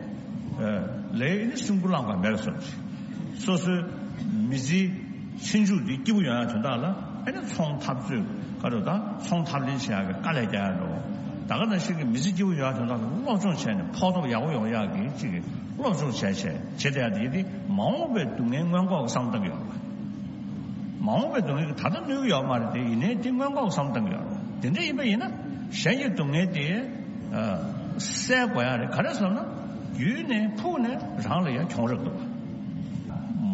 ལས་ནི་སེམས་ཁུར་བླངས་པ་མེད་པ་བཟོ་འདྲ། སོ་སོའི་མི་ཚེའི་ཕྱི་མཇུག་འདི་སྐྱིད་པོ་ཡོང་ཡ་དོན་དག་ལ། ཨ་ནི་ཚོང་འཐབ་རྩོད་ག་རེ་དང་ཚོང་འཐབ་ལེན་བྱེད་ཡག་གི་དཀའ་ལས་རྒྱག་ཡ་འགྲོ། ད་ག་ནང་བཞིན་གྱི་མི་ཚེ་སྐྱིད་པོ་ཡོང་ཡ་དོན་དག་ལ་སློབ་སྦྱོང་བྱས་ནས་ཕོག་ཐུག་ཡག་པོ་ཡོང་ཡག་གི་ཅིག་གི་སློབ་སྦྱོང་བྱས་བྱས་བྱེད་བསྡད་ཡ་དེ་ཡིན་ཏེ། མ་འོངས་པའི་སྡུག་བསྔལ་སྔོན་འགོག་གི་བསམ་བཏང་གི་ཡོད་རེད། མ་འོངས་པའི་སྡུག་བསྔལ་གྱིས་ད་ལྟ་གནོད་ཀྱི་ཡོད་མ་རེད་དེ། ཡིན་ནའི་དེ་སྔོན་འགོག་བསམ་བཏང་གི་ཡོད་རེད། དེ་འདྲ་ཡིན་པ་ཡིན་ན་གཞན་གྱི་སྡུག་བསྔལ་དེ་ཨ་སེལ་དགོས་ཡ་རེད། ག་རེ་ཟེར་ན། རྒྱུད་ནས་ཕུགས་ནས་རང་ལ་ཡ་གྱོང་རག་འདུག་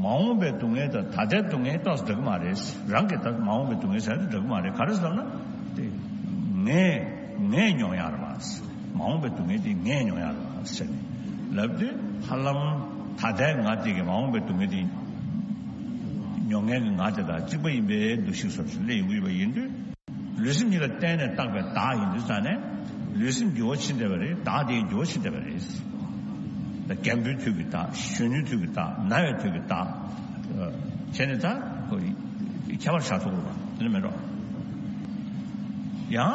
མ་འོངས་པའི་སྡུག་བསྔལ་དང་ད་ལྟའི་སྡུག་བསྔལ་ཏོག་ཙམ་འདྲ་གི་མ་རེད། རང་གི་ད་མ་འོངས་པའི་སྡུག་བསྔལ་ཟེར་ན་འདྲ་གི་མ་རེད། ག་རེ་ཟེར་ན། དེ་ངས་ངས་མྱོང་ཡ་རེད་པ། མ་འོངས་པའི་སྡུག་བསྔལ་དེ་ངས་མྱོང་ཡ་རེད་པ་ཟེར་ནས་ལབ་དུས། ཧ་ལམ་ད་ལྟའི་ང་དེ་གི་མ་འོངས་པའི་སྡུག་བསྔལ་དེ་མྱོང་མཁན་གྱི་ང་དེ་དང་གཅིག་པ་ཡིན་པའི་འདུ་ཤེས་བཟོ་ཞིག་སླེབས་ཡོང་གི་ཡོད་པ་ཡིན་དུས། ལུས་སེམས་གཉིས་ལ་བརྟེན་ནས་བཏགས་པའི་བདག་ཡིན་དུས་ཙང་ནས། ལུས་སེམས་འགྱུར་བ་ཕྱིན་བསྡད་པ་རེད། བདག་དེ་འགྱུར་བ་ཕྱིན་བསྡད་པ་རེད། ད་རྒན་པོའི་དུས་ཀྱི་བདག་གཞོན་ནུའི་དུས་ཀྱི་བདག་ན་བའི་དུས་ཀྱི་བདག་བྱས་ནས་ད་ཁྱད་པར་བཞག་ཐུབ་ཀྱི་རེད་པ། དེ་ནི་མེད་འགྲོ། ཡང་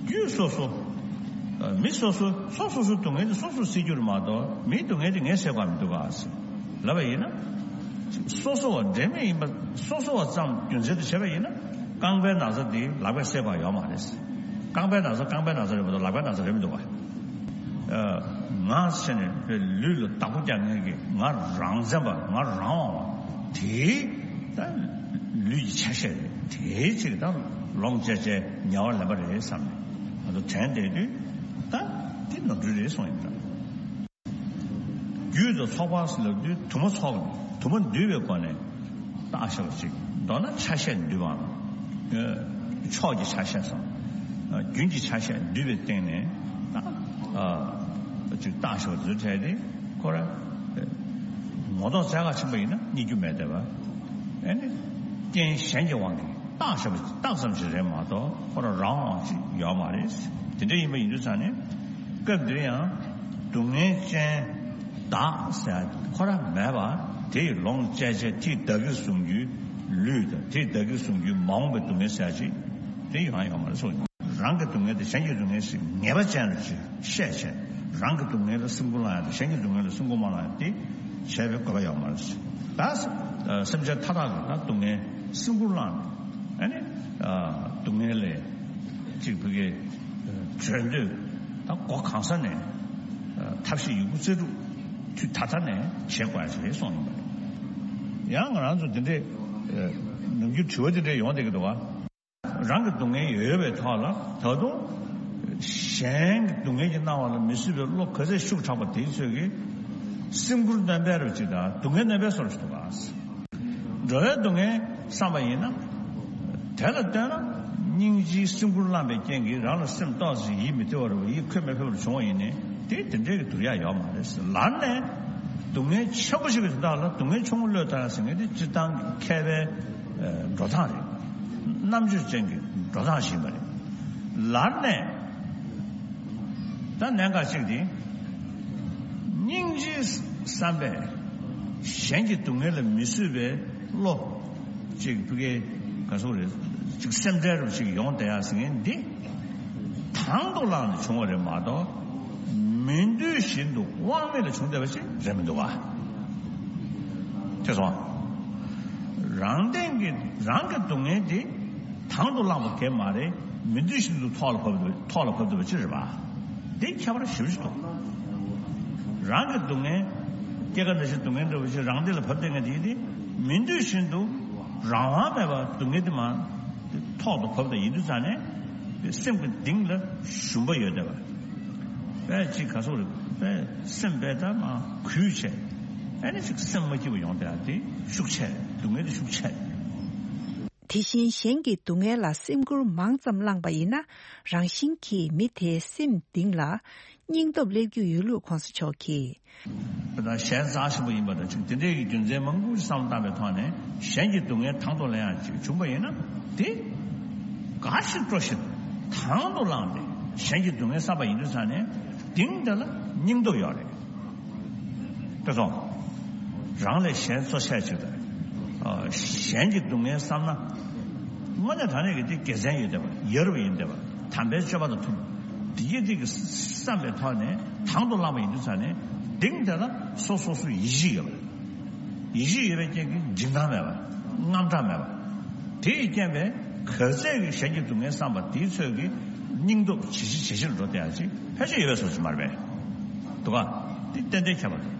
རྒྱུད་སོ་སོ། མི་སོ་སོ་སོ་སོ་སོའི་སྡུག་བསྔལ་དེ་སོ་སོས་སེལ་རྒྱུ་རེད་མ་གཏོགས། མིའི་སྡུག་བསྔལ་དེ་ངས་སེལ་དགོས་མི་འདུག་ག་ཟེར་ལབ་པ་ཡིན་ན། སོ་སོ་བ་འབྲེལ་མེད་ཡིན་པ། སོ་སོ་བ་ཙམ་རྒྱུ་མཚན་དུ་བྱས་པ་ཡིན་ན། རྐང་པའི་ན་ཚ་དེ་ལག་པས་སེལ་དགོས་ཡོད་མ་རེད། རྐང་པའི་ན་ཚ་རྐང་པའི་ན་ཚ་རེད་མ་གཏོགས་ལག་པའི་ན་ཚ་རེད་མི་འདུག་ག་ཨ། ང་ཟེར་ནས་ལུས་ལ་བདག་པོ་རྒྱག་མཁན་གྱི་ང་རང་བཙན་པ། ང་རང་དབང་བ་དེ་ད་ལུས་ཀྱི་ཆ་ཤས་རེད། དེའི་ཕྱིར་ད་ལོངས་སྤྱད་བྱས་ཉལ་བ་ལེན་པ་རེད་བསམ་ནས་ང་ཚོ་དྲན་བསྡད་དུས། ད་དེ་ནོར་འཁྲུལ་རེད་གསུངས་ཡིན་ད། རྒྱུད་དང་ཚོགས་པ་ཟེར་ལབ་དུས་དུ་མ་ཚོགས། དུ་མ་འདུས་པའི་སྒོ་ནས་བཏགས་བཞག་པ་ཅིག་མདོར་ན་ཆ་ཤས་འདུས་པའམ། ཕྱོགས་ཀྱི་ཆ་ཤས་སམ། རྒྱུན་གྱི་ཆ་ཤས་འདུས་པའི་སྟེང་ནས་ད་ཅིག་བཏགས་བཞག་པ་ཚོའི་གྲས་དེ་ཁོ་ར་ངོ་ཐོག་བཙལ་ག་ཕྱིན་པ་ཡིན་ན་རྙེད་རྒྱུ་མེད་བསྡད་པ། ཨ་ནི་རྐྱེན་གཞན་གྱི་དབང་གིས་བཏགས་བཞག་པ་བཏགས་ཙམ་ཞིག་རེད་མ་གཏོགས་ཁོ་ར་རང་དབང་ཅིག་ཡོད་མ་རེད། དེ་འདྲ་ཡིན་པ་ཡིན་དུས་ཙང་ནས་སྐབས་འདིར་ཡང་སྡུག་བསྔལ་ཅན་བདག་ཟེར་ཁོ་ར་མེད་པ། དེ་ཡི་ལོངས་སྤྱད་བྱས་དེ་བདག་གིར་བཟུང་རྒྱུའི་ ལུས་དང་དེ་བདག་གིར་བཟུང་རྒྱུའི་མ་འོངས་པའི་སྡུག་བསྔལ་ཟེར་ཅིག་དེ་ཡོང་ཡ་ཡོད་མ་རེད་གསུངས། རང་གི་སྡུག་བསྔལ་དེ་གཞན་གྱི་སྡུག་བསྔལ་ཞིག་ངེས་པ་ཅན་རུ་ཅིག་བཤད་བྱས། རང་གི་སྡུག་བསྔལ་ལ་སེམས་ཁུར་བླངས་ཡ་དང་གཞན་གྱི་སྡུག་བསྔལ་ལ་སེམས་ཁུར་མ་བླངས་ཡ་དེ་བྱས་པའི་དགོས་པ་ཡོད་མ་རེད། ད་སེམས་ཅན་མཐའ་དག་གི་ད་སྡུག་བསྔལ་སེམས་ཁུར་བླངས་ནས་ཨ་ནི་སྡུག་བསྔལ་ལས་ཅིག་བུ་གའི་གྲོལ་འདོད་ད་སྒོ་གང་ས་ནས་ཐབས་ཤེས་ཡོད་རྒུ་རྩལ་སྤྲུགས་དུས་ད་ལྟ་ནས་བྱེད་དགོས་ཡ་ཞིག་རེད་གསུངས་ཡོང་པ་རེད། ཡང་ང་རང་ཚོ་འདི་འདྲའི་ནམ་རྒྱུན་དྲི་བ་འདི་འདྲའི་ཡོང་བསྡད་ཀྱི་འདུག་ག་རང་གི་སྡུག་བསྔལ་ཡོད་པའི་ཐོག་ལ་ད་དུང་གཞན་གྱི་སྡུག་བསྔལ་གྱི་སྣང་བ་ལ་མི་བཟོད་པའི་བློ་ག་ཚད་ཤུགས་དྲག་པ་དེའི་ཚོད་ཀྱིས་སེམས་ཁུར་སྣོན་པའི་རོ་ཅིག་དང་སྡུག་བསྔལ་སྣོན་པའི་སོར་ཞིག་ཏུ་བ། འགྲོ་བའི་སྡུག་བསྔལ་བསམ་པ་ཡིན་ན། དེ་ལ་ལྟོས་ན་སྙིང་རྗེའི་སེམས་ཁུར་བླངས་པའི་རྐྱེན་གྱིས་རང་ལ་སེམས་ཏོག་ཙམ་ཡིད་མི་བདེ་བ་རུ་ཡིད་ཁོད་མི་ཕེབས་པར་བྱུང་བ་ཡིན་ནའི་དེ་དེ་འདྲའི་གི་སྡུག་ཡག་ཡོད་མ་རེད། ལར་ནས་སྡུག་བསྔལ་ཆེན་པོ་ཞིག་གི་དོན་དག་ལ་སྡུག་བསྔལ་ཆུང་ངུ་བློས་གཏོང་ཡག་ཟེར་མཁན་དེ་སྤྱིར་བཏང་གི་མཁས་པའི་འགྲོ་སྟངས་རེད། རྣམ་དཔྱོད་ཅན་གྱི་འགྲོ་སྟངས་ཤིག་ཡིན་པ་རེད། ལར་ནས་ད་གནད་འགག་ཅིག་དེ་སྙིང་རྗེའི་བསམ་པས་གཞན་གྱི་སྡུག་བསྔལ་ལ་མི་བཟོད་པའི་བློ་ཅིག་བུ་གའི་ག་སོག་རེད་ཅིག་སེམས་ཁྲལ་རུ་ཅིག་ཡོང་བསྡད་ཡག་ཟེར་མཁན་འདི་དང་དུ་བླངས་ནས་བྱུང་བ་རེད་མ་གཏོགས་མི་འདོད་བཞིན་དུ་དབང་མེད་ལ་བྱུང་བསྡད་པ་ཞིག་རེད་མི་འདུག་ག་དེ་སོང་། རང་སྟེང་གི་རང་གི་སྡུག་བསྔལ་དེ་དང་དུ་བླངས་པ་གས་མ་རེད། མི་འདོད་བཞིན་དུ་ཐོག་ལ་བབས་འདུག་ཐོག་ལ་བབས་འདུག་པ་ཅི་རེད་པ། དེ་ཁྱད་པར་ཞེ་པོ་ཞིག་འདུག་རང་གི་སྡུག་བསྔལ་སྐྱེ་རྒ་ན་འཆིའི་སྡུག་བསྔལ་འདྲ་བོ་ཞིག་རང་སྟེང་ལ་བབས་བསྡད་མཁན་དེ་ཡིན་ཏེ་མི་འདོད་བཞིན་དུ་རང་དབང་མེད་པར་སྡུག་བསྔལ་དེ་མ་ཐོག་ཏུ་བབས་དང་ཡིན་དུས་ཙང་ནས་སེམས་ཀྱི་གཏིང་ལ་ཞུམ་པ་ཡོད་བསྡད་པ། དཔེ་ཅིག་ག་སོག་རེད། དཔེ་སེམས་དཔེ་ལྟ་མ་གུས་བྱས། ཨ་ནི་ཅིག་སེམས་མ་སྐྱིད་པ་ཡོང་བསྡད་ཡ་དེ་ཤུགས་ཆེ། སྡུག་བསྔལ་དེ་ཤུགས་ཆེ། དེ་བཞིན་གཞན་གྱི་སྡུག་བསྔལ་ལ་སེམས་ཁུར་མང་ཙམ་བླངས་པ་ཡིན་ན་རང་བཞིན་གྱིས་མི་དེའི་སེམས་གཏིང་ལ་སྙིང་སྟོབས་སླེབས་རྒྱུ་ཡོད་ལུགས་གོང་ས་མཆོག་གིས། དཔེར་ན་གཞན་རྩ་ཆེན་པོ་ཡིན་པ་དང་ཅིག་དེ་འདྲའི་གི་རྒྱུ་མཚན་མང་པོ་ཞིག་བསམ་བློ་བཏང་པའི་ཐོག་ནས་གཞན་གྱི་སྡུག་བསྔལ་དང་དུ་ལེན་ཡ་ཅིག་བྱུང་པ་ཡིན་ན་དེ་དགའ་ཞིང་སྤྲོ་ཞིང་དང་དུ་བླངས་ཏེ་གཞན་གྱི་སྡུག་བསྔལ་བསམ་པ་ཡིན་དུས་ཙང་ནས་གཏིང་དེ་ལ་སྙིང་སྟོབས་ཡོད་རེད། དེ་སོང་། རང་ལས་གཞན་གཙོ་ཆེ་ཅིག་དང་། གཞན་གྱི་སྡུག་བསྔལ་བསམ་ན། དངོས་གནས་དྲང་གནས་ཀྱི་དེ་དགེ་མཚན་ཡོད་བསྡད་པ་ཡ་རབས་ཡིན་བསྡད་པ་དམ་པའི་སྤྱོད་པ་དང་མཐུན། དེ་ཡི་དེ་གི་བསམ་པའི་ཐོག་ནས་དང་དུ་བླངས་པ་ཡིན་དུས་ཙང་ནས་གཏིང་དེ་ལ་སོ་སོ་སོའི་ཡིད་ཆེས་ཡོད་པ་རེད། ཡིད་ཆེས་ཡོད་པའི་རྐྱེན་གྱིས་འཇིགས་སྣང་མེད་པ། དངངས་སྐྲག་མེད་པ། དེ་ཡི་རྐྱེན་པས་ག་ཚད་ཀྱི་གཞན་གྱི་སྡུག་བསྔལ་བསམ་པ་དེའི་ཚོད་ཀྱིས་སྙིང་སྟོབས་ཇེ་ཆེ་ཇེ་ཆེར་འགྲོ་བསྡད་ཡ་ཅིག་ཕལ་ཆེར་ཡོད་པའི་བཟོ་ཅིག་མ་རེད་པས། འདུག་ག་དེ་ཏན་ཏན་ཁྱད་པར་འདུག་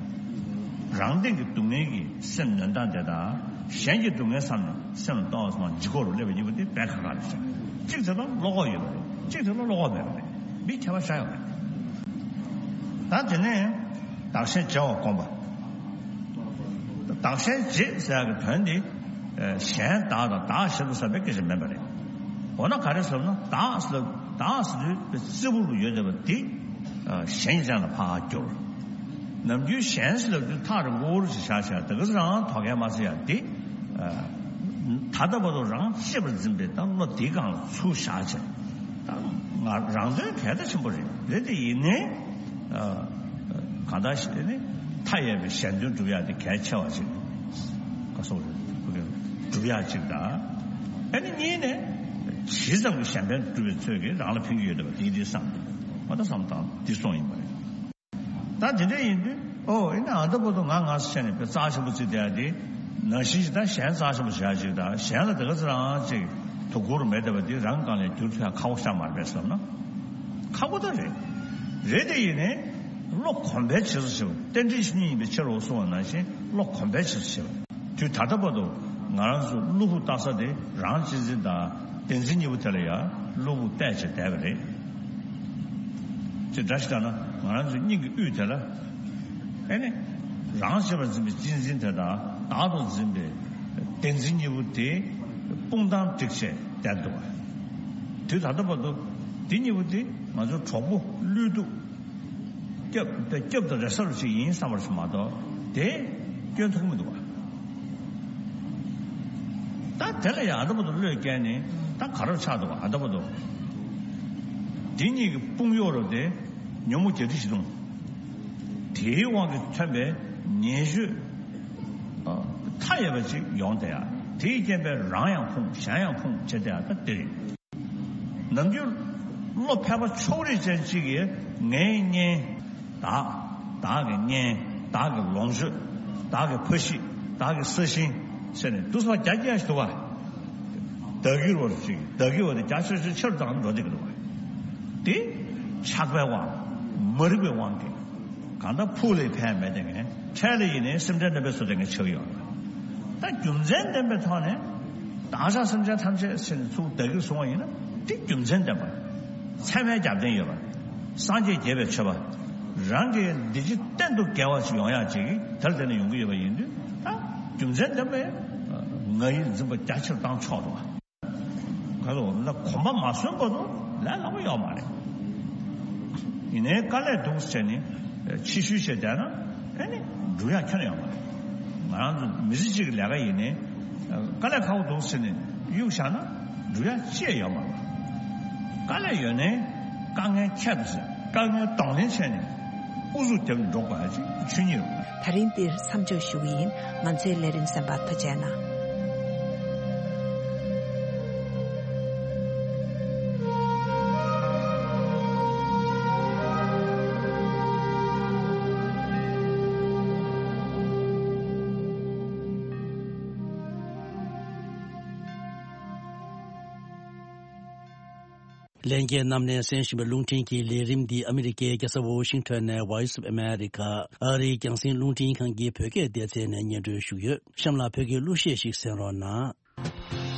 རང་སྟེང་གི་སྡུག་བསྔལ་གྱི་སེམས་ནོན་སྟངས་དེ་དང་གཞན་གྱི་སྡུག་བསྔལ་བསམ་ནས་སེམས་ལ་ཏོག་ཙམ་ལྗིད་ཁོག་རུ་སླེབས་པ་གཉིས་པོ་དེ་དཔེ་ཁག་ཁག་རེད་ཤག་གཅིག་དེ་ལ་བློ་ཁོག་ཡོད་པ་རེད། གཅིག་དེ་ལ་བློ་ཁོག་མེད་པ་རེད། མི་ཁྱད་པར་ཤ་ཡོད་རེད། ད་དེ་ནས་བདག་གཞན་བརྗེ་བར་དགོངས་པ། བདག་གཞན་བརྗེ་ཟེར་ཡག་གི་དོན་དེ་གཞན་བདག་དང་བདག་གཞན་དུ་བསམ་པའི་སྐད་ཆ་མིན་པ་རེད། འོ་ན་ག་རེ་ཟེར་ན་བདག་ཟེར་བདག་ཟེར་དུས་རྩེ་ཕུག་ལ་ཡོད་བསྡད་པ་དེ་གཞན་གྱི་སྟེང་ལ་ཕར་བསྒྱུར། ནམ་རྒྱུན་གཞན་ཟེར་ལབ་དུས་ཐག་རིང་པོ་རུ་ཞིག་བཞག་བྱས་དེ་ག་ཚོད་རང་དོ་གལ་མ་ཚོད་ཡ་དེ། ད་ལྟ་བར་དུ་རང་གཅེས་པར་འཛིན་པའི་ད་བློ་དེའི་སྒང་ལ་ཚུར་བཞག་བྱས། ད་ང་རང་དོན་གལ་ད་ཆེན་པོ་རེད། རེད་དེ་ཡིན་ནའི། གང་ལྟར་ཞིག་ནི་མཐའ་ཡས་པའི་གཞན་དོན་སྒྲུབ་ཡ་དེ་གལ་ཆེ་བ་ཞིག་ག་སོག་རེད། སྒྲུབ་ཡ་ཅིག་དང་། ཨ་ནི་གཉིས་ནས་ཇི་ཙམ་གྱི་གཞན་ཕན་སྒྲུབ་པའི་ཚོད་ཀྱིས་རང་ལ་ཕན་གྱི་ཡོད་བསྡད་པ་དེ་དེ་བསམ་སྟེ་ང་ད་བསམ་སྟངས་འདི་སོང་ཡིན་པ་རེད། ད་དེ་འདྲ་ཡིན་དུས་ཨོ་ཡིན་ན་ཨ་ད་བར་དུ་ང་ང་ཟེར་ནས་དཔེ་རྩ་ཆེན་པོ་བརྩིས་བསྡད་ཡ་དེ་ནང་བཞིན་ཞིག་ད་གཞན་རྩ་ཆེན་པོ་བྱེད་ཡ་ཅིག་དང་གཞན་ལ་དེ་ག་ཚོད་རང་ཅིག་དོ་ཁུར་མེད་བསྡད་པ་དེ་རང་སྒང་ལ་བསྒྱུར་ཐུབ་ཡ་ཁག་པོ་ཤ་མ་རེད་པས་བསམ་ན། ཁག་པོ་ད་རེད། རེད་དེ་ཡིན་ནའི་བློ་གོམས་པའི་བྱེད་སོ་ཞེས་པ་རྟེན་འབྲེལ་ཆོས་ཉིད་ཡིན་པའི་ཕྱིར་རོ་གསུངས་པ་ནང་བཞིན་བློ་གོམས་པའི་བྱེད་སོ་ཞེས་པ་དུས་ད་ལྟ་བར་དུ་ང་རང་ཚོ་གློ་བུར་ལྟ་ས་དེ་རང་གཅེས་འཛིན་དང་བདེན་འཛིན་གཉིས་པོ་དེ་ལ་ཡང་གློ་བུར་བལྟས་བྱས་བསྡད་པ་རེད། ཅེས་འདྲ་ཞིག་ལྟར་ན་ང་རང་ཚོའི་སྙིང་གི་དབུས་དེ་ལ་ཨེ་ནི་རང་གཅེས་པར་འཛིན་པའི་གཅེས་འཛིན་དེ་དང་བདག་ཏུ་འཛིན་པའི་བདེན་འཛིན་གཉིས་པོ་དེ་དཔུང་གདང་བསྒྲིགས་བྱས་བསྡད་འདུག་པ། དུས་ད་ལྟ་བར་དུ་འདི་གཉིས་པོ་དེ་ང་ཚོའི་གྲོགས་པོ་བློས་ཐུབ། སྐྱབས་སྐྱབས་དང་རེ་ས་རུ་ཞིག་ཡིན་བསམ་པར་ཞིག་མ་གཏོགས་དེ་སྐྱོན་ཐུག་མི་འདུག་པ། ད་དེ་ལ་ཡང་ཨ་ད་བར་དུ་བློས་བཀལ་ནས་ད་ག་རེ་ཆགས་འདུག་པ། ཨ་ད་བར་དུ་འདི་གཉིས་ཀྱི་དཔུང་གཡོག་རུ་དེ་ཉོན་མོངས་བརྒྱད་ཁྲི་བཞི་སྟོང་། དེའི་དབང་གིས་ཐོན་པའི་ཉེས་སྤྱོད་མཐའ་ཡས་པ་ཅིག་ཡོང་བསྡད་ཡ། དེའི་རྐྱེན་པས་རང་ཡང་ཕུང་གཞན་ཡང་ཕུང་བྱེད་དེ་ཡང་ད་དེ་རེད། ནམ་རྒྱུན་བློ་ཕལ་པ་ཕྱོགས་རིས་ཅན་གཅིག་གིས་ངའི་གཉེན། བདག་བདག་གི་གཉེན། བདག་གི་ལོངས་སྤྱོད། བདག་གི་ཕ་གཞིས། བདག་གི་ས་ཞིང་ཟེར་ནས་དུས་ཚོད་རྒྱ་སྐྱེད་ཞིག་འདུག་བ། བདག་གིར་བར་ཅིག་བདག་གི་བ་དེ་རྒྱ་ཆེ་ཆེ་ཆེར་བཏང་འགྲོ་བསྡད་ཀྱི་འདུག་བ། དེ་ཆགས་པའི་དབང་། མ་རིག་པའི་དབང་གིས། གང་ལྟར་ཕུགས་ལ་ཕན་མེད་དེ་ངས་འཕྲལ་ལ་ཡིན་ནའི་སེམས་ཁྲལ་རྣམ་པའི་སོ་དེ་ངས་ཆགས་ཡོད། ད་རྒྱུ་མཚན་ལྡན་པའི་ཐོག་ནས་བདག་ཅག་སེམས་ཅན་ཐམས་ཅད་ཟེར་ནས་ཚུར་བདག་གིར་བཟུང་བ་ཡིན་ན་དེ་རྒྱུ་མཚན་ལྡན་པ། ཚད་མའི་རྒྱབ་རྟེན་ཡོད་པ། སངས་རྒྱས་དགྱེས་པའི་མཆོད་པ། རང་གི་འདི་ཕྱི་གཏན་དུ་དགེ་བ་ཞིག་ཡོང་ཡག་ཅིག་དེར་བརྟེན་ནས་ཡོང་གི་ཡོད་པ་ཡིན་དུས་ད་རྒྱུ་མཚན་ལྡན་པའི་ང་ཡིར་འཛིན་པ་རྒྱ་ཆེར་བཏང་ཆོག་འདུག་བ། ག་རེ་ལབ་ན་གོམས་པ་མ་སོན་བར་དུ་ལས་སླ་པོ་ཡོད་མ་རེད། ཡིན་ནའི་དཀའ་ལས་འདུག་ཟེར་ནས་ཕྱི་བཤོལ་བྱས་བསྡད་ན་ཨེ་ནི་འགྲུབ་ཡག་ཁྱོན་ཡོད་མ་རེད། ང་རང་ཚོ་མི་ཚེ་གཅིག་གི་ལས་ཀ་ཡིན་ནའི་དཀའ་ལས་ཁག་པོ་འདུག་ཟེར་ནས་གཡུག་བཞག་ན་འགྲུབ་ཡག་ཅི་ཡང་ཡོད་མ་རེད། དཀའ་ལས་ཡོད་ནའི་དཀའ་ངལ་ཁྱད་དུ་བསད། དཀའ་ངལ་གདོང་ལེན་བྱས་ནས་ཨུ་ཚུགས་རྒྱབ་ནས་འགྲོ་དགོས་ཡག་ཅིག་ཆོས་ཉིད་རེད། ད་རིང་འདིར་མཚམས་འཇོག་ཞུ་གི་ཡིན། ང་ཚོའི་ལས་རིམ་གསན་པར་ཐུགས་རྗེ་གནང་། ལྷན་རྒྱས་རྣམས་ནས་གསན་བཞིན་པའི་རླུང་འཕྲིན་གྱི་ལས་རིམ་འདི་ཨ་མི་རི་ཀའི་རྒྱལ་ས་ཝོ་ཤིང་ཊོན་ནས་Voice of America ཨ་རིའི་རྒྱང་སྲིང་རླུང་འཕྲིན་ཁང་གི་བོད་སྐད་སྡེ་ཚན་ནས་སྙན་སྒྲོན་ཞུ་གི་ཡོད། གཤམ་ལ་བོད་ཀྱི་གླུ་གཞས་ཤིག་གསན་རོགས་གནང་།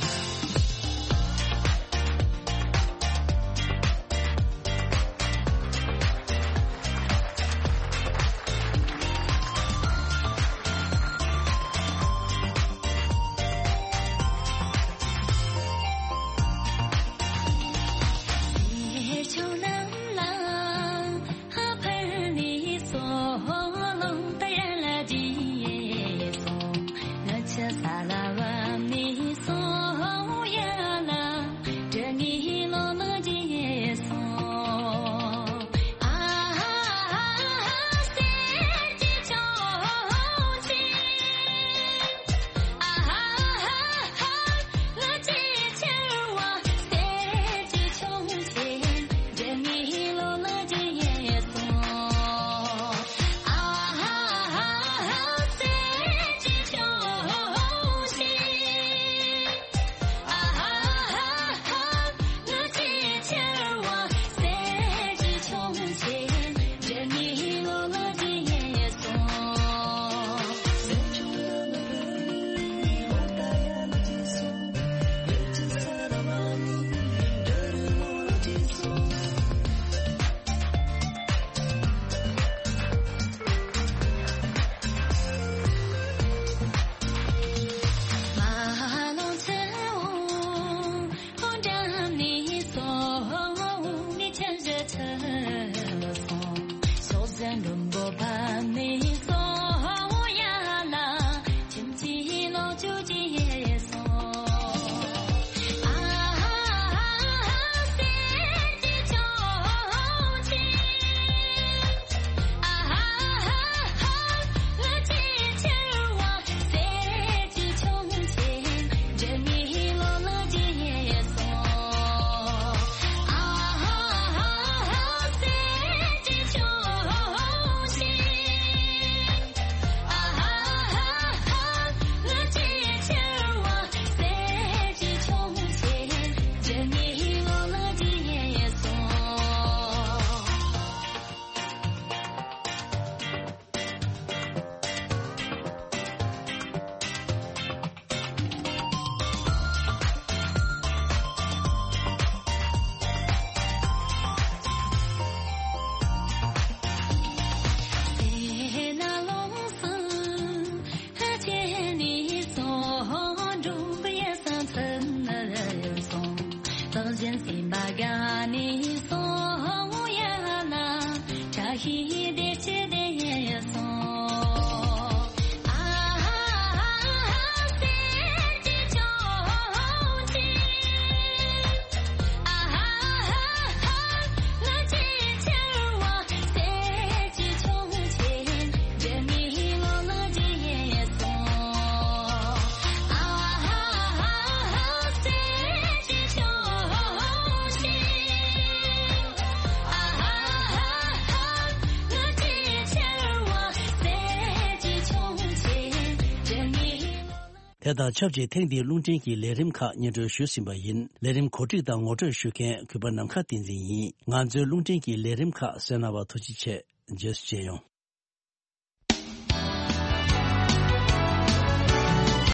དེ་དང་ཆབས་ཅིག་ཐེངས་འདིའི་རླུང་འཕྲིན་གྱི་ལས་རིམ་ཁག་སྙན་སྒྲོན་ཞུས་ཟིན་པ་ཡིན། ལས་རིམ་གོ་སྒྲིག་དང་ངོ་སྤྲོད་ཞུ་མཁན་གུས་པ་ནམ་མཁའ་བསྟན་འཛིན་ཡིན། ང་ཚོའི་རླུང་འཕྲིན་གྱི་ལས་རིམ་ཁག་གསན་གནང་བར་ཐུགས་རྗེ་ཆེ། རྗེས་སུ་མཇལ་ཡོང་།